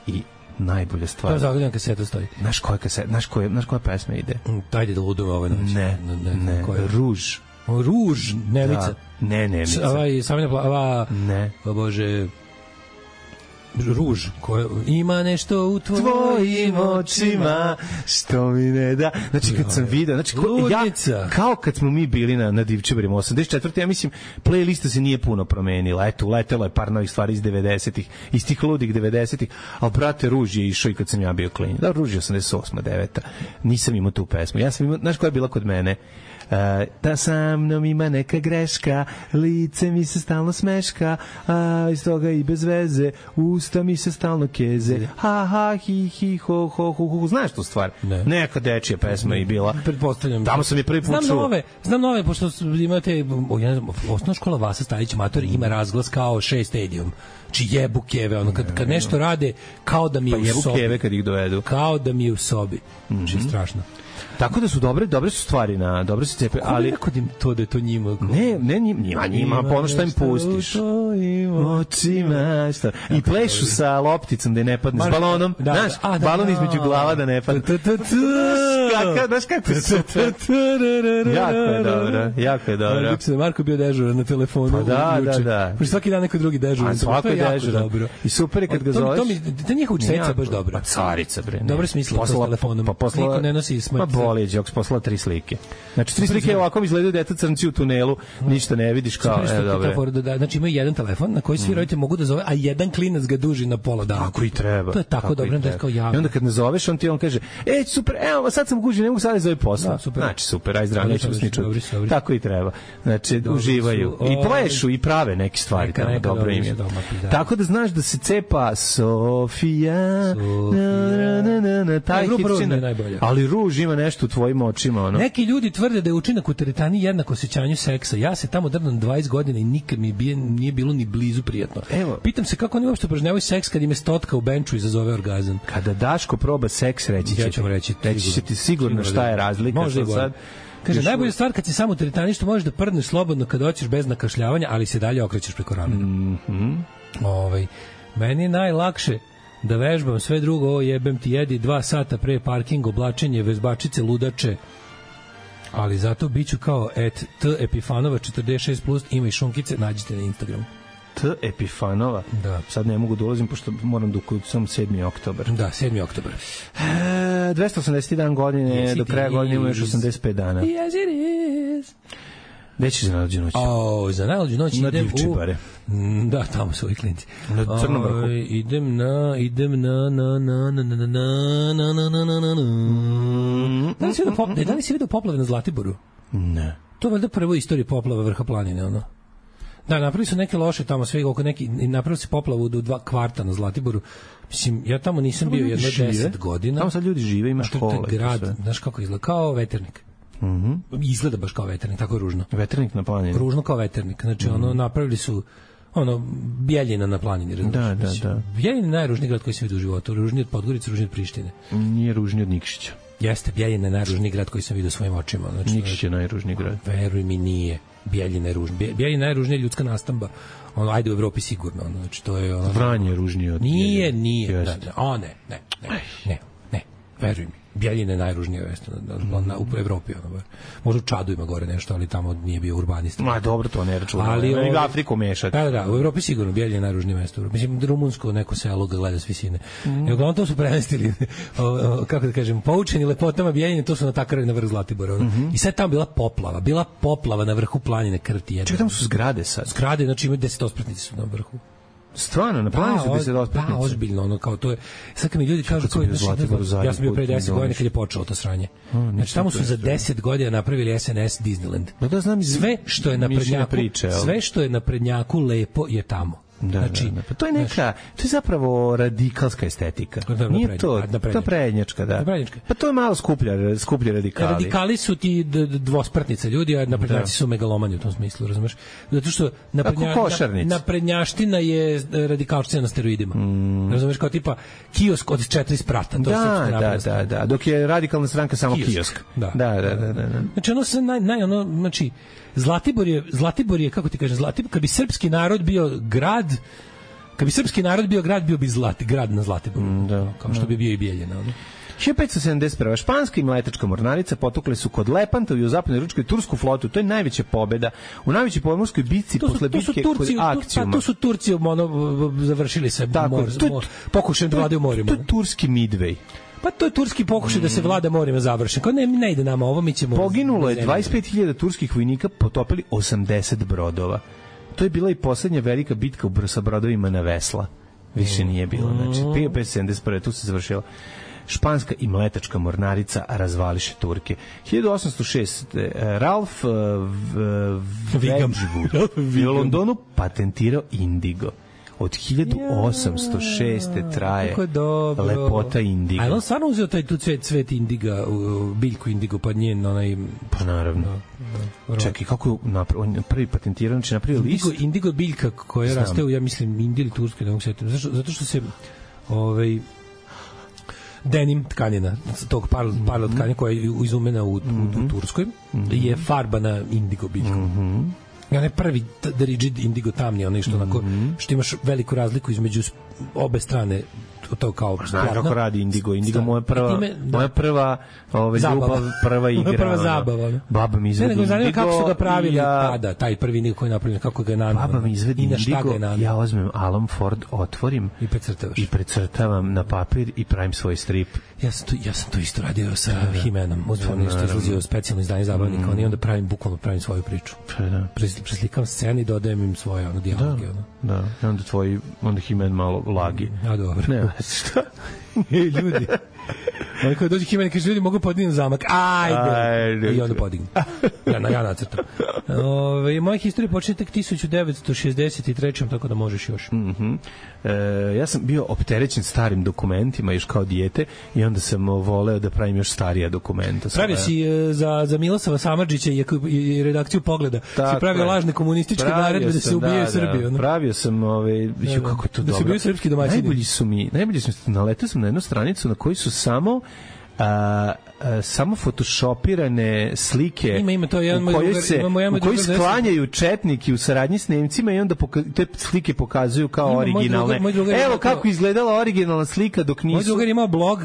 i najbolja stvar. To zagledam kaseta stoji. Znaš koja kaseta, znaš koja, znaš koja pesma ide? Tajde da ludom ovaj noć. Ne, ne, ne, Ruž. Ruž, Nemica. Da. Ne, Nemica. Ovaj, Savina Plava. Ne. O Bože. Ruž, koja ima nešto u tvojim, tvojim očima što mi ne da. Znači kad sam video, znači ja, kao kad smo mi bili na na Divčebarima osamdeset četvrte ja mislim playlista se nije puno promenila. Eto, uletelo je par novih stvari iz devedesetih, iz tih ludih devedesetih, al brate Ruž je išao i kad sam ja bio klinac. Da, Ruž je osamdeset osma deveta. Nisam imao tu pesmu. Ja sam imao, znaš koja je bila kod mene? Uh, da sa mnom ima neka greška, lice mi se stalno smeška, a iz toga i bez veze, usta mi se stalno keze, ha ha hi hi ho ho ho ho. Znaš tu stvar? Ne. Neka dečija pesma i bila. Pretpostavljam. Tamo sam je prvi put čuo. Znam nove, znam nove, pošto imate, osnovna škola Vasa Stajić Mator ima razglas kao šest stadium. Či jebu keve, ono, kad, kad nešto rade, kao da mi je pa u sobi. Pa jebu keve kad ih dovedu. Kao da mi je u sobi. Mm-hmm. Či strašno. Tako da su dobre, dobre su stvari na, dobre su cepe, ali kako im to da je to njima? Ne, ne njima, njima, po ono što im pustiš. Očima, šta? I plešu sa lopticom da ne padne, s balonom, znaš, balon između glava da ne padne. Kaka, znaš kako je super. Jako je dobro, jako je dobro. Dok se Marko bio dežuran na telefonu. Pa da, da, da. Pošto svaki dan neko drugi dežuran. Svako je dežuran. I super je kad ga zoveš. To njihova učiteljica baš dobro. Pa carica, bre. Dobro smislila to s telefonom. Niko ne nosi smrt. Boli je Đoks poslala tri slike. Znači tri slike ovako izgledaju deta crnci u tunelu, ništa ne vidiš kao, e dobro. Da, znači imaju jedan telefon na koji svi roditelji mogu da zove, a jedan klinac ga duži na pola dana. Tako i treba. To je tako dobro, da je kao javno. I onda kad ne zoveš, on ti on kaže: "Ej, super, evo, sad sam gužvi, ne mogu sad da zove posao." Znači super, aj zdravo, nećemo s ničim. Tako i treba. Znači uživaju i plešu i prave neke stvari tamo, dobro im je. Tako da znaš da se cepa Sofija. Taj hitčina. Ali Ruž ima nešto u tvojim očima, ono. Neki ljudi tvrde da je učinak u teretani jednak osjećanju seksa. Ja se tamo drnam dvadeset godina i nikad mi bije, nije bilo ni blizu prijatno. Evo, pitam se kako oni uopšte upražnjavaju seks kad im je stotka u benču izazove orgazam. Kada Daško proba seks, reći će, ja ću reći, reći će ti sigurno šta je razlika. Može sad. Kaže, najbolja stvar kad si samo u teretani što možeš da prdneš slobodno kad hoćeš bez nakašljavanja, ali se dalje okrećeš preko ramena. Mhm. Ovaj, meni je najlakše da vežbam sve drugo, ovo jebem ti jedi dva sata pre parking, oblačenje, vežbačice, ludače, ali zato biću kao et T Epifanova četrdeset šest plus, ima i šunkice, nađite na Instagramu. T Epifanova? Da. Sad ne mogu da ulazim, pošto moram da sam sedmi oktobar. Da, sedmi oktobar. E, dvesta osamdeset jedan godine, yes, do kraja godine ima još osamdeset pet dana. Yes, it is. Gde ćeš za najluđu noć? O, za najluđu noć na idem Divčibare. U... Da, tamo su ovi klinci. Na Crnom vrhu. O, idem na, idem na, na, na, na, na, na, na, na, na, na, na, na. Da li si vidio pop, da li si vidio poplave na Zlatiboru? Ne. To je valjda prvo istorija poplava vrha planine, ono. Da, napravili su neke loše tamo, sve oko neki, napravili su poplavu u dva kvarta na Zlatiboru. Mislim, ja tamo nisam bio jedno deset godina. Tamo sad ljudi žive, ima škole. To je grad, znaš kako izgleda, kao Veternik. Mhm. Izgleda baš kao Veternik, tako je ružno. Veternik na planini. Ružno kao Veternik. Znači, mm-hmm. ono, napravili su ono, Bjeljina na planini. Da, da, znači, da. Bjeljina je najružniji grad koji sam vidio u životu. Ružniji od Podgorice, ružniji od Prištine. Nije ružniji od Nikšića. Jeste, Bjeljina je najružniji grad koji sam vidio svojim očima. Znači, Nikšić je najružniji grad. Veruj mi, nije. Bijeljina je ružna. Bijeljina je najružnija ljudska nastamba. Ono, ajde u Evropi sigurno. Ono, znači, to je ono... Vranje je ružnije od... Nije, nije. Da, da. O, ne, ne, ne, ne, ne. Veruj mi. Bijeljina je najružnije mesto na, na, u Evropi. Ono, možda u Čadu ima gore nešto, ali tamo nije bio urbanista. Ma, dobro, to ne računamo. Ali ne, Afriku mešati. Da, da, u Evropi sigurno Bijeljina je najružnije mesto. Mislim, rumunsko neko selo ga gleda s visine. Mm. I uglavnom to su premestili, o, o, kako da kažem, poučeni lepotama Bijeljine, to su natakarali na vrh Zlatibora. Mm-hmm. I sad tamo bila poplava. Bila poplava na vrhu planine Krti. Čekaj, tamo su zgrade sad. Zgrade, znači imaju deset ospratnice su na vrhu. Stvarno, na planu su deset ospratnice. Da, ozbiljno, ono, kao to je... Sad kad mi ljudi kažu... Koji, znači, ja sam bio pre deset godina kad je počelo to sranje. A, znači, tamo su za deset godina napravili S N S Disneyland. No da znam, sve što je na prednjaku, priče, sve što je na prednjaku lepo je tamo. Da, znači, da, da. Pa to je neka, znači, to je zapravo radikalska estetika. Da, nije to, to prednjačka, da. Prednjačka. Pa to je malo skuplja, skuplji radikali. Radikali su ti dvosprtnice ljudi, a naprednjaci su megalomani u tom smislu, razumeš? Zato što naprednja, naprednjaština je radikalština na steroidima. Mm. Razumeš, kao tipa kiosk od četiri sprata. To da, je da, da, da. Dok je radikalna stranka samo kiosk. kiosk. Da. Da, da, da, da, da. Znači, ono se naj, naj, ono, znači, Zlatibor je, Zlatibor je, kako ti kažem, Zlatibor, kad bi srpski narod bio grad, kad bi srpski narod bio grad, bio bi Zlati, grad na Zlatiboru. Mm, da, kao što bi bio i Bijeljina. hiljadu petsto sedamdeset prve. Španska i mletačka mornarica potukle su kod Lepanta i u zapadnoj Ručkoj tursku flotu. To je najveća pobeda u najvećoj pomorskoj bitci posle bitke kod Akcijuma. Pa to su Turci ono, završili se mor, mor, pokušajem da vladaju morima. To je turski Midway. Pa to je turski pokušaj mm. da se vlada morima završen. Kao ne, ne ide nama ovo, mi ćemo... Poginulo je dvadeset pet hiljada turskih vojnika, potopili osamdeset brodova. To je bila i poslednja velika bitka sa brodovima na vesla. Više nije bilo. Znači, hiljadu petsto sedamdeset prve. tu se završila. Španska i mletačka mornarica razvališe Turke. hiljadu osamsto šeste. Ralph Wedgwood je u Londonu patentirao indigo. Od hiljadu osamsto šeste. traje lepota indiga. A on stvarno uzeo taj tu cvet, cvet indiga, biljku indigo, pa njen onaj... Pa naravno. Da, da. Čekaj, kako je napravi, prvi patentirao, znači napravio list? Indigo, indigo biljka koja Znam. raste u, ja mislim, Indiji ili Turskoj, da mogu sjetiti. Zato, zato što se... Ovaj, denim tkanina, tog parlo, parlo tkanina koja je izumena u, mm-hmm. u, u Turskoj, mm-hmm. je farbana indigo biljkom. Mm-hmm. I onaj prvi the rigid indigo tamni, onaj što, onako, mm-hmm. što imaš veliku razliku između obe strane, to kao znaš kako radi indigo. Indigo moja prva, time, da. moja prva ove, ljubav, prva igra. prva zabava. Ne? Baba mi izvedi indigo. Ne, ne, kako su ga pravili ja, tada, taj prvi indigo koji je napravljen, kako ga je nanao. Baba mi izvedi indigo, ja uzmem Alan Ford, otvorim i precrtavaš. I precrtavam na papir i pravim svoj strip. Ja sam to, ja sam to isto radio sa da. He-Manom. Uzmem nešto izlazio specijalno izdanje zabavnika, mm. i onda pravim, bukvalno pravim svoju priču. Da. Preslikam sceni i dodajem im svoje ono, dijaloge. Da, ono. da. I onda tvoj, onda He-Man malo lagi. A dobro. Ne, šta? Ej, ljudi. Oni kada dođe He-Man i kaže, ljudi, mogu podignem zamak. Ajde! Ajde. I onda podignem. Ja, na, ja nacrtam. Ove, moja historija počne tek hiljadu devetsto šezdeset treće. tako da možeš još. Mhm. E, ja sam bio opterećen starim dokumentima još kao dijete i onda sam voleo da pravim još starija dokumenta. Pravio si e, za, za Milosava Samardžića i, i redakciju Pogleda. Tako si pravio je. lažne komunističke naredbe da se ubijaju da, Srbiju. Da. Pravio sam, ove, da, da. kako je to da dobro. Da se ubijaju srpski domaćini. Najbolji su mi, najbolji su mi, naletao sam na jednu stranicu na kojoj su samo a, a, samo photoshopirane slike ima, ima to jedan u kojoj se imamo u kojoj sklanjaju četniki u saradnji s Nemcima i onda poka, te slike pokazuju kao ima, originalne. Moj drugar, moj Evo kako to... izgledala originalna slika dok nisu. Moj drugar imao blog,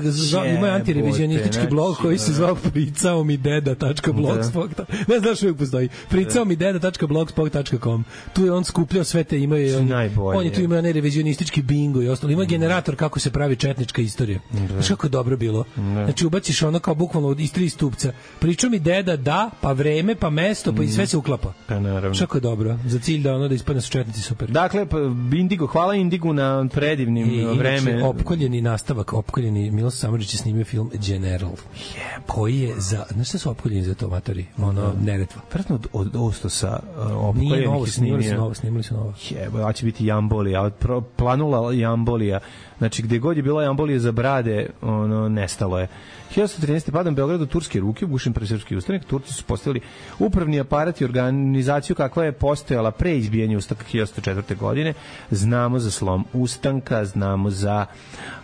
ima antirevizionistički blog koji se zvao pricao mi deda tačka blogspot. Ne znaš uvijek postoji. pricao mi deda tačka blogspot tačka com. Tu je on skupljao sve te, imao je on, on je tu imao nerevizionistički bingo i ostalo. Ima generator kako se pravi četnička istorija. Znaš kako je dobro bilo. Znači ubaciš ono kao bukvalno iz tri stupca. Pričao mi deda da, pa vreme, pa mesto, pa i sve se uklapa. Pa naravno. Kako je dobro. Za cilj da ono da ispadne su četnici super. Dakle, pa, Indigo, hvala Indigu na predivnim I, vreme. Inače, opkoljeni nastavak, opkoljeni Miloš Samardžić je snimio film General. Yeah. Koji je za, znaš šta su opkoljeni za to, matori? Ono, no. Neretva. Vratno od, od Ostosa opkoljenih Nije novo, snimili su novo, snimili su novo. Jebo, ja će biti jambolija, planula jambolija. Znači, gde god je bila jambolija za brade, ono, nestalo je. hiljadu trinaeste. padom Beogradu turske ruke, ugušen presrpski ustanak. Turci su postavili upravni aparat i organizaciju kakva je postojala pre izbijanja ustanka hiljadu četvrte. godine. Znamo za slom ustanka, znamo za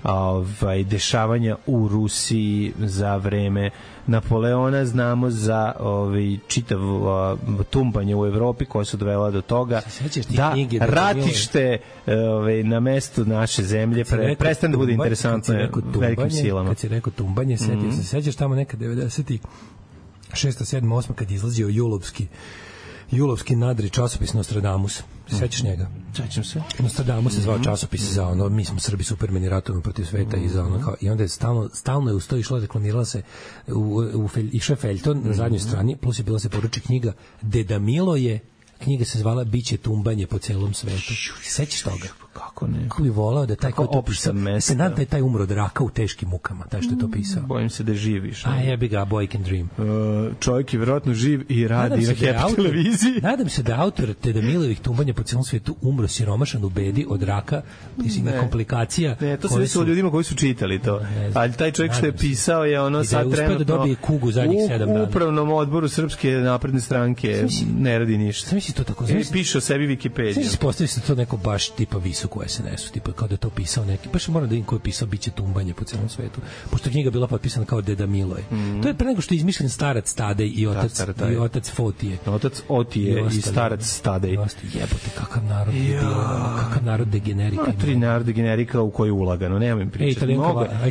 ovaj, dešavanja u Rusiji za vreme Napoleona, znamo za ovaj, čitav uh, tumbanje u Evropi koja su dovela do toga da ratište ovaj, na mestu naše zemlje pre, prestane da bude interesantno velikim silama. Kad si rekao tumbanje, setio mm-hmm. se, sećaš tamo neka devedeset šesta, sedma, osma kad je izlazio Julovski Julovski nadri časopis Nostradamus. Sećaš njega? Sećam se. Nostradamus se zvao časopis za ono, mi smo Srbi supermeni ratujemo protiv sveta i za ono kao, i onda je stalno, stalno je uz to išlo, reklamirala se u, u felj, išao je feljton na zadnjoj strani, plus je bila se poruči knjiga Deda Milo je, knjiga se zvala Biće tumbanje po celom svetu. Sećaš toga? Kako ne? Kako bi volao da taj ko to pisao, se nadam da je taj umro od raka u teškim mukama, taj što je to pisao. Bojim se da je živiš. A jebi ga, boy can dream. Uh, čovjek je vjerojatno živ i radi na Happy televiziji. Nadam se da autor Deda Milovih tumbanja po celom svetu umro siromašan u bedi od raka, mislim na komplikacija. Ne, to se desilo ljudima koji su čitali to. Ali taj čovjek što je pisao je ono sad trenutno da dobije kugu zadnjih sedam dana. U upravnom odboru Srpske napredne stranke ne radi ništa. Šta misli to tako? Piše o sebi Wikipediju. Znači, postavi se to neko baš tipa visok spisak u es en esu, tipa kao da je to pisao neki, baš moram da vidim ko je pisao Biće tumbanje po celom svetu, pošto je knjiga bila potpisana kao Deda Miloj. Mm. To je pre nego što je izmišljen starac Tadej i otac, da, i otac Fotije. Otac Otije i, i starac Tadej. Jebote, kakav narod je ja. bio, kakav narod degenerika. No, tri narod degenerika u koji ulagano, nemam im pričati.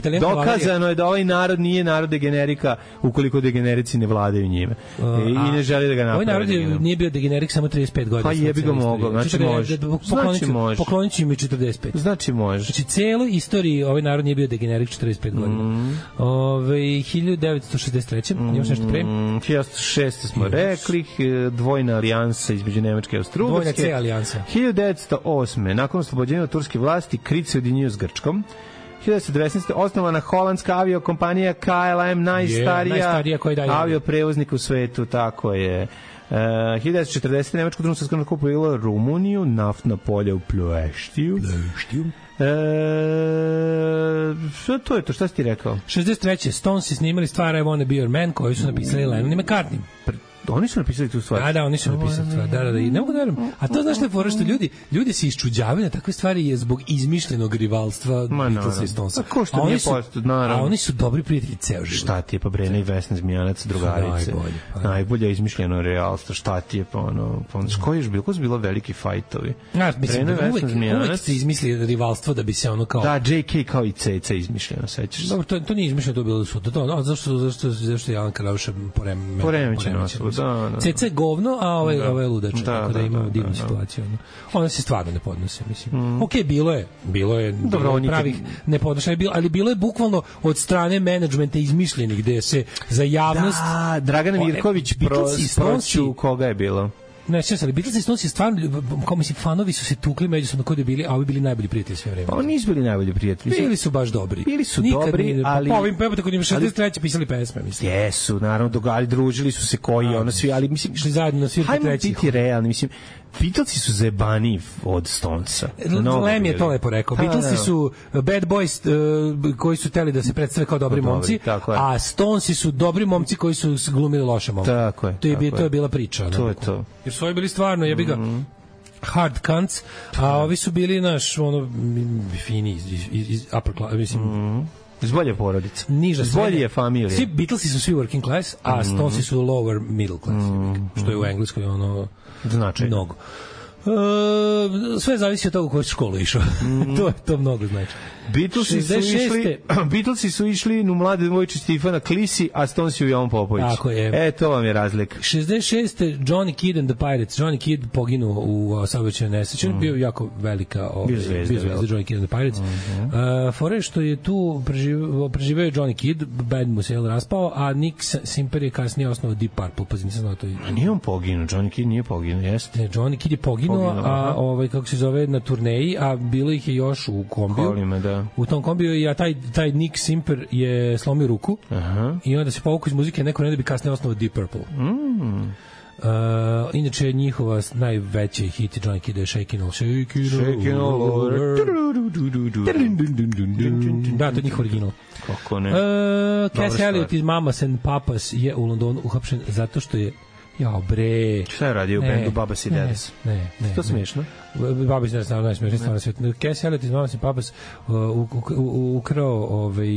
E, dokazano je da ovaj narod nije narod degenerika ukoliko degenerici ne vladaju njime. Uh, e, I ne želi da ga naprave. Ovaj narod je, nije bio degenerik samo trideset pet godina. Pa jebi ga mogao, znači može. Znači može. Poklonit ću im i četrdeset pet. Znači može. Znači, celu istoriji ovaj narod nije bio degenerik četrdeset pet godina. Mm. Ove, hiljadu devetsto šezdeset treće Mm. Imaš nešto pre? hiljadu devetsto šeste smo yes. rekli, dvojna alijansa između Nemačke i Austro-Ugarske. Dvojna C alijansa. hiljadu devetsto osme nakon oslobođenja od turske vlasti, Krit se ujedinio s Grčkom. hiljadu devetsto devetnaeste osnovana holandska aviokompanija K L M, najstarija, yeah, najstarija avioprevoznik u svetu, tako je. Uh, hiljadu devetsto četrdesete Nemačko društvo svjetskog rata kupilo Rumuniju, naftna polja u Ploeštiju. Ploeštiju. E, što to je to, šta si ti rekao? šezdeset treće Stones snimali stvar I Wanna Be Your Man koju su napisali Lennon i McCartney. Oni su napisali tu stvar. Da, da, oni su napisali stvar. Da, da, da. I ne mogu da verujem. A to znaš što je fora što ljudi, ljudi se iščuđavaju na takve stvari je zbog izmišljenog rivalstva Beatlesa i Stonesa. A ko što nije posto, naravno. A oni su dobri prijatelji ceo život. Šta ti je pa Brena i Vesna Zmijanac, drugarice. Najbolje. Pa, najbolje izmišljeno rivalstvo. Šta ti je pa ono, pa ono, ko je još bilo? Ko su bilo veliki fajtovi? Ja, mislim, Brena, Vesna, uvek, Zmijanac. Uvek se izmisli rivalstvo da bi se ono kao... Da, J K kao i C C izmišljeno, sećaš se. Dobro, to, to nije izmišljeno, to je bilo sutra. To, no, zašto, zašto, zašto je Alan Karauša porem, poremećeno? Da, da. C C govno, a ovaj da. ovaj ludač, da, tako da, da imamo da, divnu da, situaciju. Ono. Ona se stvarno ne podnose, mislim. Mm. Okej, okay, bilo je, bilo je, dobro, bilo je pravih nepodnošaja, ali bilo je bukvalno od strane menadžmenta izmišljenih gde se za javnost... Da, Dragana Mirković proću koga je bilo? Ne, sve ali Beatles i Stones je stvarno, kao mislim, fanovi su se tukli međusobno kod je bili, a ovi bili najbolji prijatelji sve vreme. Pa oni nisu bili najbolji prijatelji. Bili su baš dobri. Bili su Nikad dobri, nije, ali... Pa ovim pevate kod njima šezdeset treće pisali pesme, mislim. Jesu, naravno, dogali, družili su se koji, a, ono svi, ali mislim... Šli zajedno na svirke trećih. Hajmo biti realni, mislim, Beatlesi su zebani od Stonesa. Lem je to lepo rekao. Beatlesi su bad boys uh, koji su teli da se predstave kao dobri Dobri, momci, a Stonesi su dobri momci koji su glumili loše momke. Tako je. To je, tako to je bila priča. To je to. Jer su ovi bili stvarno, jebi ga, mm-hmm. hard cunts, a ovi su bili naš, ono, fini iz, iz, iz upper class, mislim... Mm-hmm. Iz bolje porodice. Niža iz bolje familije. Svi Beatlesi su svi working class, a mm-hmm. Stonesi su lower middle class, mm-hmm. što je u Engleskoj ono... Znači. Mnogo. Uh, sve zavisi od toga u koju školu išao. Mm. to, to mnogo znači. Beatlesi su išli, Beatlesi su išli u mlade devojčice Stefana Klisi, a Stonesi u Jovan Popović. Tako je. E, to vam je razlika. šezdeset šeste Johnny Kidd and the Pirates. Johnny Kidd poginuo u saobraćajnoj nesreći. Mm. Bio jako velika, ovaj, bio zvezda, bio zvezda Johnny Kidd and the Pirates. Mm-hmm. Uh, fore što je tu preživeo, preživeo Johnny Kidd, band mu se je raspao, a Nick Simper je kasnije osnovao Deep Purple, pa nisam znao to. A nije on poginuo, Johnny Kidd nije poginuo, jeste. Ne, Johnny Kidd je poginuo, poginuo a ovaj kako se zove na turneji, a bilo ih je još u kombiju. Kolima, da. U tom kombiju i ja taj taj Nick Simper je slomio ruku. Aha. I onda se povukao iz muzike neko ne da bi kasnije osnovao Deep Purple. Mm. Uh, inače njihova najveći hit Johnny Kidd je Shakin' All Shakin' All Over. Da, to je njihov original. Kako ne? Uh, Cass Elliot iz Mamas and Papas je u Londonu uhapšen zato što je jao bre. Šta je radio u bendu Babas i Dads? Ne, ne, ne. To smiješno? Babas i Dads, naravno najsmiješno stvarno svijet. Cass Elliot iz Mamas and Papas ukrao ovaj,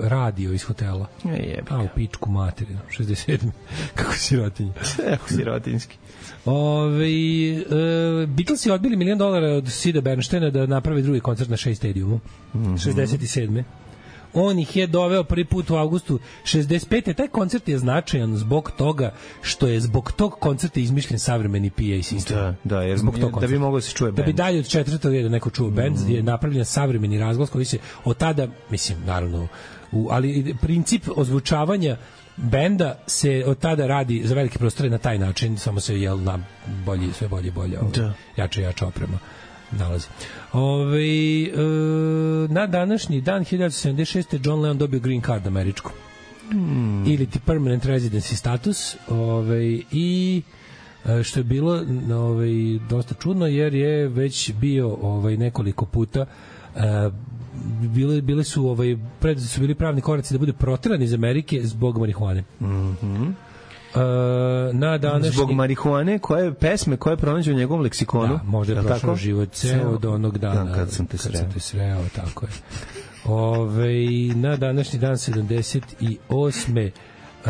radio iz hotela. Jebika. A u pičku materinu, šezdeset sedme Kako sirotinji. Kako sirotinjski. Ove, uh, Beatlesi odbili milion dolara od Sida Bernsteina da napravi drugi koncert na Shea Stadiumu. Mm-hmm. šezdeset sedme On ih je doveo prvi put u avgustu šezdeset pete Taj koncert je značajan zbog toga što je zbog tog koncerta izmišljen savremeni P A sistem. Da, da, jer zbog tog da bi mogao se čuje bend. Da bi dalje od četvrtog reda neko čuo bend, mm. je napravljen savremeni razglas koji se od tada, mislim, naravno, u, ali princip ozvučavanja benda se od tada radi za velike prostore na taj način, samo se jel na bolji, sve bolje i bolje, ovaj, jače i jača oprema nalazi. Ove, e, na današnji dan hiljadu sedamdeset šeste John Lennon dobio green card američku. Hmm. Ili ti permanent residency status. Ove, I što je bilo ove, dosta čudno jer je već bio ovaj nekoliko puta e, bile, bile su ovaj pred su bili pravni koraci da bude proteran iz Amerike zbog marihuane. Mhm. na današnji... Zbog marihuane, koje pesme koje pronađe u njegovom leksikonu. Da, možda je prošlo tako? Život ceo od onog dana. Dan kad sam te sreo. Kad sam te sreo, tako je. Ove, na današnji dan sedamdeset osme Uh,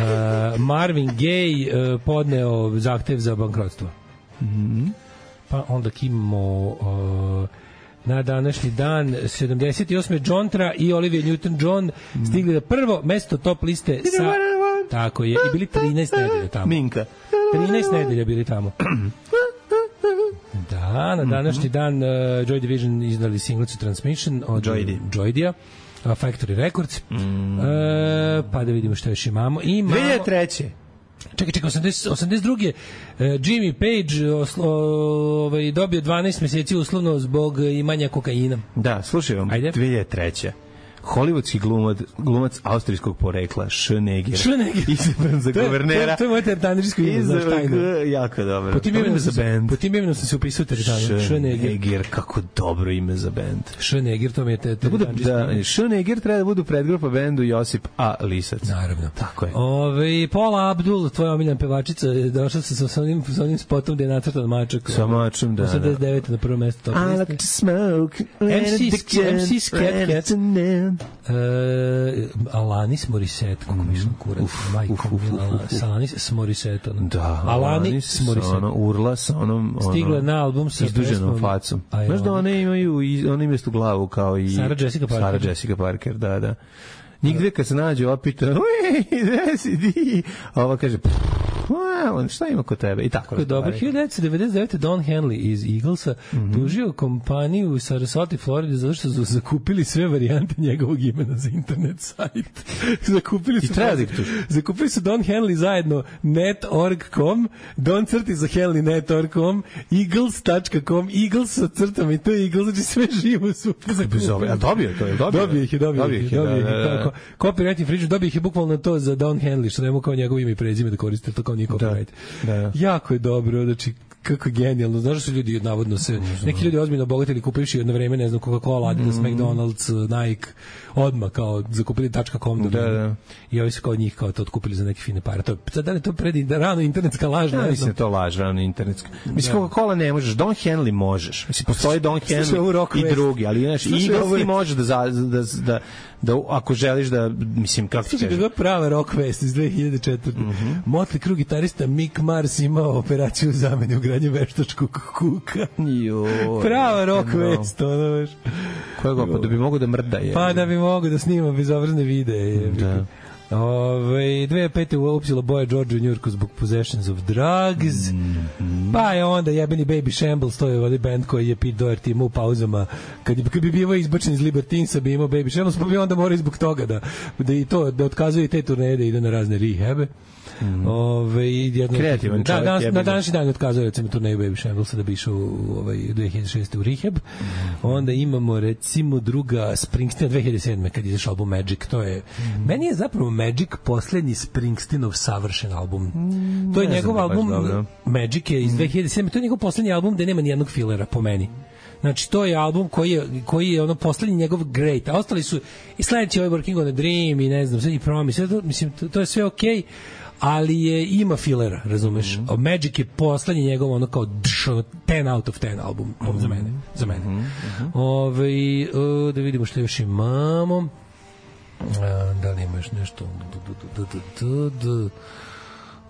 Marvin Gaye uh, podneo zahtev za bankrotstvo. Mm-hmm. Pa onda imamo uh, na današnji dan sedamdeset osme Jontra i Olivia Newton-John mm. stigli na prvo mesto top liste sa... Tako je, i bili trinaest nedelja tamo. Minka. trinaest nedelja bili tamo. Da, na današnji dan uh, Joy Division izdali singlicu Transmission od Joydija. Factory Records. Mm. E, pa da vidimo što još imamo. Imamo... dve hiljade treće Čekaj, čekaj, osamdeset, osamdeset druge Uh, Jimmy Page oslo, ovaj, dobio dvanaest meseci uslovno zbog imanja kokaina. Da, slušaj vam, Ajde. dve hiljade treće Hollywoodski glumac, glumac austrijskog porekla, Schneeger. Schneeger. Izabran za guvernera. To je moje teretaničko ime, znaš tajno. Jako dobro. Po tim imenom za band. Po tim imenom sam se upisao teretaničko. Schneeger, kako dobro ime za band. Schneeger, to mi je teretaničko. Da, Schneeger treba da budu predgrupa bendu Josip A. Lisac. Naravno. Tako je. Ove, Paula Abdul, tvoja omiljena pevačica, došla se sa onim, sa onim spotom gde je nacrtan mačak. Sa mačom, da. osamdeset devete na prvo mesto. I like to smoke. M C Scat Cat. Uh, Alanis Morissette, kako mi sam kurac, majko mila, Alanis Morissette, da, Alanis Morissette, ono urla sa onom, ono, stigla na album sa izduženom facom. Znaš da one imaju, one imaju istu glavu kao i Sarah Jessica Parker. Sarah Jessica Parker, da, da. Njih dve kad se nađe opita, uj, gde si ti? A ova kaže, on šta ima kod tebe? I tako. Tako je dobro. hiljadu devetsto devedeset devete Don Henley iz Eaglesa mm-hmm. tužio kompaniju u Sarasoti, Florida, zato što su zakupili sve varijante njegovog imena za internet sajt. zakupili su... I treba da ih tuži. Zakupili su Don Henley zajedno net dot org dot com, Don crti za Henley net dot org dot com, eagles dot com, Eagles sa crtama i to je Eagles, znači sve živo su zakupili. A dobio je to? Je dobio? Dobio ih je, dobio ih je. Copyright infringement, dobio ih je bukvalno to za Don Henley, što nema kao njegovo ime i prezime da koriste, to kao nije copyright. Da, da. Jako je dobro, znači kako genijalno. Znaš da su ljudi navodno se neki ljudi ozbiljno obogatili kupivši jedno vreme, ne znam, Coca-Cola, Adidas, mm. McDonald's, Nike, odmah kao zakupili .com da, da. I ovi su kao njih kao to otkupili za neke fine pare. To sad da li to pred rano internetska laž, ja, mislim to laž, rano internetska. Mislim Coca-Cola ne možeš, Don Henley možeš. Mislim postoji Don Henley i drugi, ali znaš, Eagles ti može da da da da ako želiš da, mislim, kako ti kažeš. Kako je prava rock vest iz dve hiljade četvrte Mm-hmm. Motley Crue gitarista Mick Mars imao operaciju u zameni ugradnje veštačkog kuka. Joj. Prava rock no. vest, ono veš. Koja pa da bi mogo da mrda je. Pa da bi mogo da snima bezobrazne videe. Da. Ove, dve hiljade pete uopćila Boja George u Njurku zbog Possessions of Drugs. Mm-hmm. Pa je onda jebeni Baby Shambles, to je ovaj band koji je Pete Doherty imao u pauzama. Kad, kad bi bivao izbačen iz Libertinsa bi imao Baby Shambles, pa bi onda morao zbog toga da, da, i to, da otkazuje te turneje, da ide na razne rehebe. Mm. Ove, jedno, kreativan čovjek. Da, danas, na današnji dan otkazuje recimo turneju Baby Shamblesa da bi išao u ovaj, dve hiljade šeste u rehab. Mm. Onda imamo recimo druga Springsteen dve hiljade sedme kad je izašao album Magic. To je, mm. meni je zapravo Magic poslednji Springsteenov savršen album. Mm, to je njegov album Magic je iz dve hiljade sedme To je njegov poslednji album gde nema ni jednog filera po meni. Znači, to je album koji je, koji je ono poslednji njegov great. A ostali su i sledeći ovaj Working on a Dream i ne znam, sve i Promise. To, mislim, to, to je sve okej. Okay, ali je ima filera, razumeš? Mm-hmm. Magic je poslednji njegov ono kao dš, ono, ten out of ten album mm-hmm. za mene, za mene. Mm-hmm. Ove, uh, da vidimo što još imamo. Uh, da li ima još nešto?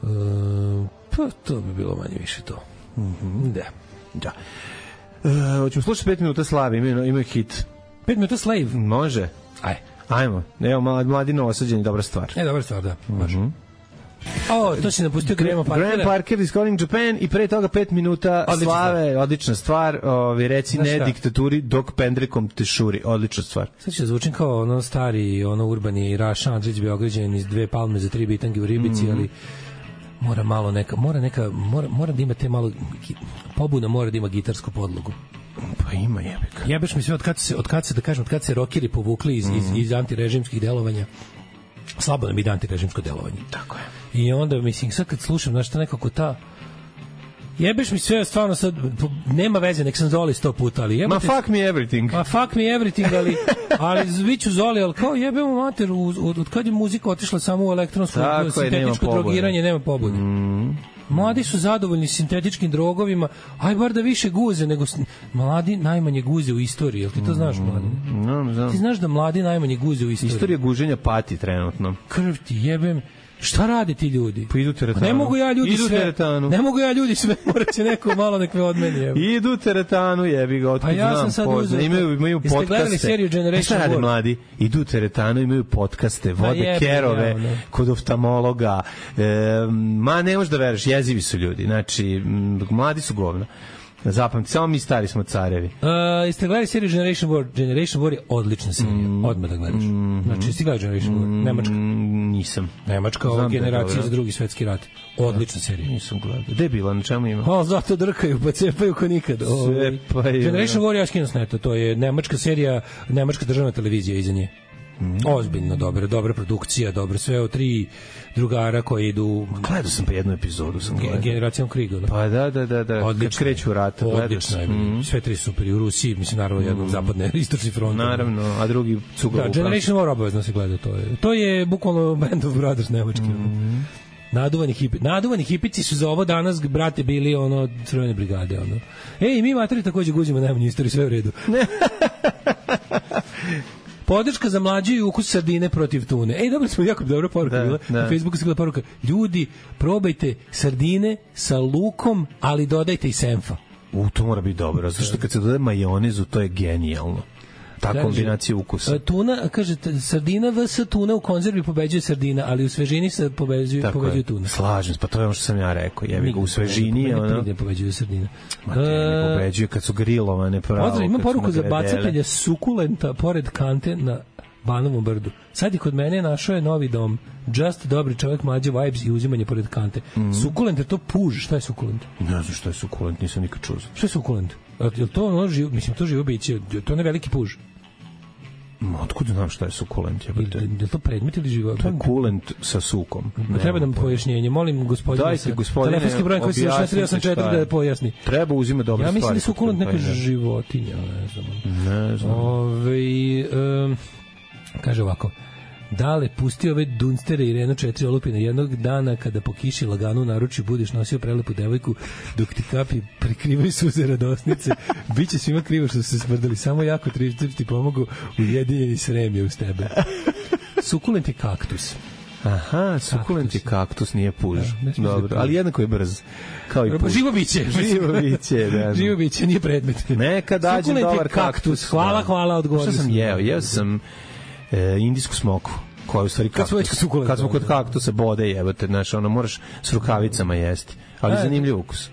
Uh, pa to bi bilo manje više to. Mm-hmm. Da. Da. Uh, hoćemo slušati pet minuta Slave, imaju, imaju hit. Pet minuta Slave? Može. Aj. Ajmo. Evo, Mladino osađen, dobra stvar. E, dobra stvar, da. Može. Mm-hmm. O, to si napustio Graham Parkera. Graham Parker is calling Japan i pre toga pet minuta odlična Slave, stvar. Odlična stvar. Ovi reci znaš ne šta? Diktaturi dok pendrekom te šuri. Odlična stvar. Sad će zvučim kao ono stari, ono urbani Raša Andrić Beograđanin iz dve palme za tri bitange u Ribici, mm. ali mora malo neka, mora neka, mora, mora da ima te malo, pobuna mora da ima gitarsku podlogu. Pa ima jebika. Jebeš mi sve od kad se, od kad se, da kažem, od kad se rokeri povukli iz, mm. iz, iz antirežimskih delovanja. Slabo nam ide antirežimsko delovanje. Tako je. I onda, mislim, sad kad slušam, znaš, ta nekako ta Jebeš mi sve, stvarno sad, nema veze, nek sam Zoli sto puta, ali jebate... Ma fuck me everything. Ma fuck me everything, ali, ali biću Zoli, ali kao jebemo mater, od, od kad je muzika otišla samo u elektronsko sintetičko drogiranje, nema pobude. Mm. Mladi su zadovoljni sintetičkim drogovima, aj bar da više guze, nego mladi najmanje guze u istoriji, jel ti to znaš, mladi? No, znam. Ti znaš da mladi najmanje guze u istoriji? Istorija guženja pati trenutno. Krv ti jebem. Šta rade ti ljudi? Pa idu teretanu. Ne mogu ja ljudi idu sve. Teretanu. Ne mogu ja ljudi sve, moraće neko malo nek me odmeni. Evo. Idu teretanu, jebi ga, otkud pa ja znam. Sam Pozna. Imaju, imaju podcaste. Jeste gledali seriju Generation Šta rade mladi? Idu teretanu, imaju podcaste, vode pa jebi, kerove, ja, ne. Kod oftalmologa. E, ma ne možeš da veruješ, jezivi su ljudi. Znači, mladi su govna. Zapamti, samo mi stari smo carevi. Uh, jeste gledali seriju Generation War? Generation War je odlična serija, mm, odmah da gledaš. Mm, znači, jeste gledali Generation War? Nemačka? Nisam. Nemačka, ova generacija za drugi svetski rat. Odlična serija. Nisam gledao. Gde je bila, na čemu ima? O, zato drkaju, pa cepaju ko nikad. Cepaju. Generation War je skinu s neta, to je nemačka serija, nemačka državna televizija iza nje. Mm. Ozbiljno dobra, dobra produkcija, dobro sve o tri drugara koji idu. Gledao sam pa jednu epizodu, sam gledao. Generacijom Kriga. Da? Pa da, da, da, da. Odlično. Kad kreću rata, odlično je. Mm. Sve tri super i u Rusiji, mislim naravno jednog mm. zapadne istočni front. Naravno, a drugi cuga. Da, Generation War obavezno se gleda, to je. To je bukvalno Band of Brothers nemački. Mm. Naduvani hipi. Naduvani hipici su za ovo danas, brate, bili ono crvene brigade, ono. Ej, mi materi takođe guzimo najmanju istoriju, sve u redu. Podrška za mlađu i ukus sardine protiv tune. Ej, dobro smo, jako dobra poruka da, bila. Da. Na Facebooku se bila poruka. Ljudi, probajte sardine sa lukom, ali dodajte i senfa. U, to mora biti dobro. Zato što kad se dodaje majonezu, to je genijalno. Ta kombinacija ukusa. Tuna, kaže, sardina vs tuna u konzervi pobeđuje sardina, ali u svežini se pobeđuje, pobeđuje tuna. Slažem se, pa to je ono što sam ja rekao. Jevi ga, u svežini ne, ono... Ne pobeđuje sardina. Ma te ne pobeđuje kad su grilovane pravo. Pozdrav, imam poruku za bacatelja sukulenta pored kante na Banovom brdu. Sad je kod mene našao je novi dom. Just dobri čovjek, mlađe vibes i uzimanje pored kante. Mm. Sukulent je to puž. Šta je sukulent? Ne znam šta je sukulent, nisam nikad čuo. Šta je sukulent? Je to ono živo, mislim, to živo biće, to ne veliki puž. Otkud znam šta je sukulent? Je li to predmet ili živo? To je kulent sa sukom. Ne, treba nam pojašnjenje. Molim gospodine. Dajte gospodine. Telefonski broj koji se još tri osam četiri da pojasni. Treba uzima dobre stvari. Ja mislim da su sukulent neka životinja. Ne znam. Ne znam. Ove, um, kaže ovako. Dale, pusti ove dunstere i Renault četiri olupine jednog dana kada po kiši lagano u naručju budeš nosio prelepu devojku dok ti kapi prikrivaju suze radosnice. Biće svima krivo što su se smrdali. Samo jako trištips ti pomogu ujedinjeni srem je uz tebe. Sukulent je kaktus. Aha, sukulent je kaktus, nije puž. Da, dobro, ali jednako je brz. Kao i puž. Živo biće. Živo biće, da. Živo biće, nije predmet. Neka dađe dobar kaktus. kaktus. Hvala, da. hvala, odgovorio sam. Šta sam jeo? Jeo sam e, indijsku smoku. Koja je u stvari kaktus. Kad, kad smo kod kaktusa bode jebate, znaš, ono moraš s rukavicama jesti. Ali zanimljiv ukus.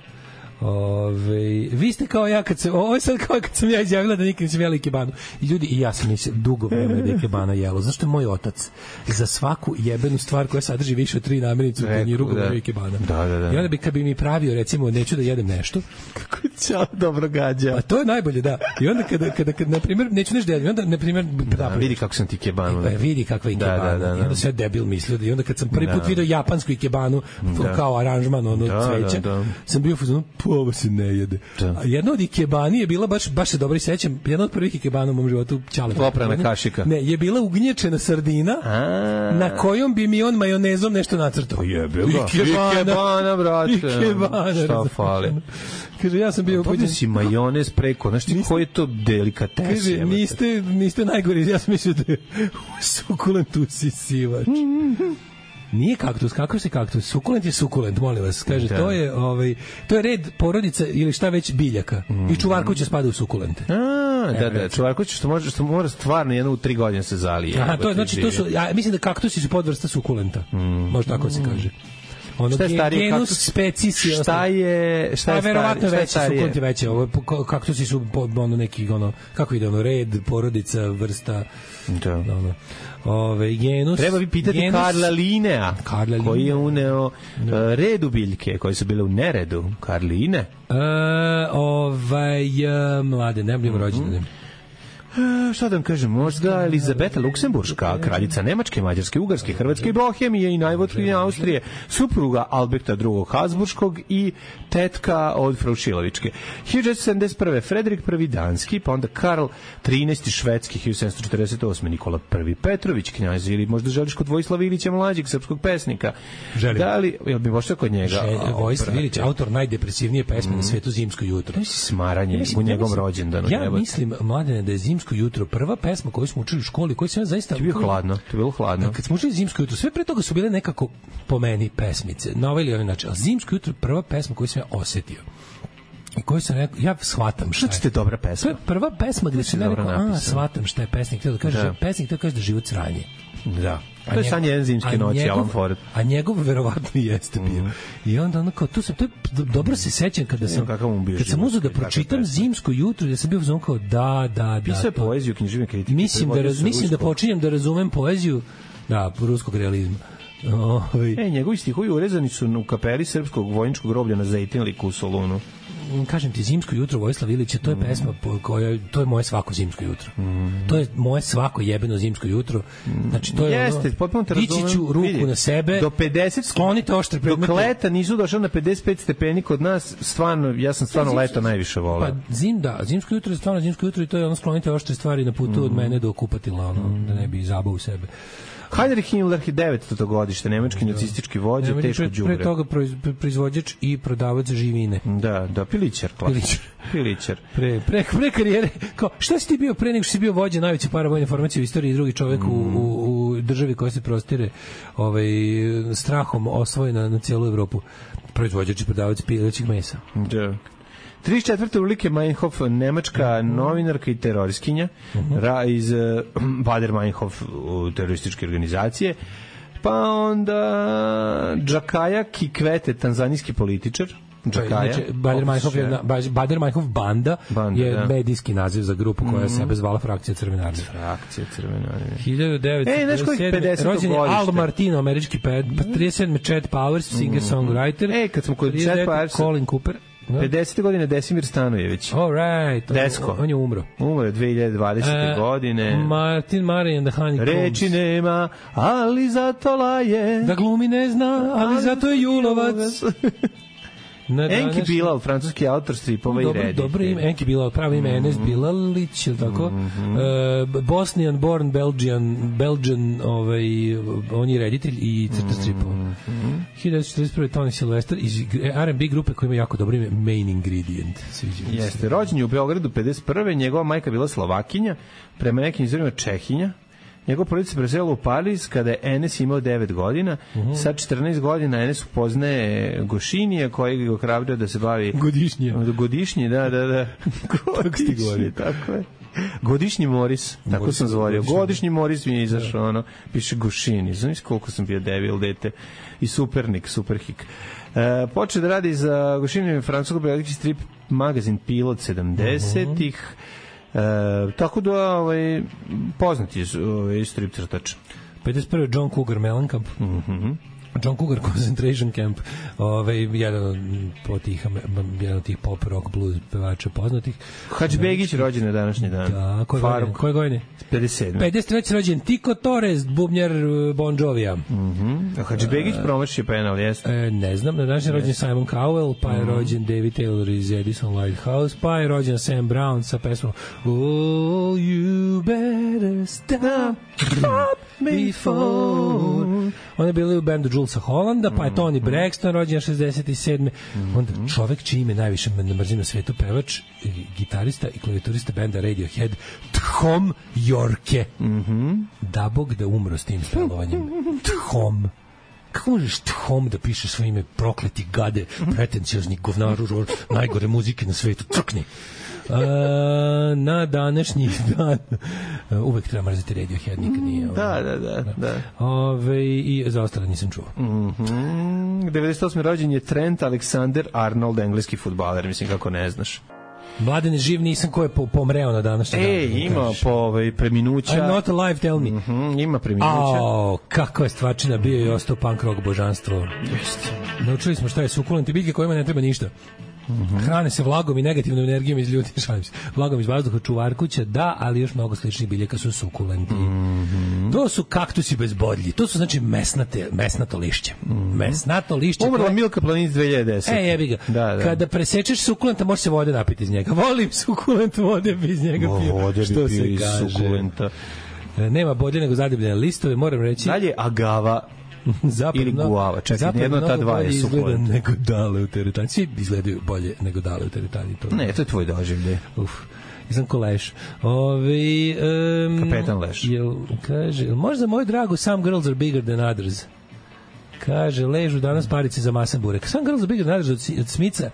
Ove, vi ste kao ja kad se ovo je sad kao kad sam ja izjavila da nikad nisam jela ikebanu i ljudi i ja sam nisam dugo vreme da ikebana jelo zašto je moj otac za svaku jebenu stvar koja sadrži više od tri namirnice u tanjiru govori ikebana da, da, da. I onda bi kad bi mi pravio recimo neću da jedem nešto kako ćao dobro gađa pa to je najbolje da i onda kada kada kad na primjer neću nešto da jedem onda na primjer da, vidi kako sam ti ikebanu pa vidi kakva ikebana da, da, da, da. I onda sve debil mislio da i onda kad sam prvi put video japansku ikebanu da. Kao aranžman ono da, cveća da, da. Sam bio fuzon ovo se ne jede. Da. A jedna od ikebani je bila baš baš se dobro sećam, jedna od prvih ikebana u mom životu ćale. Oprana kašika. Ne, je bila ugnječena sardina a na kojom bi mi on majonezom nešto nacrtao. Pa jebe ga. Ikebana, ikebana brate. Ikebana. Šta fali? Kaže ja sam bio upođen si majonez preko, znaš ti koji je to delikates. Kaže niste niste najgori, ja sam mislio da sukulent usisivač. Nije kaktus, kako se kaktus? Sukulent je sukulent, molim vas. Kaže, da. to je ovaj to je red porodica ili šta već biljaka. Mm. I čuvarkoće spada u sukulente. A, da, da, čuvarkoće što može što mora stvarno jedno u tri godine se zalije. A, to je znači to su ja mislim da kaktusi su podvrsta sukulenta. Mm. Može tako se kaže. Ono šta je starije genus species šta je šta je verovatno veće sukulent je veće ovo kaktusi su ono neki ono kako ide ono red porodica vrsta da ono ove genus treba bi pitati genus, Karla Linea Karla Linea. Koji je uneo no. uh, redu biljke koje su bile u neredu Karline uh, ovaj uh, mlade ne blim mm-hmm. rođendane E, šta da vam kažem, možda Elizabeta Luksemburška, kraljica Nemačke, Mađarske, Ugarske, Hrvatske i Bohemije i najvotkinja Austrije, supruga Alberta drugog Habsburškog i tetka od Fraušilovičke. hiljadu šesnaest sedamdeset prve. Frederik prvi danski, pa onda Karl trinaesti švedski, hiljadu sedamsto četrdeset osme. Nikola prvi Petrović, knjaz, ili možda želiš kod Vojislava Ilića mlađeg, srpskog pesnika. Želim. Da li, jel bi možda kod njega? Vojislav Ilić, autor najdepresivnije pesme mm. na svetu, Zimsko jutro. To je smaranje ja mislim, u njegovom ja rođendanu. Ja jebate. Mislim, Mladene, da je Zimsko jutro prva pesma koju smo učili u školi, koju sam ja zaista... To je bilo hladno, to je bilo hladno. Kad smo učili Zimsko jutro, sve pre toga su bile nekako po meni pesmice, na ovaj ili ovaj način, ali Zimsko jutro je prva pesma koju sam ja osetio. I koju sam rekao, ja shvatam šta je. Što je dobra pesma? To je prva pesma gde sam ja rekao, a, shvatam šta je pesnik. Htio da kaže, da. Pesnik htio da kaže da život sranje. Da. To je san jedan zimske noći, Alan Ford. A njegov verovatno jeste bio. Mm. I onda ono kao, tu sam, to je, dobro se sećam kada sam, kad sam uzeo da pročitam Zimsko jutro, da sam bio uzmano kao, da, da, da. Pisao je poeziju, književne kritike. Mislim da, raz, mislim da počinjem da razumem poeziju, da, ruskog realizma. Ovi. E, njegovi stihovi urezani su u kapeli srpskog vojničkog groblja na Zejtinliku u Solunu. Kažem ti, Zimsko jutro Vojislav Ilića, to je mm. pesma koja, to je moje svako zimsko jutro. Mm. To je moje svako jebeno zimsko jutro. Znači, to je jeste, ono, potpuno te razumem. Dići ću ruku vidi, na sebe, do pedeset, sklonite oštre predmete. Dok leta nisu došao na pedeset pet stepeni kod nas, stvarno, ja sam stvarno zimsko, leta najviše volao. Pa zim, da, zimsko jutro je stvarno zimsko jutro i to je ono sklonite oštre stvari na putu mm. od mene do kupatila, ono, mm. da ne bi zabao u sebe. Heinrich Himmler, devetsto godište, nemački nacistički vođa, teško đubre. Pre toga proizvođač i prodavac živine. Da, da, pilićar. Pilićar. Pilićar. Pre, pre, pre karijere. Kao, šta si ti bio pre nego što si bio vođa najveće paravojne formacije u istoriji i drugi čovjek mm. u, u, u državi koja se prostire ovaj, strahom osvojena na cijelu Evropu? Proizvođač i prodavac pilićeg mesa. Da. trideset četvrte Ulrike Meinhof, nemačka uh-huh. novinarka i teroriskinja uh-huh. ra, iz uh, Bader-Meinhof terorističke organizacije. Pa onda Džakaja Kikwete, tanzanijski političar. Džakaja. Znači, Bader-Meinhof, je, Bader-Meinhof banda, banda je da. medijski naziv za grupu koja mm-hmm. sebe zvala Frakcija Crvene armije. Frakcija Crvene armije. hiljadu devetsto pedeset sedme. Rođen je Al Martino, američki pet, pa trideset sedme Chet Powers, singer-songwriter. Ej, kad smo kod Chet Powers... Colin Cooper. pedesete godine Desimir Stanojević. All right. Desko. On je umro. Umro je dve hiljade dvadesete. Uh, godine. Martin Murray and the Honeycombs. Reči nema, ali zato laje. Da glumi ne zna, ali, ali zato je julovac. Enki Bilal, francuski autor stripova i reditelj. Dobro ime, Enki Bilal, pravo ime Enes Bilalić, je li tako? Mm-hmm. Uh, Bosnian born Belgian, Belgian, ovaj, on je reditelj i crta stripova. Mm-hmm. hiljadu devetsto četrdeset prve. Tony Sylvester iz R and B grupe koja ima jako dobro ime Main Ingredient. Jeste, rođen je u Beogradu pedeset prve. Njegova majka bila Slovakinja, prema nekim izvorima Čehinja. Njegov porodica se preselila u Pariz kada je Enes imao devet godina. Uh-huh. Sad četrnaest godina Enes upoznaje Gošinija koji ga ohrabrio da se bavi... Godišnje. Godišnje, da, da, da. Godišnje, tako je. Godišnji Moris, tako Moris, sam zvorio. Godišnji Moris mi je izašao, ono, piše Gošini. Znaš koliko sam bio debil, dete. I supernik, superhik. E, počeo da radi za Gošini francusko-belgijski strip magazin Pilot sedamdesetih. Uh-huh. E, tako da ovaj, poznat je ovaj, strip crtač. pedeset prve. John Cougar Mellencamp. Mhm. John Cougar Concentration Camp, ovaj jedan od tih jedan od tih pop rock blues pevača poznatih. Hadžbegić rođen na današnji dan. Da, koje godine? Koje godine? pedeset sedme. pedeset treće rođen Tico Torres, bubnjar Bon Jovija. Mhm. A Hadžbegić promašio penal, jeste? E, ne znam, na današnji rođen Simon Cowell, pa je rođen David Taylor iz Edison Lighthouse, pa je rođen Sam Brown sa pesmom Oh, you better stop before. On je bio u bendu Julesa Hollanda, pa je Tony Braxton rođen šezdeset sedme. Onda čovek čiji ime najviše ne mrzim na svetu, pevač, gitarista i klavijaturista benda Radiohead, Thom Yorke. Mhm. Da Bog da umro s tim spelovanjem. Thom. Kako možeš Thom da piše svoje ime, prokleti gade, pretenciozni govnaru, najgore muzike na svetu, crkni. Uh, na današnji dan uh, uvek treba mrziti Radiohead, nikad nije. Da, da, da. da. Ove, i za ostale nisam čuo. Mm-hmm. devedeset osme. rođen je Trent Alexander-Arnold, engleski fudbaler, mislim kako ne znaš. Mladen je živ, nisam ko je po, pomreo na današnji dan. E, ima po ovaj, preminuća. I'm not alive, tell me. Mm-hmm, ima preminuća. Ao, kako je stvarčina bio i ostao punk rock božanstvo. Jeste. Naučili smo šta je sukulenti biljke kojima ne treba ništa. Mm-hmm. Hrane se vlagom i negativnom energijom iz ljudi, šalim se. Vlagom iz vazduha, čuvar kuća, da, ali još mnogo sličnih biljaka su sukulenti. Mm-hmm. To su kaktusi bez bodlji. To su znači mesnate, mesnato lišće. Mm-hmm. Mesnato lišće. Umrla koje... Milka Planinc dve hiljade desete. E, jebi ga. Da, da. Kada presečeš sukulenta, može se vode napiti iz njega. Volim sukulent, vode bi iz njega pio. Vode što bi pio iz sukulenta. Nema bodlje nego zadebljene listove, moram reći. Dalje agava. Zapadno, ili guava, čekaj, jedno ta dva je sukulent. Nego dale u teretani. Svi izgledaju bolje nego dale u teretani. To ne, to je tvoj doživljaj. Uf, nisam ko Leš. Ove, um, Kapetan Leš. Jel, kaže, jel možda moj drago, some girls are bigger than others. Kaže, ležu danas parice za masan burek. Some girls are bigger than others od, od Smica.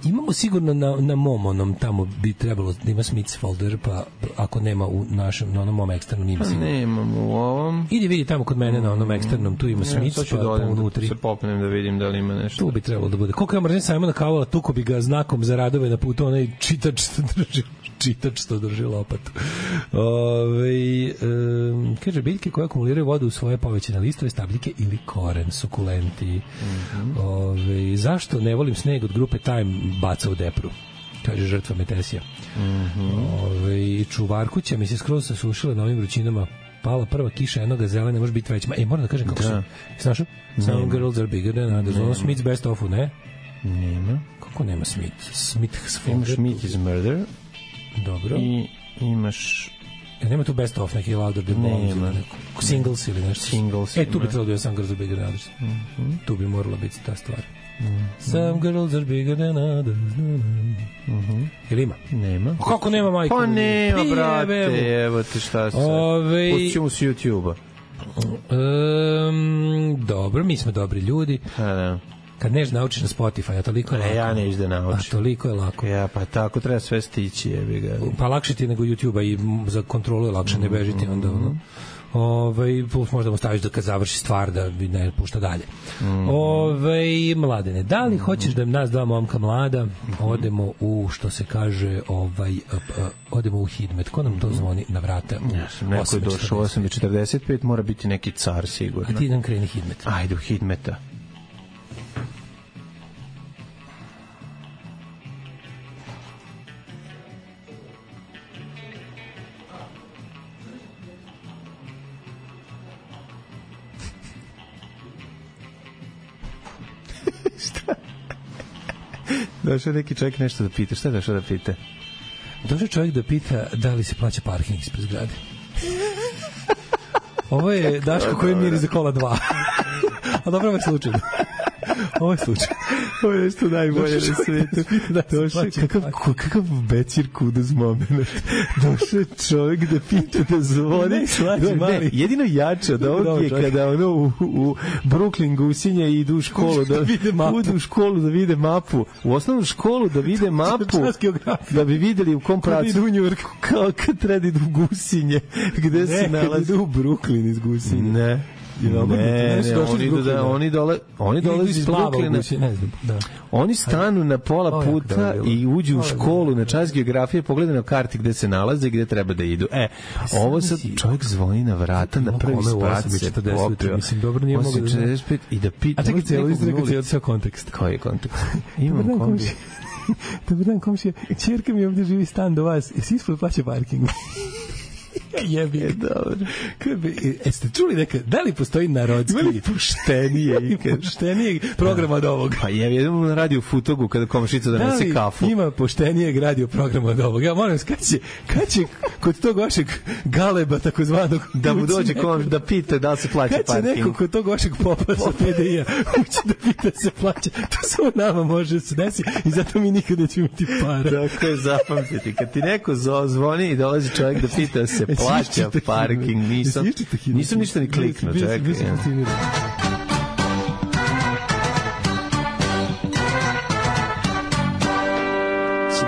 Imamo sigurno na, na mom onom, tamo bi trebalo da ima Smith folder, pa ako nema u našem, na onom mom eksternom ima sigurno. Nemam u ovom. Idi vidi tamo kod mene na onom eksternom, tu ima Smith, pa, pa unutri. Se popnem da vidim da li ima nešto. Tu bi trebalo da bude. Koliko ja mrzim Simona Cowella, tuko bi ga znakom za radove na putu, onaj čitač što drži, čitač što drži lopatu. Ove, um, kaže, biljke koje akumuliraju vodu u svoje povećane listove, stabljike ili koren, sukulenti. Mm-hmm. Ove, zašto ne volim sneg od grupe Time baca u depru, kaže žrtva Metesija. Mm-hmm. Ove, čuvarkuća mi se skroz sasušila na ovim vrućinama, pala prva kiša jednoga zelena, ne može biti već. E, moram da kažem kako da. Su znaš, some girls are bigger than others. Ono Smith's best of-u, ne? Nema. Kako nema Smith? Smith's imaš Smith is murder. Dobro. I imaš ja, nema tu best of neki louder than bombs, singles ili nešto. Singles. E, tu bi trebalo da je some girls are bigger than others. Mm-hmm. Tu bi morala biti ta stvar. Mm-hmm. Some girls are bigger than others. Mm-hmm. Ili ima? Nema. O, kako nema, majko? Pa nema, Pije, brate, evo ti šta se. Ove... Pućemo s YouTube-a. Um, dobro, mi smo dobri ljudi. Ha, da. Kad neš naučiš na Spotify, a toliko je lako. Ne, ja neš da naučim. A toliko je lako. Ja, pa tako treba sve stići, jebi ga. Pa lakše ti nego YouTube-a i za kontrolu je lakše, ne bežiti onda ono. Ovaj plus možda mu staviš da kad završi stvar da bi ne pušta dalje. Mm. Ovaj Mladene, da li hoćeš da nas dva momka mlada odemo u što se kaže ovaj uh, uh, odemo u Hidmet. Ko nam to zvoni na vrata? Ja, neko je došao osam četrdeset pet, mora biti neki car sigurno. A ti idem kreni Hidmet. Ajde u Hidmeta. Došao neki čovjek nešto da pita. Šta je došao da pita? Došao čovjek da pita da li se plaća parking ispred zgrade. Ovo je Daško koji miri za kola dva. A dobro, ovo je slučajno. Ovo je slučaj. Ovo je nešto najbolje na svijetu. Došao, kakav, kakav becir kuduz moment. Došao čovjek da pita da zvoni. Ne, slađi, mali. Jedino jače od ovog je kada ono u, u Brooklyn gusinje idu u školu da, vide mapu. Udu u školu da vide mapu. U osnovnu školu da vide mapu. Da bi videli u kom pracu. Kad idu u Njurku. Kao kad treba idu u gusinje. Gde ne, se nalazi. Ne, kad idu u Brooklyn iz gusinje. Ne. Ne, ne, ne, oni, da, oni, dole, oni dolaze iz Brooklyna, ne znam, da. Oni stanu na pola puta i uđu u školu na čas geografije, pogledaju na karti gde se nalaze i gde treba da idu. E, ovo sad čovjek zvoni na vrata, na prvi sprat se popio. Mislim, dobro nije mogu da znam. I da pita... A čekaj, cijelo izreka cijelo cijel kontekst. Koji je kontekst? Imam kombi. Dobar dan, komšija. Čerka mi ovdje živi stan do vas. Jesi ispod plaća parking? Jebi je dobro. Jeste čuli neka, da li postoji narodski ili puštenije puštenije programa od ovog? Pa je, jedemo na radio Futogu kada komšica donese kafu. Da li ima poštenijeg radio programa od ovog? Ja molim, kad će, kad će kod tog vašeg galeba takozvanog da mu dođe komš da pita da li se plaća parking? Kad će neko kod tog vašeg popa sa P D I-a ući da pita se plaća? To samo nama može se desi i zato mi nikad nećemo imati para. Tako je, zapamtiti. Kad ti neko zvoni i dolazi čovjek da pita se plaća parking, nisam, nisam ništa ni kliknuo, čekaj.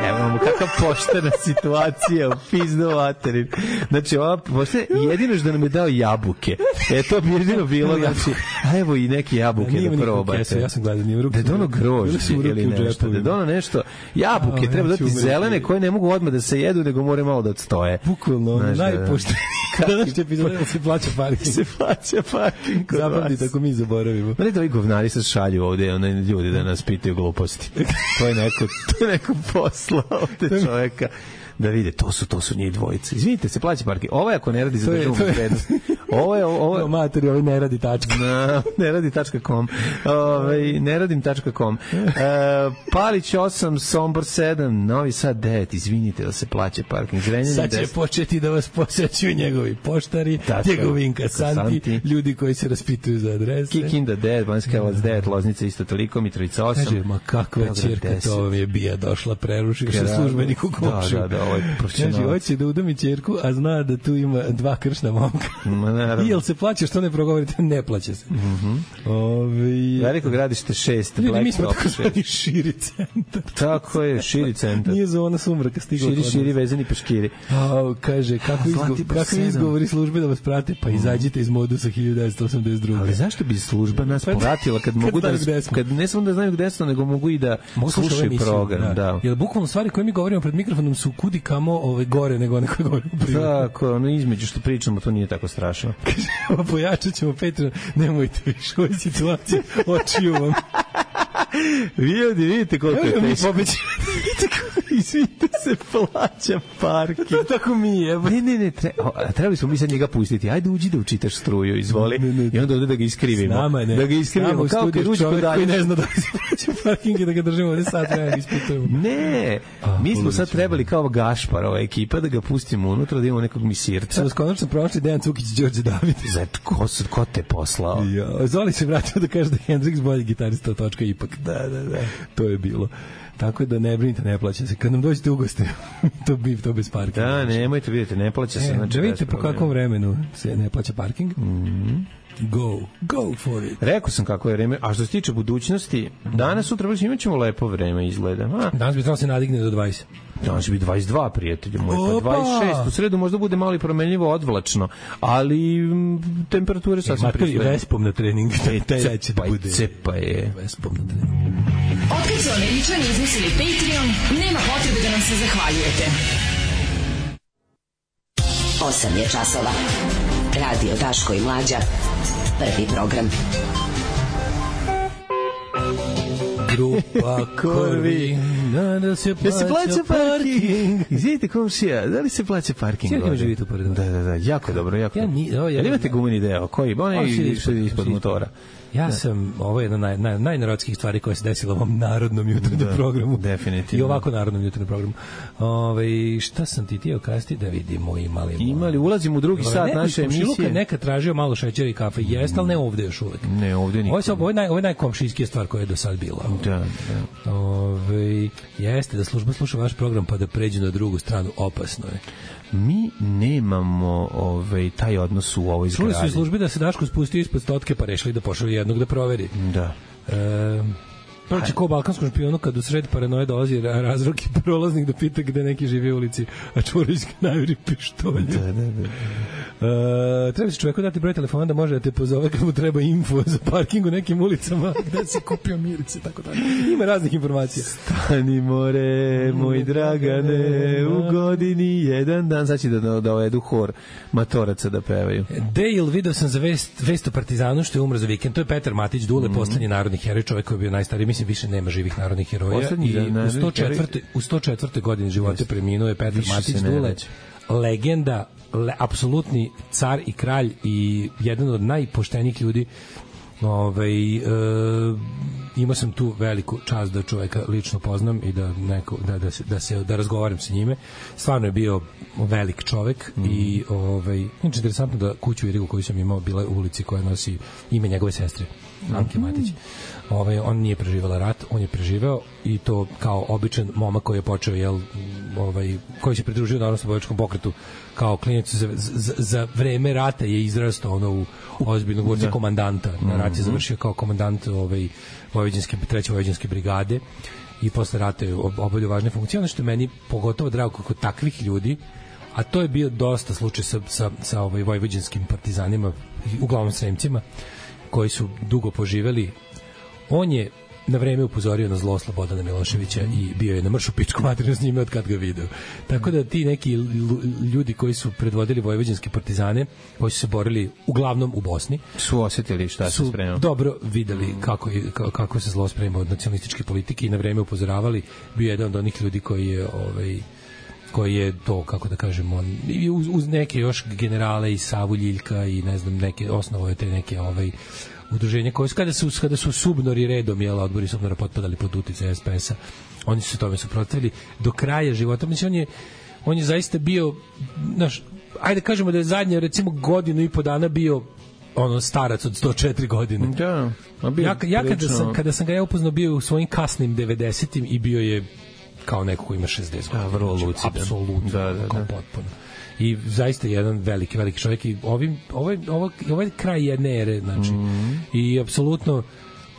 Evo, kakva poštena situacija u pizdu materin. Znači, ova poštena, jedino što nam je dao jabuke. E, to bi jedino bilo, znači, a evo i neke jabuke da probate. Kesu, ja sam gledao, nije u ruku. Da dono grožđe ili nešto, da dono nešto, jabuke, treba dati zelene koje ne mogu odmah da se jedu, nego more malo da odstoje. Bukvalno, najpoštenije. Kada što epizoda se plaća parking. Se plaća parking. Zapamti tako mi zaboravimo. Ma ne da ovi govnari sad šalju ovde, one ljudi da nas pitaju gluposti. To je neko, to je neko posla ovde čoveka. Da vide, to su to su njih dvojice. Izvinite, se plaća parking. Ovo je ako ne radi za državnu bezbednost. Ovo je ovo je materi, ovo ne radi tačka. Na, ne radi tačka com. Ovaj ne radim tačka com. E, Palić osam, Sombor sedam, Novi Sad devet. Izvinite da se plaća parking. Zrenjanin sad će deset. Početi da vas posećuju njegovi poštari, njegovi inkasanti, ljudi koji se raspituju za adrese. Kikinda devet, Banjska Karlovac devet, Loznica isto toliko, Mitrovica osam. Kaže, ma kakva ćerka, to vam je bija došla, preruši se službenik u komšiju. Da, da, ovaj profesionalac. Kaže, hoće da udami ćerku, a zna da tu ima dva kršna momka. Ma naravno. I jel se plaća, što ne progovorite? Ne plaća se. Mhm. Ovi... Veliko gradište šest, ljudi, mi smo tako zvani širi centar. Tako je, širi centar. Nije zona sumraka stigla. Širi, širi, vezani peškiri. A, kaže, kako, izgo, kako izgovori službe da vas prate, pa izađite iz modusa hiljadu devetsto osamdeset druge. Ali zašto bi služba nas povratila kad mogu da, kad ne samo da znaju gde smo, nego mogu i da slušaju program. Da. Da. Jer bukvalno stvari koje mi govorimo pred mikrofonom su kudi kamo ove gore nego one koje govorimo prije. Tako, ono između što pričamo, to nije tako strašno. Kaže, pojačat ćemo Patreon, nemojte više ove situacije, očiju vam. Vi ovdje vidite koliko je teško. Mi pobećamo. Izvinite se, plaća parking. Tako mi je. Ne, ne, ne, tre, o, trebali smo mi sad njega pustiti. Ajde, uđi da učitaš struju, izvoli. Ne, ne, ne. I onda ovdje da ga iskrivimo. Nama ne. Da ga iskrivimo. Kao kad uđi kod dalje. Koji ne zna da se plaća parking i da ga držimo ovdje sad vremena isputujemo. Ne, a, mi smo sad trebali kao Gašpar, ova ekipa, da ga pustimo unutra, da imamo nekog misirca. Samo skonačno prošli Dejan Cukić i Đorđe David. Zato, ko, ko te poslao? Ja, Zoli se vratio da kaže da Hendrix bolji gitarista od točka ipak. Da, da, da. To je bilo. Tako da ne brinite, ne plaća se. Kad nam dođete u goste, to bi to bez parkinga. Da, nemojte, vidite, ne plaća se. E, znači, da vidite po kakvom vremenu se ne plaća parking. Mhm. Go, go for it. Rekao sam kako je vreme, a što se tiče budućnosti, danas, sutra, već imat ćemo lepo vreme, izgleda. A? Danas bi trebalo se nadigne do dvadeset. Danas će biti dvadeset dva, prijatelji moji, pa dvadeset šest. U sredu možda bude malo i promenljivo odvlačno, ali m, temperature sasvim pristojne. Vespom na trening, taj će da bude. Cepa je. Vespom na trening. Otkad su Američani izmislili Patreon, nema potrebe da nam se zahvaljujete. osam je časova. Radio Daško i Mlađa. Prvi program. Grupa Korvi. Da se plaća, se plaća parking. parking. Izvidite komšija, da li se plaća parking? Sjeli ima živite u poredu. Da, da, da, jako dobro, jako ja ni, o, ja, ali imate gumeni deo, koji? Ona je ispod, ispod motora. Ja da. sam, ovo je jedna naj, naj, najnarodskih stvari koja se desila u ovom narodnom jutarnjem programu. Definitivno. I ovako narodnom jutarnjem programu. Ove, šta sam ti tijelo kasti da vidimo imali? Imali, ulazimo u drugi Ove, sat naše emisije. Komšiluka neka tražio malo šećera i kafe. Jeste, ali ne ovde još uvek. Ne, ovde nikad. Ovo je, ovo je, naj, ovo je najkomšijskija stvar koja je do sad bila. Da, da. Ove, jeste, da služba sluša vaš program pa da pređu na drugu stranu, opasno je. Mi nemamo ovaj taj odnos u ovoj zgradi. Čuli su službi da se Daško spustio ispod stotke pa rešili da pošalju jednog da proveri. Da. E, Prvo će ko balkanskom špijonu kad u sred paranoje dolazi razrok i prolaznik da pita gde neki živi u ulici, a Čvorović najuri pištolju. Da, da, da. E, treba se čoveku dati broj telefona da može da te pozove kad mu treba info za parking u nekim ulicama, gde si kupio mirce, tako da. Ima raznih informacija. Stani more, moj Dragane, u godini jedan dan. Znači da da dovedu hor matoraca da pevaju. Dale, video sam za vest, vest o Partizanu što je umro za vikend. To je Petar Matić, Dule, mm-hmm. poslednji narodni heroj, čovek koji je bio najstariji. Mislim, više nema živih narodnih heroja. Poslednji, i u sto četvrtoj u sto četvrtoj godini života preminuo je Petar Matić, Dule, legenda, le, apsolutni car i kralj i jedan od najpoštenijih ljudi. Ovaj, e, imao sam tu veliku čast da čoveka lično poznam i da neko da da se da se da razgovaram sa njime. Stvarno je bio velik čovek mm. i ovaj znači interesantno da kuću Irigu koju sam imao bila u ulici koja nosi ime njegove sestre Anke Matić. Ovaj on nije preživela rat, on je preživeo i to kao običan momak koji je počeo jel ovaj koji se pridružio narodnooslobodilačkom pokretu kao klinac za, za, za vreme rata je izrastao ono u ozbiljnog vojnog komandanta. Na rat je završio kao komandant ovaj vojvođanske treće vojvođanske brigade i posle rata je obavljao važne funkcije. Ono što je meni pogotovo drago kod takvih ljudi, a to je bio dosta slučaj sa, sa, sa ovaj vojvođanskim partizanima, uglavnom Sremcima, koji su dugo poživeli, on je na vreme upozorio na zlo Slobodana Miloševića i bio je na mršu pičku materinu s njime od kad ga video. Tako da ti neki ljudi koji su predvodili vojvođanske partizane, koji su se borili uglavnom u Bosni, su osetili šta se spremao. Dobro videli kako, kako se zlo sprema od nacionalističke politike i na vreme upozoravali. Bio je jedan od onih ljudi koji je ovaj koji je to, kako da kažem, on, uz, uz neke još generale i Savu Ljiljka i ne znam, neke osnovoje te neke ovaj udruženja koje kada su kada su subnori redom jela odbori subnora potpadali pod uticaj es pe es-a, oni su se tome suprotstavili do kraja života. Mislim, on je on je zaista bio, znaš, ajde kažemo da je zadnje recimo godinu i po dana bio ono starac od sto četiri godine. Da. Ja, ja kada sam kada sam ga ja upoznao bio u svojim kasnim devedesetim i bio je kao neko ko ima šezdeset godina. Da, vrlo lucidan. Apsolutno, da, da, kao da. potpuno. I zaista jedan veliki, veliki čovjek i ovim, ovaj, ovaj, ovaj kraj jedne ere, znači, mm-hmm. i apsolutno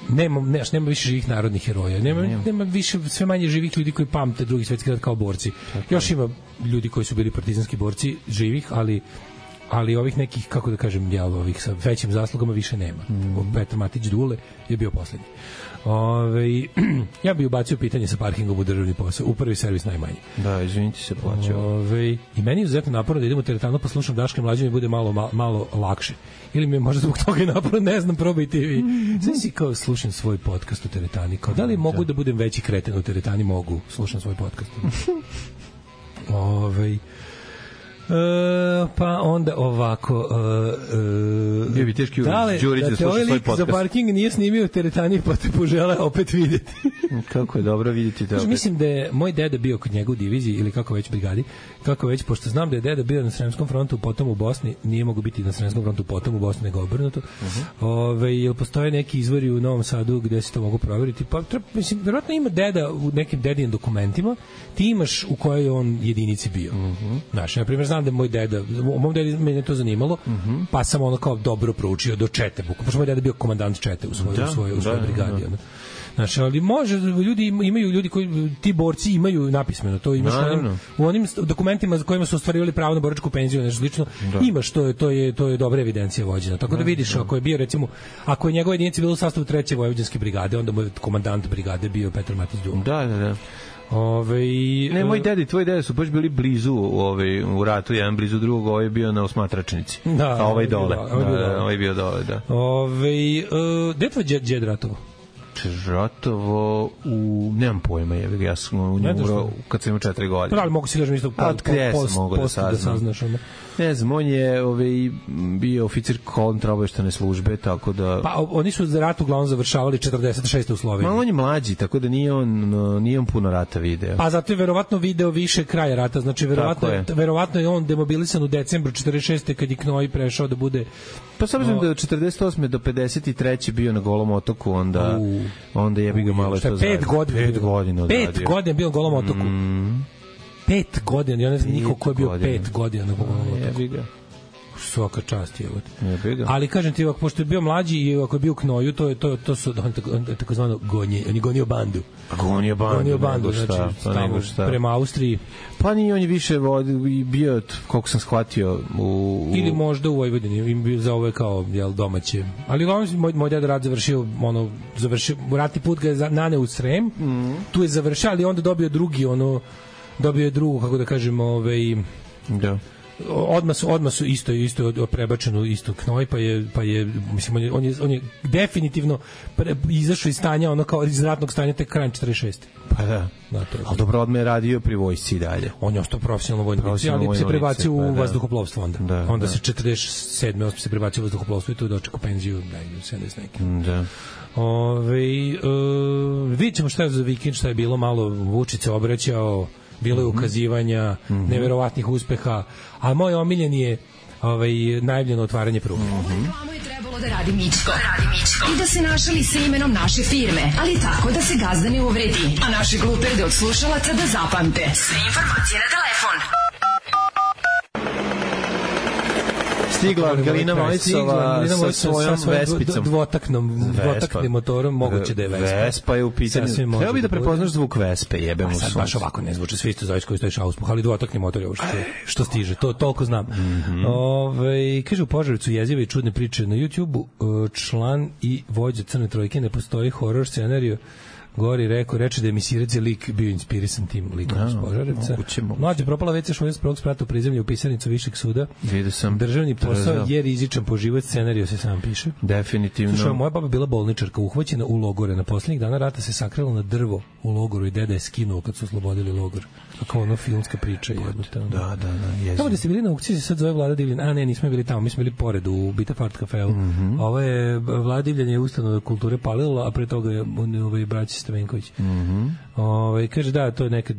nema, ne, nema više živih narodnih heroja, nema, nema. nema više, sve manje živih ljudi koji pamte Drugi svjetski rat kao borci. Tako još ima ljudi koji su bili partizanski borci živih, ali ali ovih nekih, kako da kažem, ja, ovih sa većim zaslugama više nema. Mm. Petar Matić Dule je bio poslednji. Ove, ja bih ubacio pitanje sa parkingom u državni posao, u prvi servis najmanje. Da, izvinite se, plaćao. Ove, I meni je izuzetno naporno da idem u teretanu pa slušam Daška i Mlađe, mi bude malo, malo, malo lakše. Ili mi je možda zbog toga i naporno, ne znam, probajte vi. Sve si kao slušam svoj podcast u teretani. Kao, da li mogu da budem veći kreten u teretani? Mogu, slušam svoj podcast. Ove, Uh, pa onda ovako uh, uh, je bi teški dale, Đurić da, da sluša svoj podcast. Za parking nije snimio u teretani pa te požele opet videti. Kako je dobro vidjeti te opet. Mislim da je moj deda bio kod njega u diviziji ili kako već brigadi, kako već, pošto znam da je deda bio na Sremskom frontu potom u Bosni, nije mogu biti na Sremskom frontu potom u Bosni nego obrnuto. Uh-huh. Ove, jel postoje neki izvori u Novom Sadu gde se to mogu proveriti? Pa treba, mislim, verovatno ima deda u nekim dedinim dokumentima, ti imaš u kojoj on jedinici bio. Uh-huh. Znaš, na primjer, znam da moj deda, u mom dedi mene to zanimalo, uh-huh. pa sam ono kao dobro proučio do čete, pošto moj deda bio komandant čete u svojoj, da, u svojoj, u svojoj da, brigadi. Da. Znaš, ali može, ljudi imaju, ljudi koji, ti borci imaju napismeno, to imaš no, no. u onim dokumentima za kojima su ostvarivali pravo na boračku penziju, nešto slično, da. Imaš, to je, to je, to je dobra evidencija vođena. Tako da vidiš, no. ako je bio, recimo, ako je njegova jedinica bila u sastavu treće vojvođanske brigade, onda mu je komandant brigade bio Petar Matić Dule. Da, da, da. Ove, ne, moj dedi, tvoj deda su baš bili blizu ove, u ratu, jedan blizu drugog, ovaj je bio na Osmatračnici, da, a ovaj dole. Ovaj bio dole. Ovaj bio dole, da. Ove, uh, gde tvoj djed, djed ratovo? Ratovo u... Nemam pojma, je, ja sam u njemu kad sam imao četiri godine. Pa ali mogu si kažem isto po, po, post, mogu da saznam. Da saznaš, ono. Ne znam, on je ovaj, bio oficir kontraobaveštajne službe, tako da... Pa oni su za rat uglavnom završavali četrdeset šeste u Sloveniji. Ma on je mlađi, tako da nije on, nije on puno rata video. Pa zato je verovatno video više kraja rata, znači verovatno je. verovatno je on demobilisan u decembru četrdeset šeste kad je Knoj prešao da bude... Pa s obzirom da od četrdeset osme do pedeset treće bio na Golom otoku, onda, u, onda jebi ga malo što pet godina. Pet godina Pet godina bio na Golom otoku. Mm. Pet godina, ja ne znam niko ko je bio godina. pet godina na Golom otoku. Jebi ga. Svaka čast je. Ali kažem ti, ako pošto je bio mlađi i ako je bio u Knoju, to je to to su on tako, tako zvano gonje, on je gonio bandu. Gonio bandu. Gonio bandu, šta, znači pa nego šta. Prema Austriji. Pa ni on je više bio, koliko sam shvatio, u, u... ili možda u Vojvodini, im bio za ove kao jel domaće. Ali on moj moj deda rad završio, ono završio ratni put ga je naneo u Srem. Mm. Tu je završio, ali onda dobio drugi ono dobio je drugu, kako da kažemo, ovaj da. Odmah su, odmah su isto isto prebačeno isto Knoj, pa je pa je mislim on je on je, on je definitivno pre, izašao iz stanja ono kao iz ratnog stanja tek krajem četrdeset šeste. Pa da. Da, to je. Al dobro, odmah je radio pri vojsci i dalje. On je ostao profesionalno vojnik, ali se prebacio u pa, vazduhoplovstvo onda. Da, onda da. se četrdeset sedme se prebacio u vazduhoplovstvo i tu dočekao penziju da sedamdeset neki. Da. Ove, uh, vidjet ćemo šta je za vikend, šta je bilo, malo Vučić se obraćao, bilo je ukazivanja, mm-hmm. neverovatnih uspeha, a moj omiljen je ovaj, najavljeno otvaranje pruge. Mm-hmm. Reklamu je trebalo da radi Mičko. Da radi Mičko. I da se našali sa imenom naše firme, ali tako da se gazda ne uvredi, a naše gluperde od slušalaca da zapamte. Sve informacije na telefon. Stigla Angelina Mojsova sa svojom Vespicom. Dvotaknom, dvotaknim motorom, moguće da je Vespa. Vespa je u pitanju. Treba bi da prepoznaš zvuk Vespe, jebem u sunce. Sad baš ovako ne zvuče, svi isto zoveš koji stojiš auspuh, ali dvotakni motor je ovo što, što stiže, to toliko znam. Mm-hmm. Ove, kaže u Požarevcu jezive i čudne priče na YouTubeu, član i vođa Crne trojke, ne postoji horor scenariju. Gori rekao, reče da je Misirec je lik bio inspirisan tim likom iz Požarevca. Mlađe propala ve ce šest prvog sprata u prizemlje u pisarnicu Višeg suda. Vidio sam. Državni posao je rizičan po život, scenariju se sam piše. Definitivno. Slušaj, moja baba bila bolničarka, uhvaćena u logore. Na poslednjih dana rata se sakrila na drvo u logoru i deda je skinuo kad su oslobodili logor. Kako ono filmska priča je jednostavno. Da, da, da. Jezik. Tamo da ste bili na aukciji se sad zove Vlada Divljan. A ne, nismo bili tamo, mi smo bili pored u Bita Fart kafeu. Mm-hmm. Ovo je Vlada Divljan je ustanova kulture palila, a pre toga je ovaj braći Stavenković. Mm-hmm. Ovaj kaže da, to je nekad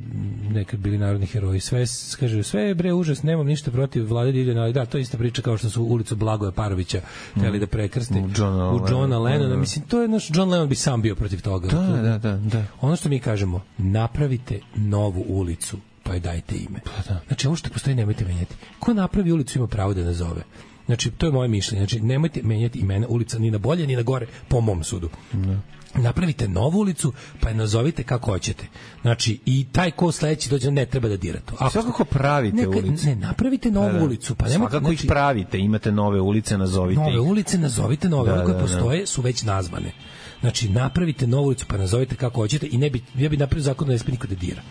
nekad bili narodni heroji. Sve kaže sve je bre užas, nemam ništa protiv Vlade Divljana, ali da, to je ista priča kao što su ulicu Blagoja Parovića hteli mm. da prekrste u Johna, u Johna Lennona. Mm. Mislim, to je naš John Lennon bi sam bio protiv toga. Da, da, da, da. Ono što mi kažemo, napravite novu ulicu, pa joj dajte ime. Pa da. Znači, ovo što postoji nemojte menjati. Ko napravi ulicu ima pravo da nazove. Znači, to je moje mišljenje. Znači, nemojte menjati imena ulica ni na bolje, ni na gore, po mom sudu. Da. Napravite novu ulicu, pa je nazovite kako hoćete. Znači, i taj ko sledeći dođe ne treba da dira to. Ako svakako pravite neka, ulicu. Ne, napravite novu da, da. ulicu. Pa nema, svakako znači, ih pravite, imate nove ulice, nazovite nove ih. Nove ulice, nazovite nove. Da, One koje da, postoje da. su već nazvane. Znači, napravite novu ulicu, pa nazovite kako hoćete i ne bi, ja bi napravio zakon da ne smije niko da dira.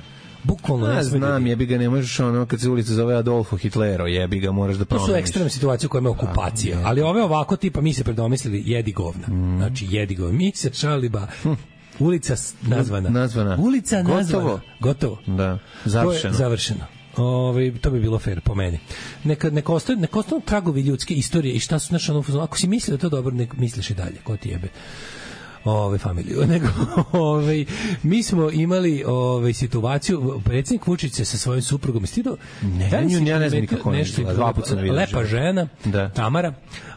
Bukvalno ne znam, da jebi ga, ne možeš ono kad se ulica zove Adolfo Hitlero, jebi ga, moraš da promeniš. To su ekstremne situacije u kojima je okupacija, ali ove ovako tipa mi se predomislili jedi govna. Mm. Znači jedi govna. Mi se šaliba. Hm. Ulica nazvana. Nazvana. Ulica Gotovo. nazvana. Gotovo. Da. Završeno. Završeno. Ove, to bi bilo fair po meni. Neka neka ostane neka ostanu tragovi ljudske istorije i šta su naše ono, ako si mislio da to dobro, nek misliš i dalje, ko ti jebe. Ove familiju, nego ove, mi smo imali ove situaciju, predsjednik Vučić se sa svojim suprugom stido, ne, da nju, ja ne znam kako nešto, dva puta sam vidio. Lepa žena, da. Tamara,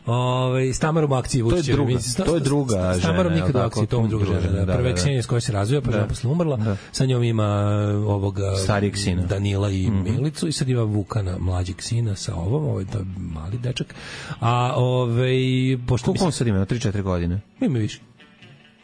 ove, s Tamarom u akciji Vučić. To je druga, mislim, to je druga žena. S Tamarom nikad u akciji, to je druga žena. žena. Da, Prva je Ksenija s kojoj se razvija, pa žena posle umrla, da. Sa njom ima ovoga starijeg sina. Danila i mm-hmm. Milicu i sad ima Vukana, mlađeg sina sa ovom, ovaj to je mali dečak. A ovaj pošto koliko on sad ima, tri četiri godine? Ima više.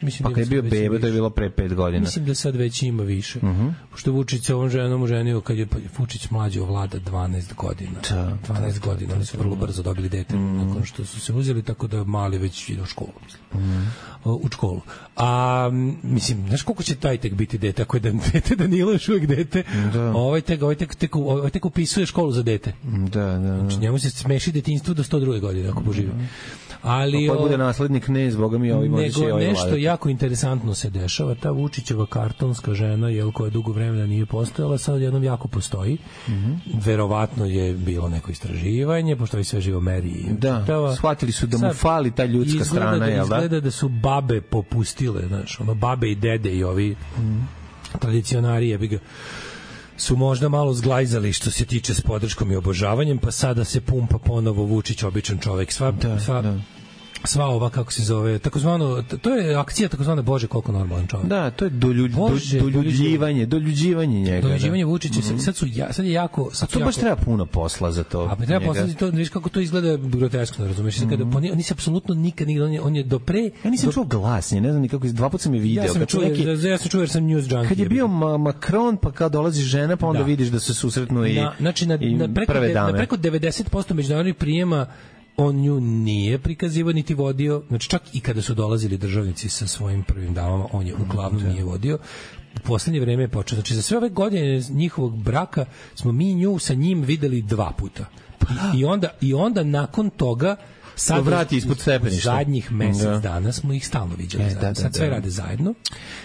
Mislim, pa kad je bio bebe, to je bilo pre pet godina. Mislim da sad već ima više. Uh-huh. Pošto Vučić se ovom ženom oženio kad je Vučić mlađi vlada dvanaest godina. Da, dvanaest da, godina, oni su vrlo brzo dobili dete mm. nakon što su se uzeli, tako da mali već ide u školu, mislim. Mm. U školu. A, mislim, znaš koliko će taj tek biti dete, ako je da, dete Danilo još uvijek dete, da. ovaj, tek, ovaj, tek, tek, ovaj tek upisuje školu za dete. Da, da, da. Znači, njemu se smeši detinjstvo do sto druge godine, ako poživi. Mm. Ali, pa bude naslednik ne zboga mi ovaj može nego ovaj nešto vladati. Jako interesantno se dešava, ta Vučićeva kartonska žena, jel, koja dugo vremena nije postojala, sad jednom jako postoji. Mm-hmm. Verovatno je bilo neko istraživanje, pošto i sve živo meri. Da, čitava. Shvatili su da mu sad fali ta ljudska strana, da, jel da? Izgleda da su babe popustile, znaš, ono, babe i dede i ovi mm. tradicionari, jebi ga, su možda malo zglajzali što se tiče s podrškom i obožavanjem, pa sada se pumpa ponovo Vučić, običan čovek. Sva, da, sva, da. sva ova, kako se zove, takozvano, to je akcija takozvana Bože, koliko normalan čovek. Da, to je doljuđ, Bože, doljuđivanje, doljuđivanje njega. Doljuđivanje Vučića, mm-hmm. sad, su, ja, sad je jako... Sad a to jako, baš treba puno posla za to. A pa treba posla za to, viš kako to izgleda groteskno, razumiješ? Mm-hmm. Kada, oni, oni se apsolutno nikad, nikad, on je, on je do pre... Ja nisam do... čuo glasnije, ne znam nikako, dva puta sam je video. Ja sam čuo, neki, ja sam čuo jer sam news junkie. Kad je bio ma, Macron, pa kad dolazi žena, pa onda da. Vidiš da se susretnu i, na, znači, na, i na preko, prve dame. Na preko devedeset posto međunarodnih prijema on nju nije prikazivao niti vodio, znači čak i kada su dolazili državnici sa svojim prvim damama, on je uglavnom nije vodio. U poslednje vreme je počeo, znači za sve ove godine njihovog braka smo mi nju sa njim videli dva puta. I, i, onda, i onda nakon toga sad vrati ispod stepeništa. Zadnjih mesec da. Dana smo ih stalno viđali e, zajedno. Da, da, sad sve da. Rade zajedno.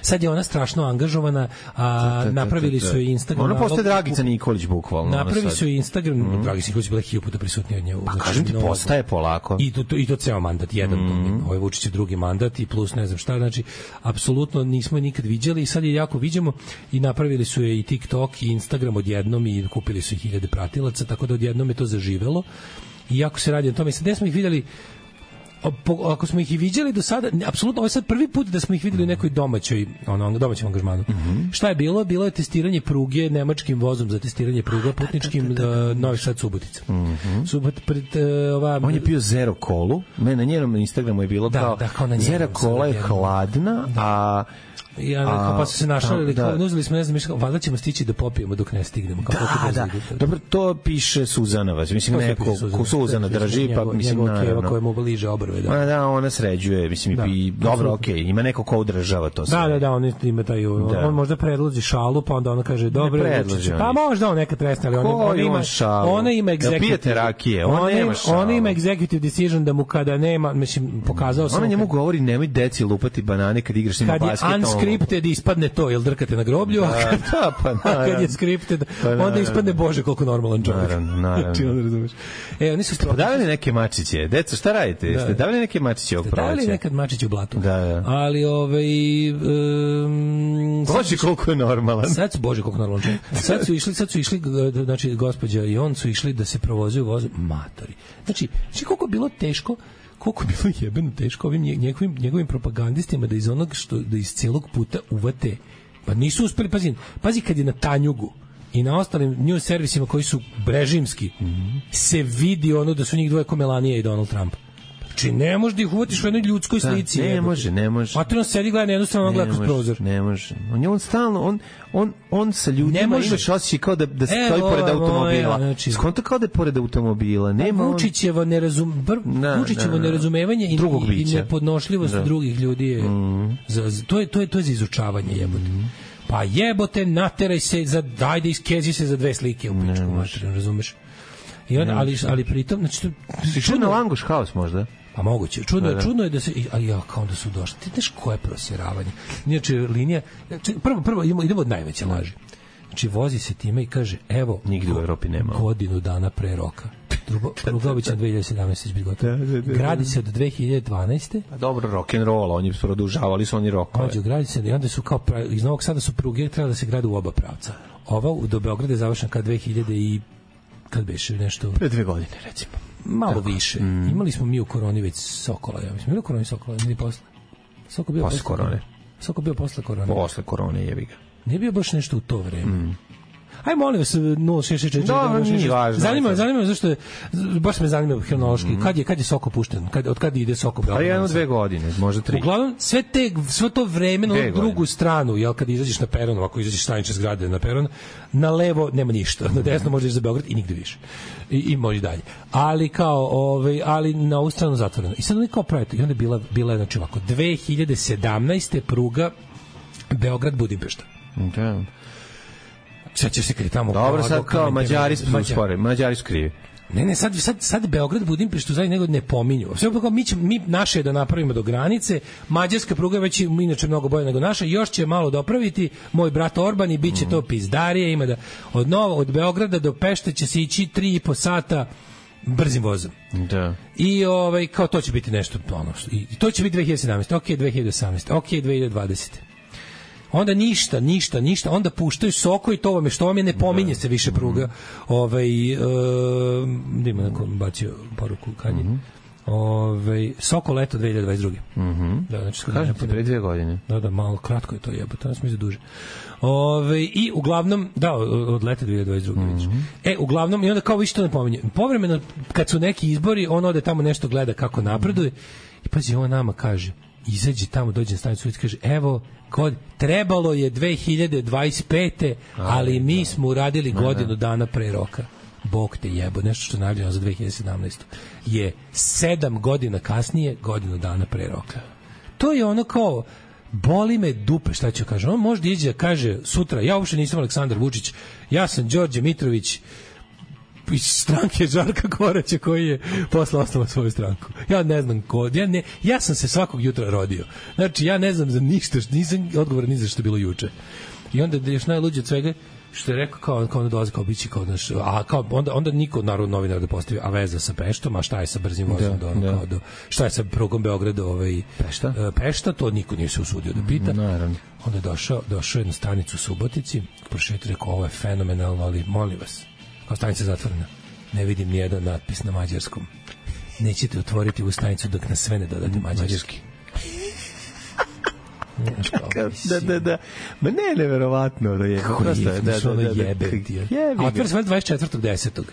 Sad je ona strašno angažovana, a da, da, da, napravili da, da, da. Su je Instagram. Ona postaje Dragica Nikolić bukvalno. Napravili su je Instagram, mm. Dragica Nikolić bila hiljadu puta prisutnija od nje. Pa znači, kažem ti, postaje polako. I to, to, i to ceo mandat, jedan mm. ovaj Vučić je drugi mandat i plus ne znam šta, znači apsolutno nismo je nikad viđali i sad je jako viđamo i napravili su je i TikTok i Instagram odjednom i kupili su ih hiljade pratilaca, tako da odjednom je to zaživelo. I jako se radi o tome, sad smo ih videli ako smo ih i viđali do sada, apsolutno ovo je sad prvi put da smo ih videli u nekoj domaćoj, ono, domaćem angažmanu. Mm-hmm. Šta je bilo? Bilo je testiranje pruge nemačkim vozom za testiranje pruga putničkim da, Novi Sad Subotica. Mm-hmm. Subot, pred, uh, ova, on je pio zero kolu, ne, na njenom Instagramu je bilo da, kao, da, kao na zero kola je hladna, da. a ja, a, pa su se našali, da, da. Uzeli smo, ne znam, mišljamo, valjda ćemo stići da popijemo dok ne stignemo. Kao da, da, da. Dobro, to piše Suzana, vas. Mislim, to neko, Suzana, ko Suzana drži, pa njegov, mislim, njegov naravno. Koja mu bliže obrve, da. Ma da, ona sređuje, mislim, da. I dobro, okej, okay, ima neko ko održava to sve. Da, da, da, on ima taj, on, da. on možda predloži šalu, pa onda ona kaže, dobro, pa možda on nekad tresne, ali ona, ona ima, ona ima executive, pijete rakije, ona nema šalu. Ona ima executive decision da mu kada nema, mislim, pokazao sam. Ona njemu govori, nemoj deci lupati banane kad igraš s njima basket. Kad je unscripted ispadne to, jel drkate na groblju, da, a kad, da, pa, a kad je scripted, pa, onda ispadne Bože koliko normalan čovjek. Naravno, naravno. Znači, onda razumeš. E, oni su ste davali neke mačiće, deco, šta radite? Da, ste davali neke mačiće ovog proleća? Davali nekad mačiće u blatu. Da, da. Ali, ovaj... Um, Bože koliko je normalan. Sad su, Bože koliko je normalan čovjek. Sad su išli, sad su išli, znači, gospođa i on su išli da se provozuju vozu matori. Znači, znači koliko je bilo teško, koliko je bilo jebeno teško ovim njegovim, njegovim propagandistima da iz onog što, da iz celog puta uvate, pa nisu uspeli, pazi, pazi kad je na Tanjugu i na ostalim news servisima koji su režimski, mm-hmm. se vidi ono da su njih dvoje ko Melanija i Donald Trump. Znači, ne možeš da ih uvatiš u jednoj ljudskoj slici. Da, ne jebote. može, ne može. Materno sedi gleda na jednu stranu, on gleda kroz prozor. Ne može. On je on stalno, on, on, on sa ljudima imaš osjećaj kao da, da stoji pored automobila. Znači, skonto kao da je pored automobila. Nema Vučićevo nerazum, Vučićevo nerazumevanje i, i, i nepodnošljivost da. drugih ljudi je, mm. za, za, to, je, to, je, to je za izučavanje jebote. Mm. Pa jebote, nateraj se, za, dajde iskezi se za dve slike u pičku, materno, razumeš? I on, ali, ali pritom, znači, si čuo na Langoš House možda? Pa moguće. Čudno je, čudno je da se, ali ja, kao da su došli. Ti znaš koje prosjeravanje? Inače, linija, prvo, prvo idemo, idemo od najveće laži. Znači, vozi se time i kaže, evo, nigde u Evropi nema. Godinu dana pre roka. Pruga obično dve hiljade sedamnaeste će biti gotova. Gradi se od dve hiljade dvanaeste. A dobro, rock and roll, oni su produžavali su oni rokove. Ođe, gradi se, i onda su kao, iz Novog Sada su pruge trebali da se grade u oba pravca. Ova do Beograda je završena kad dve hiljade i kad beše nešto... Pre dve godine, recimo. Malo tako. Više. Mm. Imali smo mi u koroni već Sokola, ja mislim. Imali u koroni Sokola, ili posle? Soko bio posle, posle korone. Soko bio posle korone. Posle korone, jebi ga. Nije bio baš nešto u to vreme. Mm. Aj molim vas nula šest šest četiri. Da, nije važno. Zanima me, zanima me zašto je, baš me zanima hronološki. Mm. Kad je kad je Soko pušten? Kad od kad ide Soko Beograd? Pa jedno dve godine, možda tri. Uglavnom sve te sve to vreme na drugu stranu, jel kad izađeš na peron, ako izađeš stanice zgrade na peron, na levo nema ništa, na desno možeš za Beograd i nigde više. I, i možeš dalje. Ali kao ovaj, ali na ovu stranu zatvoreno. I sad oni kao pravite, i onda je bila bila znači ovako dve hiljade sedamnaeste pruga Beograd Budimpešta. Da. Sad će se kad je tamo... Dobro, sad kao Mađari su uspore, Mađari su krivi. Ne, ne, sad, sad, sad Beograd, Budimpeštu zajedno nego ne pominju. Sve kao mi, će, mi naše je da napravimo do granice, mađarska pruga već je inače mnogo bolja nego naša, još će malo dopraviti moj brat Orban i bit će to pizdarije, ima da od, novo, od Beograda do Pešte će se ići tri i po sata brzim vozom. Da. I ovaj, kao to će biti nešto, ono, i to će biti dve hiljade sedamnaeste, ok, dve hiljade osamnaeste, ok, dve hiljade dvadesete Onda ništa, ništa, ništa, onda puštaju Soko i to vam je što vam je, ne pominje se više pruga. Ovaj, uh, ima neko bacio poruku kad je. Ovaj, Soko leto dve hiljade dvadeset druge Mhm. Da, znači kažem ti pre dve godine. Da, da, malo kratko je to jebote, nas mi za duže. Ovaj, i uglavnom, da, od leta dve hiljade dvadeset druge Mm-hmm. E, uglavnom, i onda kao više to ne pominje. Povremeno, kad su neki izbori, on ode tamo nešto gleda kako napreduje i pazi, on nama kaže, izađe tamo, dođe na stanicu i kaže, evo, kod, trebalo je dve hiljade dvadeset pete ali mi smo uradili godinu dana pre roka. Bog te jebo, nešto što je najavljeno za dve hiljade sedamnaestu je sedam godina kasnije, godinu dana pre roka. To je ono kao, boli me dupe, šta ću kažem. On možda iđe da kaže sutra, ja uopšte nisam Aleksandar Vučić, ja sam Đorđe Mitrović iz stranke Žarka Koraća koji je posle osnovao svoju stranku. Ja ne znam ko, ja, ne, ja sam se svakog jutra rodio. Znači, ja ne znam za ništa, nisam odgovor ni za što je bilo juče. I onda još najluđe od svega, što je rekao kao, kao onda dolazi kao bići kao, naš, a kao, onda, onda niko narod novinar da postavi, a veza sa Peštom, a šta je sa brzim vozom, da, do, da. Kao do, šta je sa prugom Beograda ovaj, Pešta? Pešta, to niko nije se usudio da pita. Naravno. Onda je došao, došao je na stanicu u Subotici, prošetio, rekao, ovo je fenomenalno, ali molim vas, kao stanica zatvorena, ne vidim nijedan natpis na mađarskom. nećete otvoriti u stanicu dok na sve ne dodate mađarski. Da, da, da. Ma ne, neverovatno da je. Kako prosto, je, da, da, da, da, jebe. A otvori se dvadeset četvrtog desetog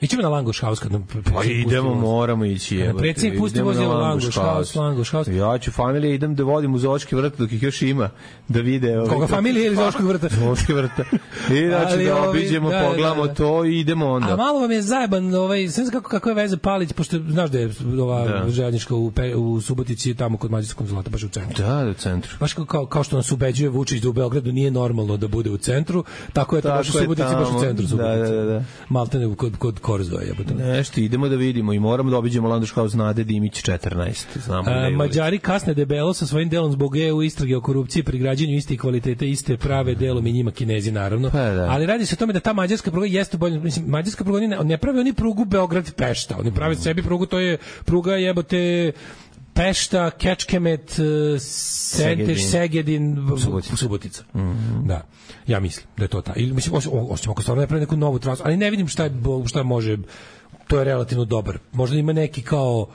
Ićemo na Langoš House kad nam pa idemo, moramo ići. Na predsjednik pusti vozilo Langoš House, Langoš House. Ja ću familije, idem da vodim u Zoološki vrt dok ih još ima, da vide. Ovaj, koga familije ili Zoološkog vrta? Zoološki vrta. I znači da obiđemo, da, pogledamo da, da. to i idemo onda. A malo vam je zajeban, ovaj, sve kako, kako je veze Palić, pošto znaš da je ova da. željeznička u, u Subotici, tamo kod Mađarskog konzulata, baš u centru. Da, u centru. Baš kao, kao što nas ubeđuje Vučić da u Beogradu nije normalno da bude u centru, tako je to baš u Subotici, baš u centru Subotici. Da, da, da. Maltene kod, kod Korzoja. Nešto, idemo da vidimo i moramo da obiđemo Langoš House Nade Dimić četrnaest. Znamo A, Mađari kasne debelo sa svojim delom zbog E U istrage o korupciji pri građenju iste kvalitete, iste prave delom i njima Kinezi naravno. Pa, da. Ali radi se o tome da ta mađarska pruga jeste bolje, mislim mađarska pruga ne, ne pravi oni prugu Beograd Pešta, oni prave sebi prugu, to je pruga jebote Pešta, Kečkemet, Senteš, Segedin, Subotica. Subotica. Mm-hmm. Da. Ja mislim da je to ta. Ili mislim osim ako stvarno ne pravi neku novu trasu, ali ne vidim šta je, šta može, to je relativno dobar. Možda ima neki kao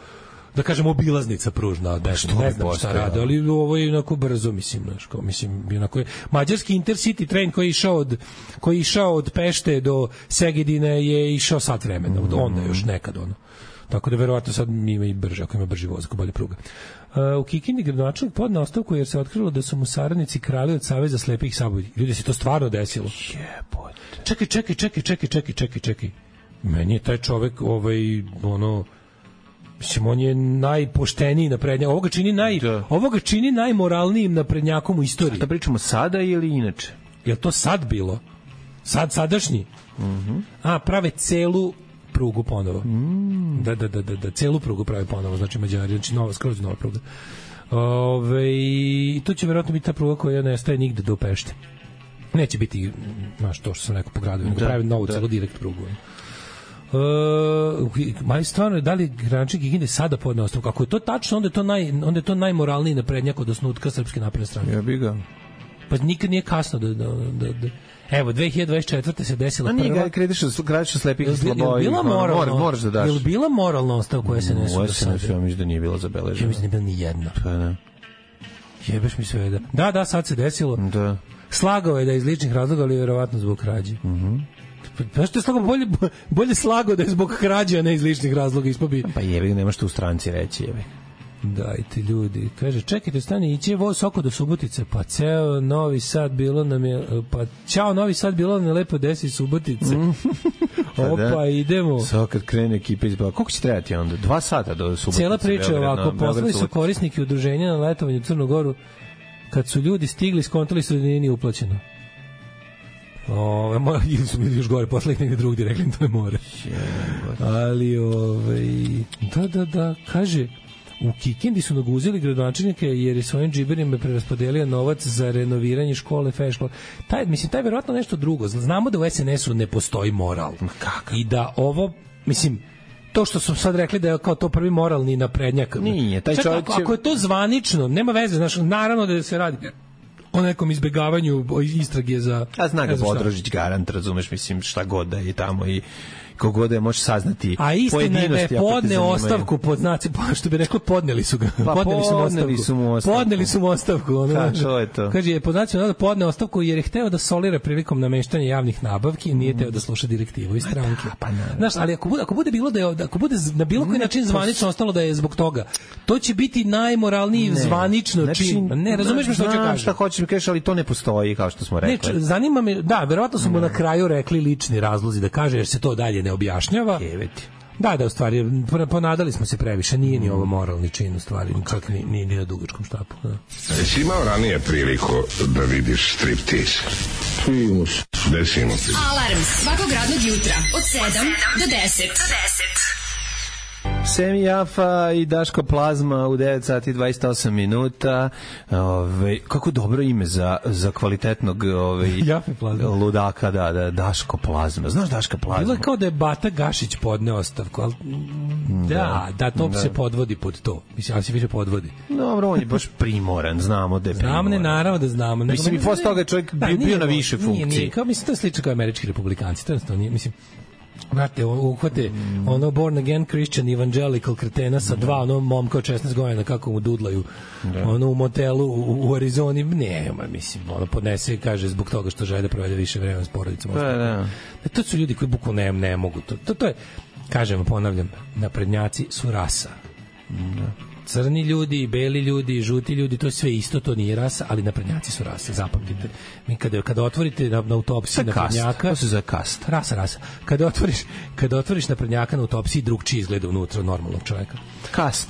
da kažemo obilaznica pružna, ne, ne znam šta rade, ali ovo je onako brzo, mislim, znaš, kao, mislim, onako je, mađarski Intercity train koji je išao od, koji je išao od Pešte do Segedina je išao sat vremena, od onda još nekad ono. Tako da verovatno sad ima i brže, ako ima brži voz, ako bolje pruga. Uh, u Kikindi gradonačelnik podneo ostavku jer se otkrilo da su mu saradnici krali od Saveza slepih sabulji. Ljudi, se to stvarno desilo. Jebote. Čekaj, čekaj, čekaj, čekaj, čekaj, čekaj, čekaj. Meni je taj čovek, ovaj, ono, mislim, on je najpošteniji naprednjak. Ovoga čini, naj, da. ovoga čini najmoralnijim naprednjakom u istoriji. Šta pričamo, sada ili inače? Je li to sad bilo? Sad, sadašnji? Mm-hmm. A, prave celu prugu ponovo. Mm. Da, da, da, da, da, celu prugu pravi ponovo, znači Mađari, znači nova, skroz nova pruga. Ove, i to će verovatno biti ta pruga koja nestaje nigde do Pešte. Neće biti, znaš, to što sam rekao po gradu, nego pravi novu da. celu direkt prugu. Uh, ma stvarno, da li gradonačelnik Kikinde sada podneo ostavku? Ako je to tačno, onda je to, naj, onda je to najmoralniji naprednjak od osnutka Srpske napredne stranke. Ja bih ga. Pa nikad nije kasno da... da, da, da. Evo, dve hiljade dvadeset četvrte se desila prva... A nije ga krediš kradiš slepih i slabojih. Je li bila moralna, moraš da daš. Je li bila moralna ostavka koja se ne su do sada? Ja mislim da nije bila zabeležena. Ja mislim da nije bila ni jedna. Pa ne. Jebeš mi sve da... Da, da, sad se desilo. Da. Slagao je da je iz ličnih razloga, ali vjerovatno zbog krađe. Mhm. Pa što je slagao? Bolje, bolje slagao da je zbog krađe, a ne iz ličnih razloga. Ispobi... Pa jebi, nemaš tu u stranci reći, jebi. Dajte ljudi, kaže, čekajte, stani, ići je voz oko do Subotice, pa ceo Novi Sad bilo nam je, pa ćao Novi Sad bilo nam je lepo desi Subotice. Opa, da. idemo. Sada kad krene ekipa izbava, koliko će trebati onda? Dva sata do Subotice. Cijela priča je ovako, poslali su korisniki udruženja na letovanju u Crnu Goru, kad su ljudi stigli, skontali su da nije uplaćeno. Ove, mo, ili su bili još gore, poslali ih negde drugdje, rekli im to ne more. Ali, ove, da, da, da, kaže, u Kikindi su naguzili gradonačelnike jer je svojim džiberima preraspodelio novac za renoviranje škole, fe škole. Taj, mislim, taj je verovatno nešto drugo. Znamo da u es en es u ne postoji moral. Kaka? I da ovo, mislim, to što su sad rekli da je kao to prvi moralni naprednjak. Nije, taj čovjek će... Ako je to zvanično, nema veze, znaš, naravno da se radi o nekom izbegavanju istrage za... A zna ga Bodrožić garant, razumeš, mislim, šta god da je tamo i kogod je može saznati a istina je da je podne ostavku pod znaci, što bi rekao, podneli su ga. Pa podneli su mu ostavku. Su mu ostavku. Podneli su mu ostavku. Ono, Ka, to je to. Kaže, je pod znacima da podne ostavku jer je hteo da solira prilikom nameštanja javnih nabavki i nije hteo da sluša direktivu iz stranke. Da, pa znaš, ali ako bude, ako bude bilo da je, ako bude na bilo koji način zvanično ostalo da je zbog toga, to će biti najmoralniji ne. zvanično znači, čin. Ne, razumeš me što hoće kažem? Šta hoćeš mi kažeš, ali to ne postoji, kao što smo rekli. Ne, zanima me, da, verovatno su mu na kraju rekli lični razlozi da kaže jer se to dalje ne objašnjava. Jeveti. Da, da, u stvari, ponadali smo se previše, nije ni ovo moralni čin, u stvari, čak ni, ni, ni na dugačkom štapu. Da. Jesi imao ranije priliku da vidiš striptease? Primus. Desimo ti. Alarm svakog radnog jutra od sedam do deset. Semi Jafa i Daško Plazma u devet sati i dvadeset osam minuta. Ove, kako dobro ime za, za kvalitetnog ove, ludaka, da, da, Daško Plazma. Znaš Daška Plazma? Bilo je kao da je Bata Gašić podneo ostavku, ali da, da, da to da. se podvodi pod to. Mislim, ali se više podvodi. Dobro, on je baš primoran, znamo da je primoran. Znamo, ne, naravno da znamo. Mislim, i posle toga je čovjek bio, bio na više funkciji. Nije, nije, kao, mislim, to je slično kao američki republikanci, to je nije, mislim, Znate, uhvate mm. ono born again Christian evangelical kretena sa dva ono momka od šesnaest godina kako mu dudlaju da. ono u motelu u, u Arizoni, ne, ma, mislim, ono podnese i kaže zbog toga što žele da provede više vremena s porodicom. Da, da. To su ljudi koji bukvalno ne, ne mogu. To, to, to je, kažem, ponavljam, naprednjaci su rasa. Da. Crni ljudi, beli ljudi, žuti ljudi, to je sve isto, to nije rasa, ali naprednjaci su rasa, zapamtite. Mi kada, kada otvorite na, na autopsiji naprednjaka... To se za kast. Rasa, rasa. Kada otvoriš, kada otvoriš naprednjaka na autopsiji, drugčije izgleda unutra normalnog čoveka. Kast.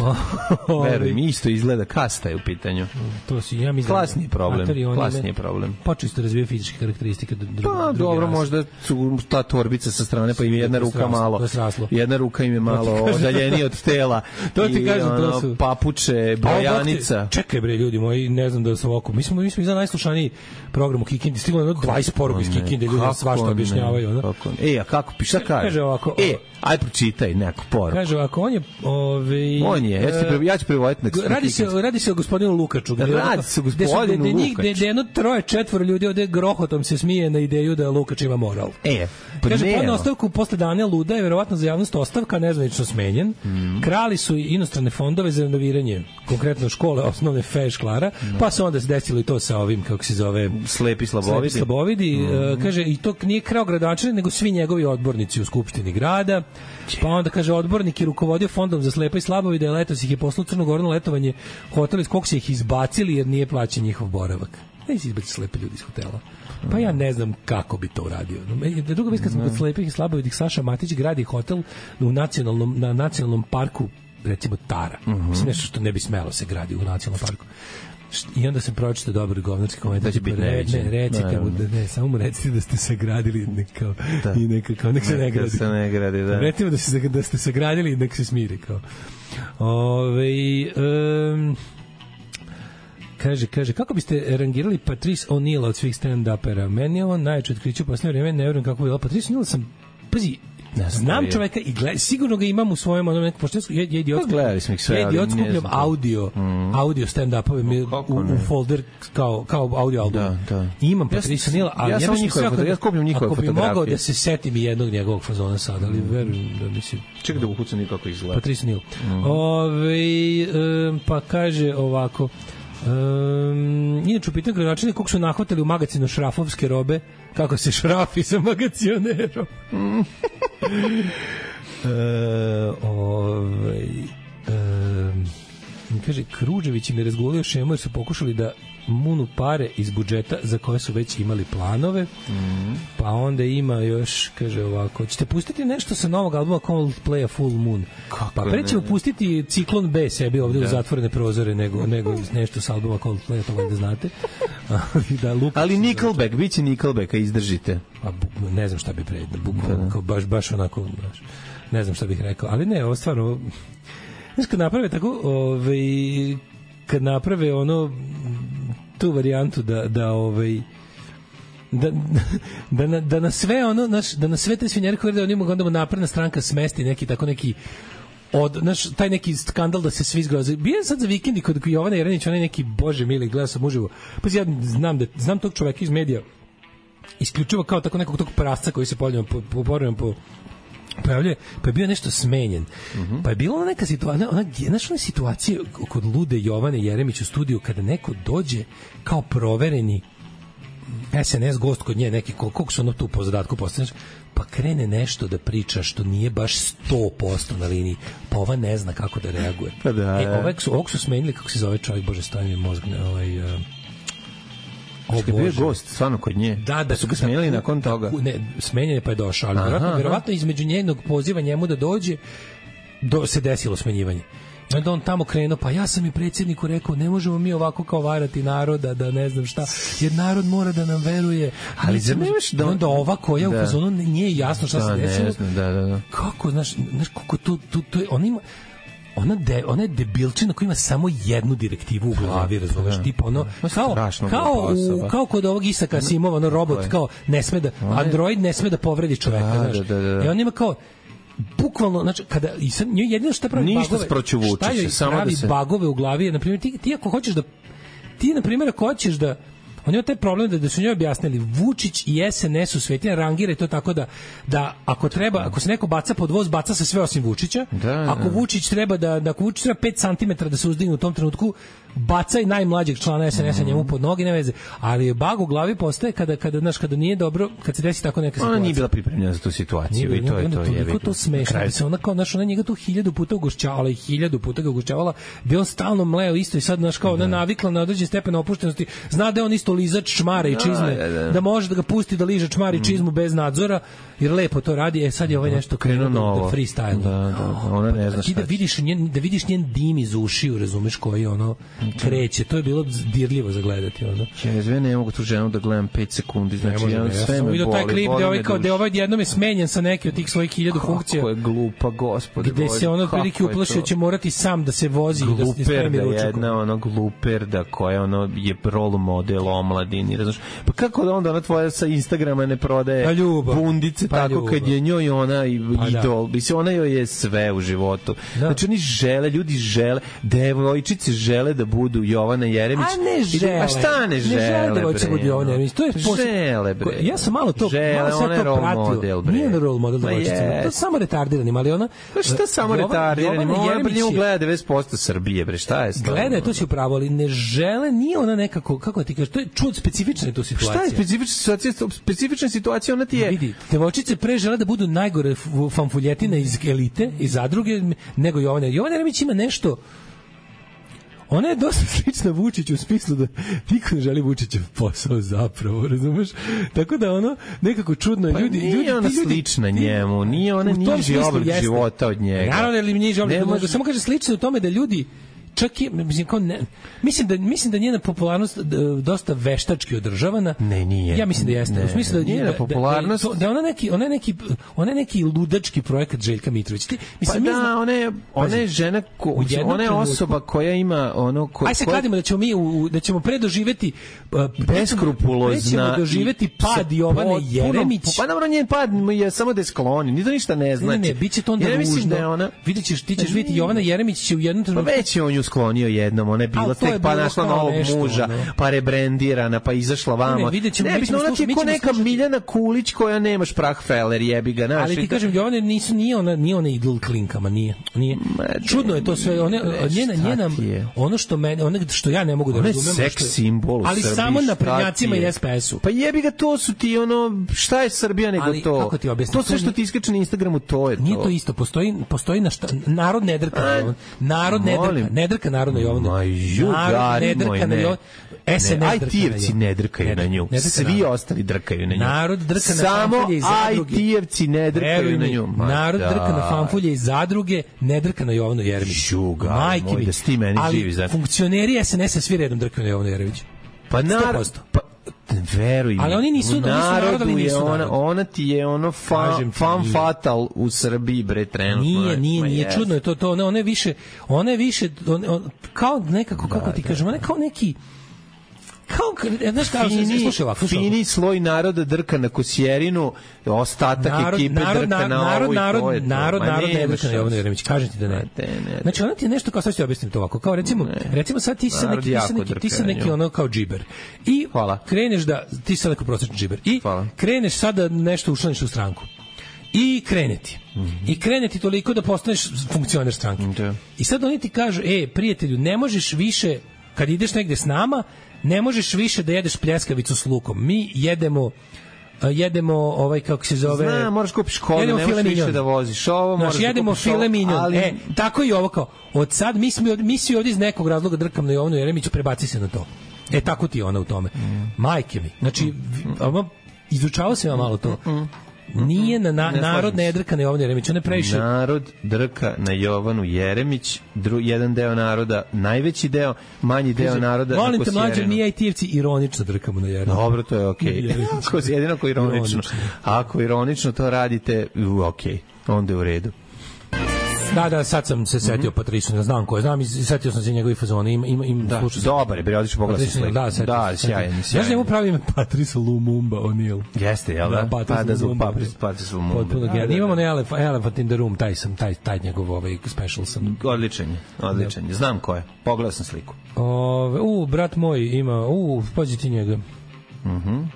Verujem, isto izgleda, kasta je u pitanju. To si, ja mislim... Klasni problem, klasni problem. Počeli ste razvijati fizičke karakteristike. Drugi, pa, dobro, rase. Možda su ta torbica sa strane, pa im je jedna ruka malo... Jedna ruka im je malo odaljenija od tela. To ti kažem, to su... papuče, brojanica. Čekaj bre, ljudi moji, ne znam da sam ovako. Mi smo mi smo iza najslušaniji program u Kikindi, stiglo je dvadeset poruka iz Kikinde, ljudi svašta objašnjavaju, ne? Kako? E, a kako piše, kaže? Kaže ovako. E, aj pročitaj neku poruku. Kaže ovako, on je, ovaj on je, ja ću pre, ja ću prevoditi na. Radi se, radi se o gospodinu Lukaču. Radi se o gospodinu Lukaču. Gde jedno troje, četvoro ljudi ovde grohotom se smije na ideju da Lukač ima moral. E, pa kaže, podne ostavku posle dana luda je verovatno za javnost ostavka nezvanično smenjen. Mm. Krali su i inostrane fondove za renoviranje, konkretno škole osnovne Fe Šklara, mm. pa se onda se desilo i to sa ovim, kako se zove, slepi slabovidi. Slepi slabovidi. Mm. Uh, kaže, i to nije krao gradonačelnik, nego svi njegovi odbornici u Skupštini grada. Pa onda kaže, odbornik je rukovodio fondom za slepe i slabovide, a letos ih je poslao Crnu Goru na letovanje hotel iz kog se ih izbacili jer nije plaćen njihov boravak. Ne se izbaci slepe ljudi iz hotela. Pa ja ne znam kako bi to uradio. Druga vez kad smo kod slepih i slabovidih, Saša Matić gradi hotel u nacionalnom, na nacionalnom parku, recimo Tara. Uh -huh. Mislim, nešto što ne bi smelo se gradi u nacionalnom parku. I onda sam pročitao dobar govnarski komentar. Da ne, ne, recite mu, da, ne, samo mu recite da ste sagradili nekao, da. I neka, kao, nek se ne gradi. Se ne gradi, da. Recimo da, se, da ste sagradili i nek se smiri, kao. Ove, um, kaže, kaže, kako biste rangirali Patrice O'Neal od svih stand-upera? Meni je on najveće otkriće u posljednje vreme, ne vjerujem kako je bilo. Patrice O'Neal sam, pazi, ne znam čoveka i gled, sigurno ga imam u svojem onom nekom, pošto je idiot, je idiot skupljam audio, mm. audio stand-upove u, u folder kao, kao audio album. Da, da. Imam Patrice O'Neal, ali ja, ja, ja, ja skupljam njihove fotografije. Ako bi mogao da se setim i jednog njegovog fazona sada, ali verujem da mislim... Čekaj da uhucam nikako izgleda. Patrice O'Neal. Mm. Ove, um, pa kaže ovako... Um, inače u pitanju gradonačelnika kog su nahvatali u magacinu šrafovske robe, kako se šrafi sa magacionerom. mm. e, ovaj, um, kaže, Kruđević im je razgulio šemu jer su pokušali da munu pare iz budžeta za koje su već imali planove. Mm. Pa onda ima još, kaže ovako, ćete pustiti nešto sa novog albuma Coldplay A Full Moon? Kako pa pre ćemo pustiti Ciklon B sebi ovde da. U zatvorene prozore nego, nego nešto sa albuma Coldplay, to valjda znate. da, ali Nickelback, bit će Nickelbacka, izdržite. Pa ne znam šta bi pre, bukvalno, kao baš, baš onako, baš, ne znam šta bih rekao, ali ne, ovo stvarno, znaš, kad naprave tako, ovaj, kad naprave ono, tu varijantu da da ovaj da da na, da na sve ono naš da na sve te svinjare koje da oni mogu onda napredna stranka smesti neki tako neki od naš taj neki skandal da se svi zgroze. Bio sad za vikendi kod Jovana Jerenić, onaj neki, bože mili, gledao sam uživo. Pa ja znam da znam tog čoveka iz medija isključivo kao tako nekog tog prasca koji se poljava po po, po, po pojavljuje, pa je bio nešto smenjen. Uh -huh. Pa je bila neka situacija, ona, znaš, ona situacija kod lude Jovane Jeremić u studiju kada neko dođe kao provereni es en es gost kod nje, neki koliko su ono tu po zadatku postavljaš, pa krene nešto da priča što nije baš sto posto na liniji, pa ova ne zna kako da reaguje. Pa da, e, ovog su, ovog su smenili, kako se zove čovjek, bože, stavim je mozg, ovaj... Uh, O, bio je gost, stvarno kod nje. Da, da su ga smenili nakon toga. Ne, smenjen je pa je došao, ali verovatno, verovatno između njenog poziva njemu da dođe do, se desilo smenjivanje. I onda on tamo krenuo, pa ja sam i predsjedniku rekao, ne možemo mi ovako kao varati naroda, da ne znam šta, jer narod mora da nam veruje. Ali za nemaš da... onda ova koja da. U fazonu nije jasno šta da, se desilo. Znam, da, da, da. Kako, znaš, znaš kako to, to, to je, ona ima... Ona, de, ona je debilčina koja ima samo jednu direktivu u glavi, razumeš, da, tipa ono, kao, kao, u, kao kod ovog Isaka Asimova, ono robot, kao, ne sme da, android ne sme da povredi čoveka, da, znaš, da, da, da. I on ima kao, bukvalno, znači, kada, i sad, jedino što pravi ništa bagove, šta joj samo pravi da se... bagove u glavi, je, na primjer, ti, ti ako hoćeš da, ti, na primjer, ako hoćeš da, on je taj problem da, da su njoj objasnili Vučić i S N S u svetinja rangira to tako da, da ako treba, ako se neko baca pod voz, baca se sve osim Vučića. Da, da. Ako Vučić treba da, da ako Vučić treba pet centimetara da se uzdigne u tom trenutku, bacaj najmlađeg člana S N S-a njemu pod noge, ne veze. Ali bag u glavi postaje kada, kada, znaš, kada nije dobro, kad se desi tako neka situacija. Ona nije bila pripremljena za tu situaciju i to je to. Toliko to smešno. Da se ona kao, znaš, ona njega tu hiljadu puta ugošćavala i hiljadu puta ga ugošćavala, bi on stalno mleo isto i sad, znaš, kao ona navikla na određen stepen opuštenosti, zna da je on isto lizač čmare i čizme, da, da, da. da može da ga pusti da liže čmare i čizmu bez nadzora, jer lepo to radi. E sad je ovaj nešto krenuo da freestyle. Da, da, ona ne zna šta. Da vidiš njen, da vidiš njen dim iz ušiju, razumeš, koji ono kreće. To je bilo dirljivo za gledati, ono. Ja sve ne mogu tu ženu da gledam pet sekundi, znači ja, ja sve me boli. Taj klip gde ovaj kao da ovaj jednom je smenjen sa neke od tih svojih hiljadu funkcija. Kako je glupa, gospode. Gde se ono prilike uplašio će morati sam da se vozi i da se spremi ručak. Jedna ono gluperda koja ono je role model omladini, razumeš? Pa kako onda ona tvoja sa Instagrama ne prodaje pa bundice pa tako ljubav. Kad je njoj ona i pa idol, da. Mislim ona joj je sve u životu. Da. Znači oni žele, ljudi žele, devojčice žele da budu Jovana Jeremić. A ne žele. A šta ne žele? Ne žele da hoće budu Jovana Jeremić. To je žele, bre. Ja sam malo to, žele, malo sam to pratio. Model, nije na role model devojčica. To je samo retardiranim, ali ona... Pa šta samo retardiranim? Ona pa njemu gleda devedeset posto Srbije, bre. Šta je stvarno? Gleda, to si upravo, ali ne žele, nije ona nekako, kako ti kažeš, to je čud specifična je to situacija. Šta je specifična situacija? Specifična situacija, ona ti je... Vidi, devojčice pre žele da budu najgore fanfuljetine iz elite, iz zadruge, nego Jovana. Jovana Jeremić ima nešto... Ona je dosta slična Vučiću u smislu da niko ne želi Vučićev posao zapravo, razumeš? Tako da ono, nekako čudno je. Pa ljudi, nije ljudi, ona ljudi, slična njemu, nije ona niži oblik života od njega. Naravno, ali niži oblik života, samo kaže slično u tome da ljudi čak i mislim kao ne, mislim da mislim da njena popularnost dosta veštački održavana. Ne, nije. Ja mislim da jeste. Ne, u smislu da njena popularnost da, da, da ona neki ona neki ona neki ludački projekat Željka Mitrović. Ti mislim pa da, ona je ona je žena ko, ona je osoba koja ima ono ko, aj se kladimo da ćemo mi u, da ćemo predoživeti uh, beskrupulozna doživeti pad Jovane Jeremić. Pa dobro, njen pad je samo da skloni, ni to ništa ne znači. Ne, ne, biće to onda ružno. Videćeš, ti ćeš vidjeti Jovana Jeremić će u jednom trenutku sklonio jednom, ona je bila tek pa našla novog muža, no. Pa rebrendirana, pa izašla vamo. Ne, ne, ne bitno, ona ti je ko neka slušati. Miljana Kulić koja nema šprahfeler, jebi ga, naši. Ali ti kažem, Jovana nisu, nije ona, nije ona idol klinkama, nije. nije. Čudno je to sve, one, njena, njena, ono što, mene, ono što ja ne mogu da razumem. Ona je seks simbol u ali Srbiji. Samo na prednjacima i S P S-u. Pa jebi ga, to su ti ono, šta je Srbija nego ali, to? Kako ti objasnim? To sve što ti iskače na Instagramu, to je to. Nije to isto, postoji, postoji na šta, narod ne drka, narod ne drka, ne drka narodno Jovana. Ma jugari moj, ne. S N S I T-evci ne drkaju na nju. Svi ostali drkaju na nju. Narod drka na samo fanfulje iz zadruge. I T-evci ne drkaju na nju. Narod drka na fanfulje iz zadruge, ne drka na Jovanu Jeremić. Jugari moj, da s ti meni živi. Ali funkcioneri S N S-a svi redom drkaju na Jovanu Jeremić. Pa narod... Veruj mi. Ali oni nisu, u narodu nisu je ona, narod. ona ti je ono fan, fan fatal u Srbiji, bre, trenutno. Nije, nije, nije, yes. Čudno je to, to, ona, ona je više, ona je više, on, on, kao nekako, kako da, ti da. kažem, ona je kao neki, kao, znaš kao, fini, slušaj ovako, slušaj fini sloj naroda drka na Kosjerinu, ostatak narod, ekipe narod, drka na narod, ovo i narod, to je to. Narod, narod ne drka na Jovanu Jeremić, kažem ti da ne. ne, ne znači, ona ti je nešto, kao sad ću ti objasniti to ovako, kao recimo, ne. recimo sad ti si neki, ti si neki, ti si neki ono kao džiber. I Hvala. kreneš da, ti si neko prosječni džiber. I Hvala. kreneš sada nešto učlaniš u stranku. I kreneti. Mm -hmm. I kreneti toliko da postaneš funkcioner stranke. Mm -hmm. I sad oni ti kažu, e, prijatelju, ne možeš više, kad ideš negde s nama, ne možeš više da jedeš pljeskavicu s lukom. Mi jedemo jedemo ovaj kako se zove. Zna, moraš kupiš kolu, ne možeš više da voziš. Ovo moraš da jedemo file mignon. Ali... E, tako i ovo kao. Od sad mi smo mi svi ovdje iz nekog razloga drkam na Jovanu Jeremiću, prebaci se na to. E, tako ti je ona u tome. Mm. Majke mi. Znači, mm. izučavao sam ja malo to. Mm. Nije na, na ne narod ne drka na Jovanu Jeremić, on je previše. Narod drka na Jovanu Jeremić, dru, jedan deo naroda, najveći deo, manji deo Kaže, naroda na Kosjerinu. Molim te, mlađe, mi I T-evci ironično drkamo na Jeremić. Dobro, to je okej. Okay. Jedino ako ironično. ironično. Ako ironično to radite, okej, okay. Onda je u redu. Da, da, sad sam se setio mm -hmm. Patrisu, ne znam ko je, znam i setio sam se njegovi fazona, ima, ima, ima da, slušao. Dobar je, bre, odiš pogledati sliku. Da, setio da, sjajan, sjajan. Znaš njemu pravi ime Patrice Lumumba O'Neal. Jeste, jel da? da pa da zvuk Patrice Lumumba. Potpuno da, genijalno. Imamo na Elephant, Elephant in the Room, taj sam, taj, taj njegov ovaj special sam. Odličan je, odličan je. Znam ko je, pogledao sam sliku. Ove, u, brat moj ima, u, pazi ti njega. Mhm. Mm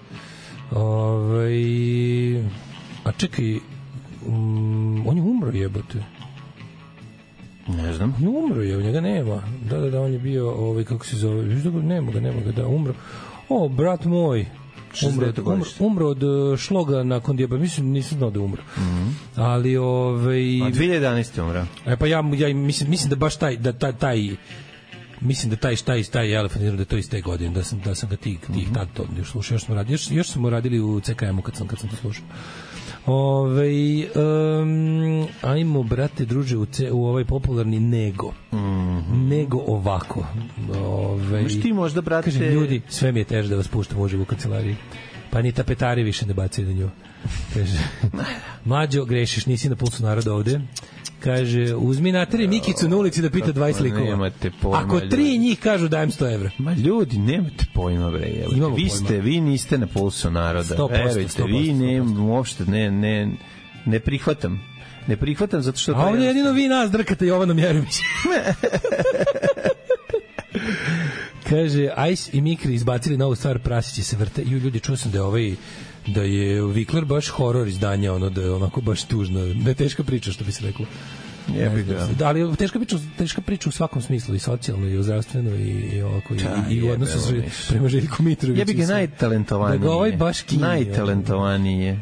Ovaj a čekaj, um, on je umro, jebote. Ne znam. On je umro, je, njega nema. Da, da, da, on je bio, ovaj, kako se zove, viš da ga, nema ga, nema ga, da, umro. O, brat moj, umro, umro, umro od šloga nakon dijaba, mislim, nisam znao da umro. Mm -hmm. Ali, ovaj... A dve hiljade jedanaeste umro. E, pa ja, ja mislim, mislim da baš taj, da taj, taj mislim da taj taj taj Elefant da to iz te godine, da sam da sam ga tih tih tad to još slušao, još smo radili, još, još smo radili u C K M-u kad sam kad sam to slušao. Ove, um, ajmo, brate, druže, u, ce, u ovaj popularni Nego. Mm -hmm. Nego ovako. Ove, Možeš ti možda, brate... Kažem, ljudi, sve mi je teže da vas puštam uživo u kancelariji. Pa ni tapetari više ne bacaju na nju. Kaže, mlađo, grešiš, nisi na pulsu naroda ovde. Kaže, uzmi nateri Mikicu na ulici da pita dvadeset likova. Nemate pojma. Ako tri njih kažu dajem sto evra. Ma ljudi, nemate pojma, bre. Vi pojma. ste, vi niste na pulsu naroda. sto posto, Verujte, sto posto, vi ne, uopšte ne, ne, ne prihvatam. Ne prihvatam zato što... A ovdje jedino vi nas drkate Jovanom Jeremić. Kaže, Ice i Mikri izbacili novu stvar, prasići se vrte. Ju, ljudi, čuo sam da je ovaj da je Vikler baš horor izdanje, ono da je onako baš tužno, da je teška priča, što bi se reklo. Jebi ga. Da, ali teška priča, teška priča u svakom smislu, i socijalno, i zdravstveno, i, i ovako, da, i, i u odnosu s, prema Željku Mitroviću. Jebi ga najtalentovanije. Da ga ovaj baš kinje. Najtalentovanije.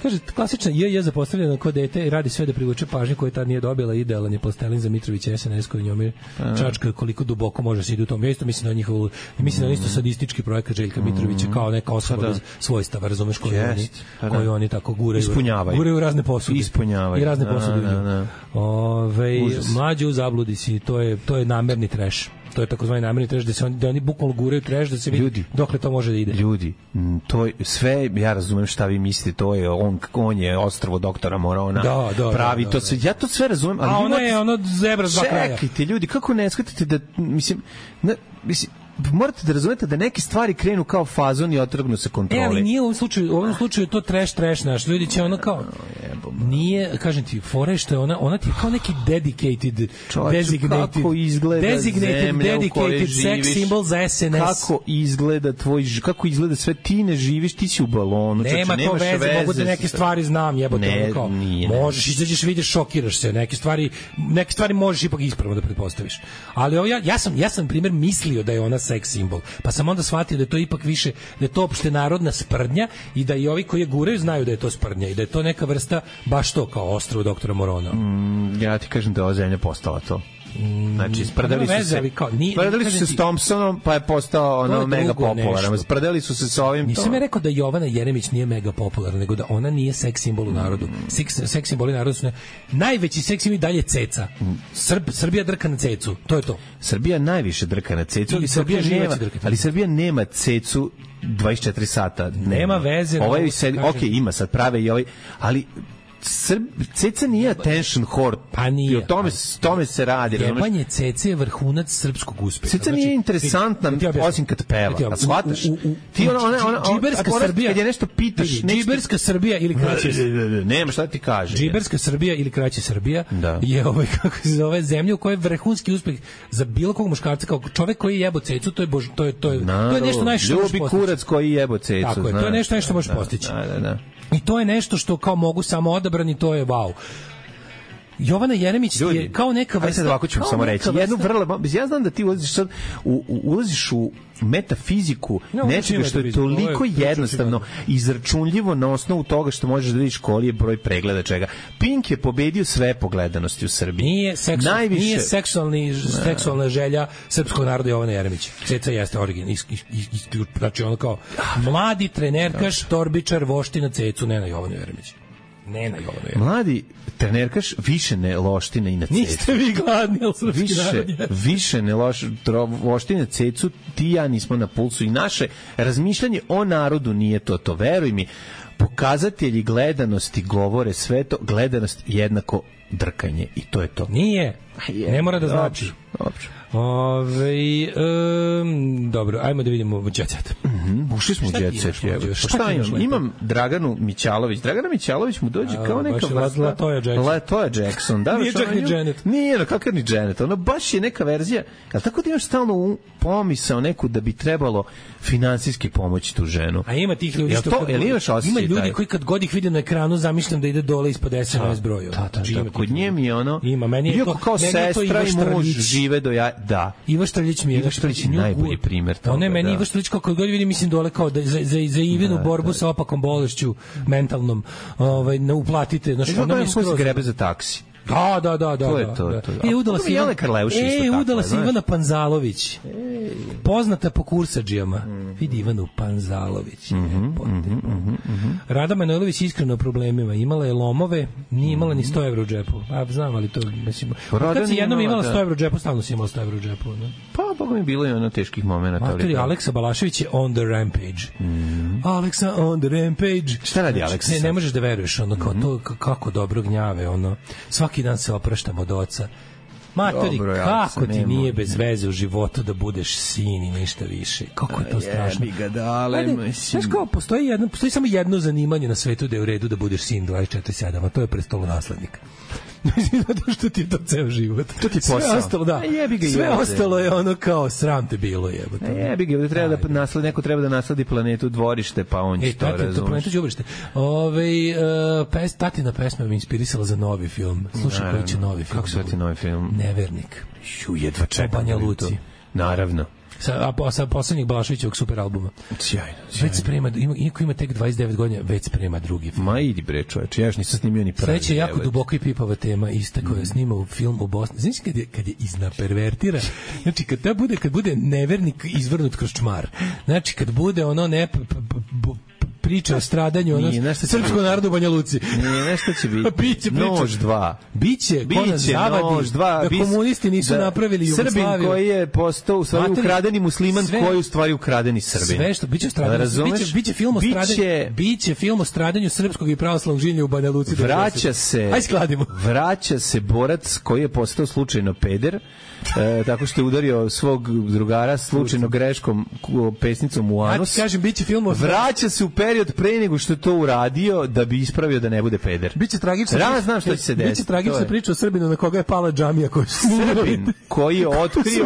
Kaže, klasična J J zapostavljena kod dete i radi sve da privuče pažnju koju tad nije dobila. Idealan je plastelin za Mitrovića S N S koji njome čačka koliko duboko može se ide u tom. Ja isto mislim da njihovo, mislim da isto sadistički projekat Željka Mitrovića kao neka osoba bez svojstava, razumeš, koji oni, koji oni tako guraju. Ispunjavaju. Guraju razne posude. Ispunjavaju. I razne posude. Ove, mlađe u zabludi si, to je, to je namerni trash. To je takozvani namerni trash, da se oni, da oni bukvalno guraju trash, da se vidi ljudi, dokle to može da ide. Ljudi, to je, sve, ja razumem šta vi mislite, to je, on, on je ostrvo doktora Morona, da, da, pravi da, da, to sve, ja to sve razumem. Ali a ono je ono zebra s dva kraja. Čekajte, ljudi, kako ne shvatite da, mislim, ne, mislim, morate da razumete da neke stvari krenu kao fazon i otrgnu se kontrole. E, ali nije u ovom slučaju, u ovom slučaju to trash, trash naš. Ljudi će ono kao, nije, kažem ti, fore što je ona, ona ti je kao neki dedicated, Čovječ, designated, kako izgleda designated, dedicated sex symbol za S N S. Kako izgleda tvoj, kako izgleda sve, ti ne živiš, ti si u balonu. Nema čoče, to veze, veze, mogu da neke stvari znam, jebote, ne, ono kao, nije, možeš, izađeš, vidiš, šokiraš se, neke stvari, neke stvari možeš ipak ispravno da pretpostaviš. Ali ovo, ja, ja sam, ja sam, primjer, mislio da je ona sex simbol. Pa sam onda shvatio da je to ipak više, da je to opšte narodna sprdnja i da i ovi koji je guraju znaju da je to sprdnja i da je to neka vrsta baš to kao ostrvo doktora Morona. Mm, ja ti kažem da ova zemlja postala to. Znači, sprdali su se, sprdali su se s Thompsonom, pa je postao ono mega popularan. Sprdali su se s ovim. Nisam ja rekao da Jovana Jeremić nije mega popularna, nego da ona nije seks simbol u narodu. Seks, seks simboli narodu su ne... najveći seks simbol dalje ceca. Srb, Srbija drka na cecu, to je to. Srbija najviše drka na cecu, ali Srbija nema, ali Srbija nema cecu dvadeset četiri sata. Nema, nema veze. Ovaj se, okej, ima sad prave i ovaj, ali Srb, ceca nije attention whore. Pa nije. I o tome, tome se radi. Jebanje cece je vrhunac srpskog uspeha. Ceca nije interesantna, znači, osim kad peva. A shvataš? Ti ona, ona, ona, džiberska Srbija. Kad je nešto pitaš... Džiberska Srbija ili kraće... Nema, šta ti kaže? Džiberska Srbija ili kraće Srbija je ovaj, kako se zove, zemlja u kojoj je vrhunski uspeh za bilo kog muškarca, kao čovek koji jebo cecu, to je, bož, to je, to je, to je nešto najviše možeš postići. Ljubi kurac koji jebo cecu. Tako je, to je nešto nešto možeš postići. Da, da, da. I to je nešto što kao mogu samo odabrani, to je wow. Jovana Jeremić ljudi, je kao neka vrsta... Ajde sad ovako ću samo reći. Jednu vrlo, ja znam da ti ulaziš sad, u, u, ulaziš u metafiziku no, nečega što je toliko je jednostavno izračunljivo na osnovu toga što možeš da vidiš koji je broj pregleda čega. Pink je pobedio sve pogledanosti u Srbiji. Nije, seksu, Najviše... nije seksualni, seksualna želja srpskog naroda Jovana Jeremića. Ceca jeste original. Is, is, is, znači ono kao mladi trenerkaš, torbičar, vošti na cecu, ne na Jovanu Jeremića. Ne na Jovanu Jeremića. Mladi trenerkaš više ne loština i na cecu. Niste vi gladni, ali srpski više, narod je. Više ne loš, loštine cecu, ti ja nismo na pulsu i naše razmišljanje o narodu nije to, to veruj mi. Pokazatelji gledanosti govore sve to, gledanost jednako drkanje i to je to. Nije, je, ne mora da znači. Dobro. Ove, um, dobro, ajmo da vidimo Jet Set. Mm-hmm. Ušli smo u jet set. Šta imam? Imam Draganu Mićalović. Dragana Mićalović mu dođe kao neka vrsta Latoya Jackson. Latoya Jackson, da. Nije čak ni Janet. Nije, no kakav ni Janet. Ono baš je neka verzija. Ali tako da imaš stalno pomisao neku da bi trebalo finansijski pomoći tu ženu. A ima tih ljudi što to, ima ljudi koji kad god ih vide na ekranu zamišljam da ide dole ispod es em es broja. Da, da, da. Kod nje mi je ono ima meni je to kao sestra i muž žive do ja da. Iva Štrljić mi je Iva Štrljić najbolji primer toga. Ona meni Iva Štrljić kako god vidim mislim dole kao da za za za Ivinu borbu sa opakom bolešću mentalnom, ovaj ne uplatite, znači ona mi skroz grebe za taksi. Da, da, da, da. To je to, da. to. I udala se Jelena Karleuša isto tako. E, udala se Ivana Panzalović. Ej. Poznata po kursadžijama. Mm. Vidi Ivanu Panzalović. Mm -hmm, mm -hmm, mm -hmm. Rada Manojlović iskreno o problemima. Imala je lomove, nije imala ni sto evra u džepu. A znam, ali to, mislim... Kad si jednom imala sto evra u džepu, stalno si imala sto evra u džepu. Ne? Pa, boga mi bilo i ono teških momenta. Matori, Aleksa Balašević je on the rampage. Mm. Aleksa on the rampage. Šta radi Aleksa? Ne, ne možeš da veruješ, ono, kao to, kako dobro gnjave, ono... Svaki dan se opraštam od oca. Matori, dobro, kako ti nije bez veze u životu da budeš sin i ništa više? Kako je to strašno? Jebi ga dale, mislim. Znaš kao, postoji, jedno, postoji samo jedno zanimanje na svetu da je u redu da budeš sin dvadeset četiri sedam, a to je prestolonaslednik. Zato što ti je to ceo život. To ti je posao. Sve ostalo, da. Sve ostalo je ono kao sram te bilo jebote. Jebi ga, treba da nasledi, neko treba da nasledi planetu dvorište, pa on će to razumjeti. To planetu dvorište. Ovaj uh, pes, tatina pesma me inspirisala za novi film. Slušaj, koji će novi film. Kako se zove novi film? Nevernik. Ju, jedva čekam. Banja Luci. Naravno. Sa, a sa poslednjeg Balaševićevog super albuma. Sjajno, sjajno. Već sprema, ima, iako ima tek dvadeset devet godina, već sprema drugi film. Ma idi bre čoveče, ja još nisam snimio ni prvi. Sledeće je jako duboko i pipava tema, ista koja mm. snima u film u Bosni. Znači kad je, kad je iznapervertira, znači kad ta bude, kad bude nevernik izvrnut kroz čmar, znači kad bude ono ne... P, p, p, priča o stradanju ono srpskog naroda u Banja Luci. Nije, nešto će biti. Biće nož dva. Biće, biće zavadi dva, da komunisti nisu da, napravili Jugoslaviju. Srbin koji je postao u stvari Materi, ukradeni musliman sve, koji je u stvari ukradeni Srbin. Sve što biće stradanju, biće, biće film o stradanju, biće, biće film o stradanju srpskog i pravoslavnog življenja u Banja Luci. Vraća se. Aj skladimo. Vraća se borac koji je postao slučajno peder. E, tako što je udario svog drugara slučajno greškom pesnicom u anus. Ja ti kažem, biće film o... Vraća se u period pre nego što je to uradio da bi ispravio da ne bude peder. Biće tragično. Ja znam što će se desiti. Biće tragična priča o Srbinu na koga je pala džamija koju su Srbin koji je otkrio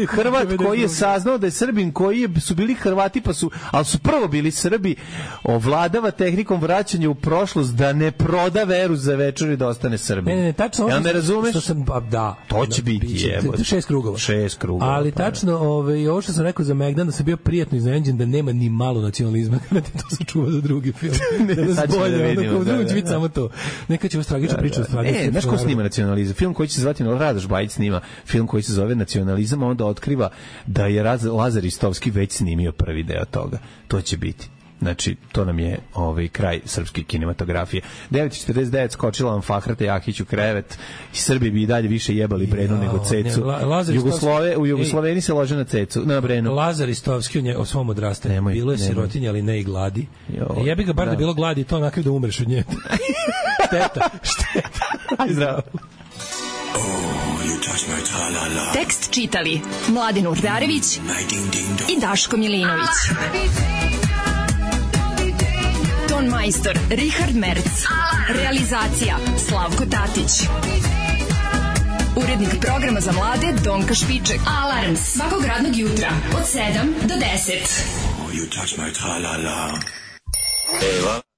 Hrvat koji je saznao da je Srbin koji je, su bili Hrvati pa su, ali su prvo bili Srbi, ovladava tehnikom vraćanja u prošlost da ne proda veru za večer i da ostane Srbin. Ne, ne, tačno. Ja ne razumeš? Što sam, pa, da. To će biti jebote. Šest krugova. Šest krugova. Ali pa, tačno, ovaj, ovo što sam rekao za Megdan, da sam bio prijatno iznenađen da nema ni malo nacionalizma, kada ti to sačuva za drugi film. Ne, da nas bolje, da vidimo, onda, da, da, će biti da. Samo to. Neka će vas tragična da, priča. Da. Ne, znaš ko snima nacionalizam? Film koji će se zvati, Radoš Bajić snima film koji se zove Nacionalizam, a onda otkriva da je Lazar Istovski već snimio prvi deo toga. To će biti. Znači, to nam je ovaj kraj srpske kinematografije. devet četrdeset devet skočila vam Fahrata Jahić u krevet i Srbi bi i dalje više jebali Brenu ja, nego Cecu. Ne, Jugoslove, u Jugosloveni se lože na Cecu, na Brenu. Lazar Istovski u, nje, u svom odrastanju. Bilo je sirotinja, ali ne i gladi. Jo, jebi ga bar da, da bilo gladi, to onakav da umreš od nje. šteta, šteta. Aj zdravo. Tekst čitali Mladin Urdarević i Daško Milinović. Ton majstor Richard Merc. Realizacija Slavko Tatić. Urednik programa za mlade Donka Špiček. Alarms svakog radnog jutra od sedam do deset. Oh, you touch my tra-la-la. Eva.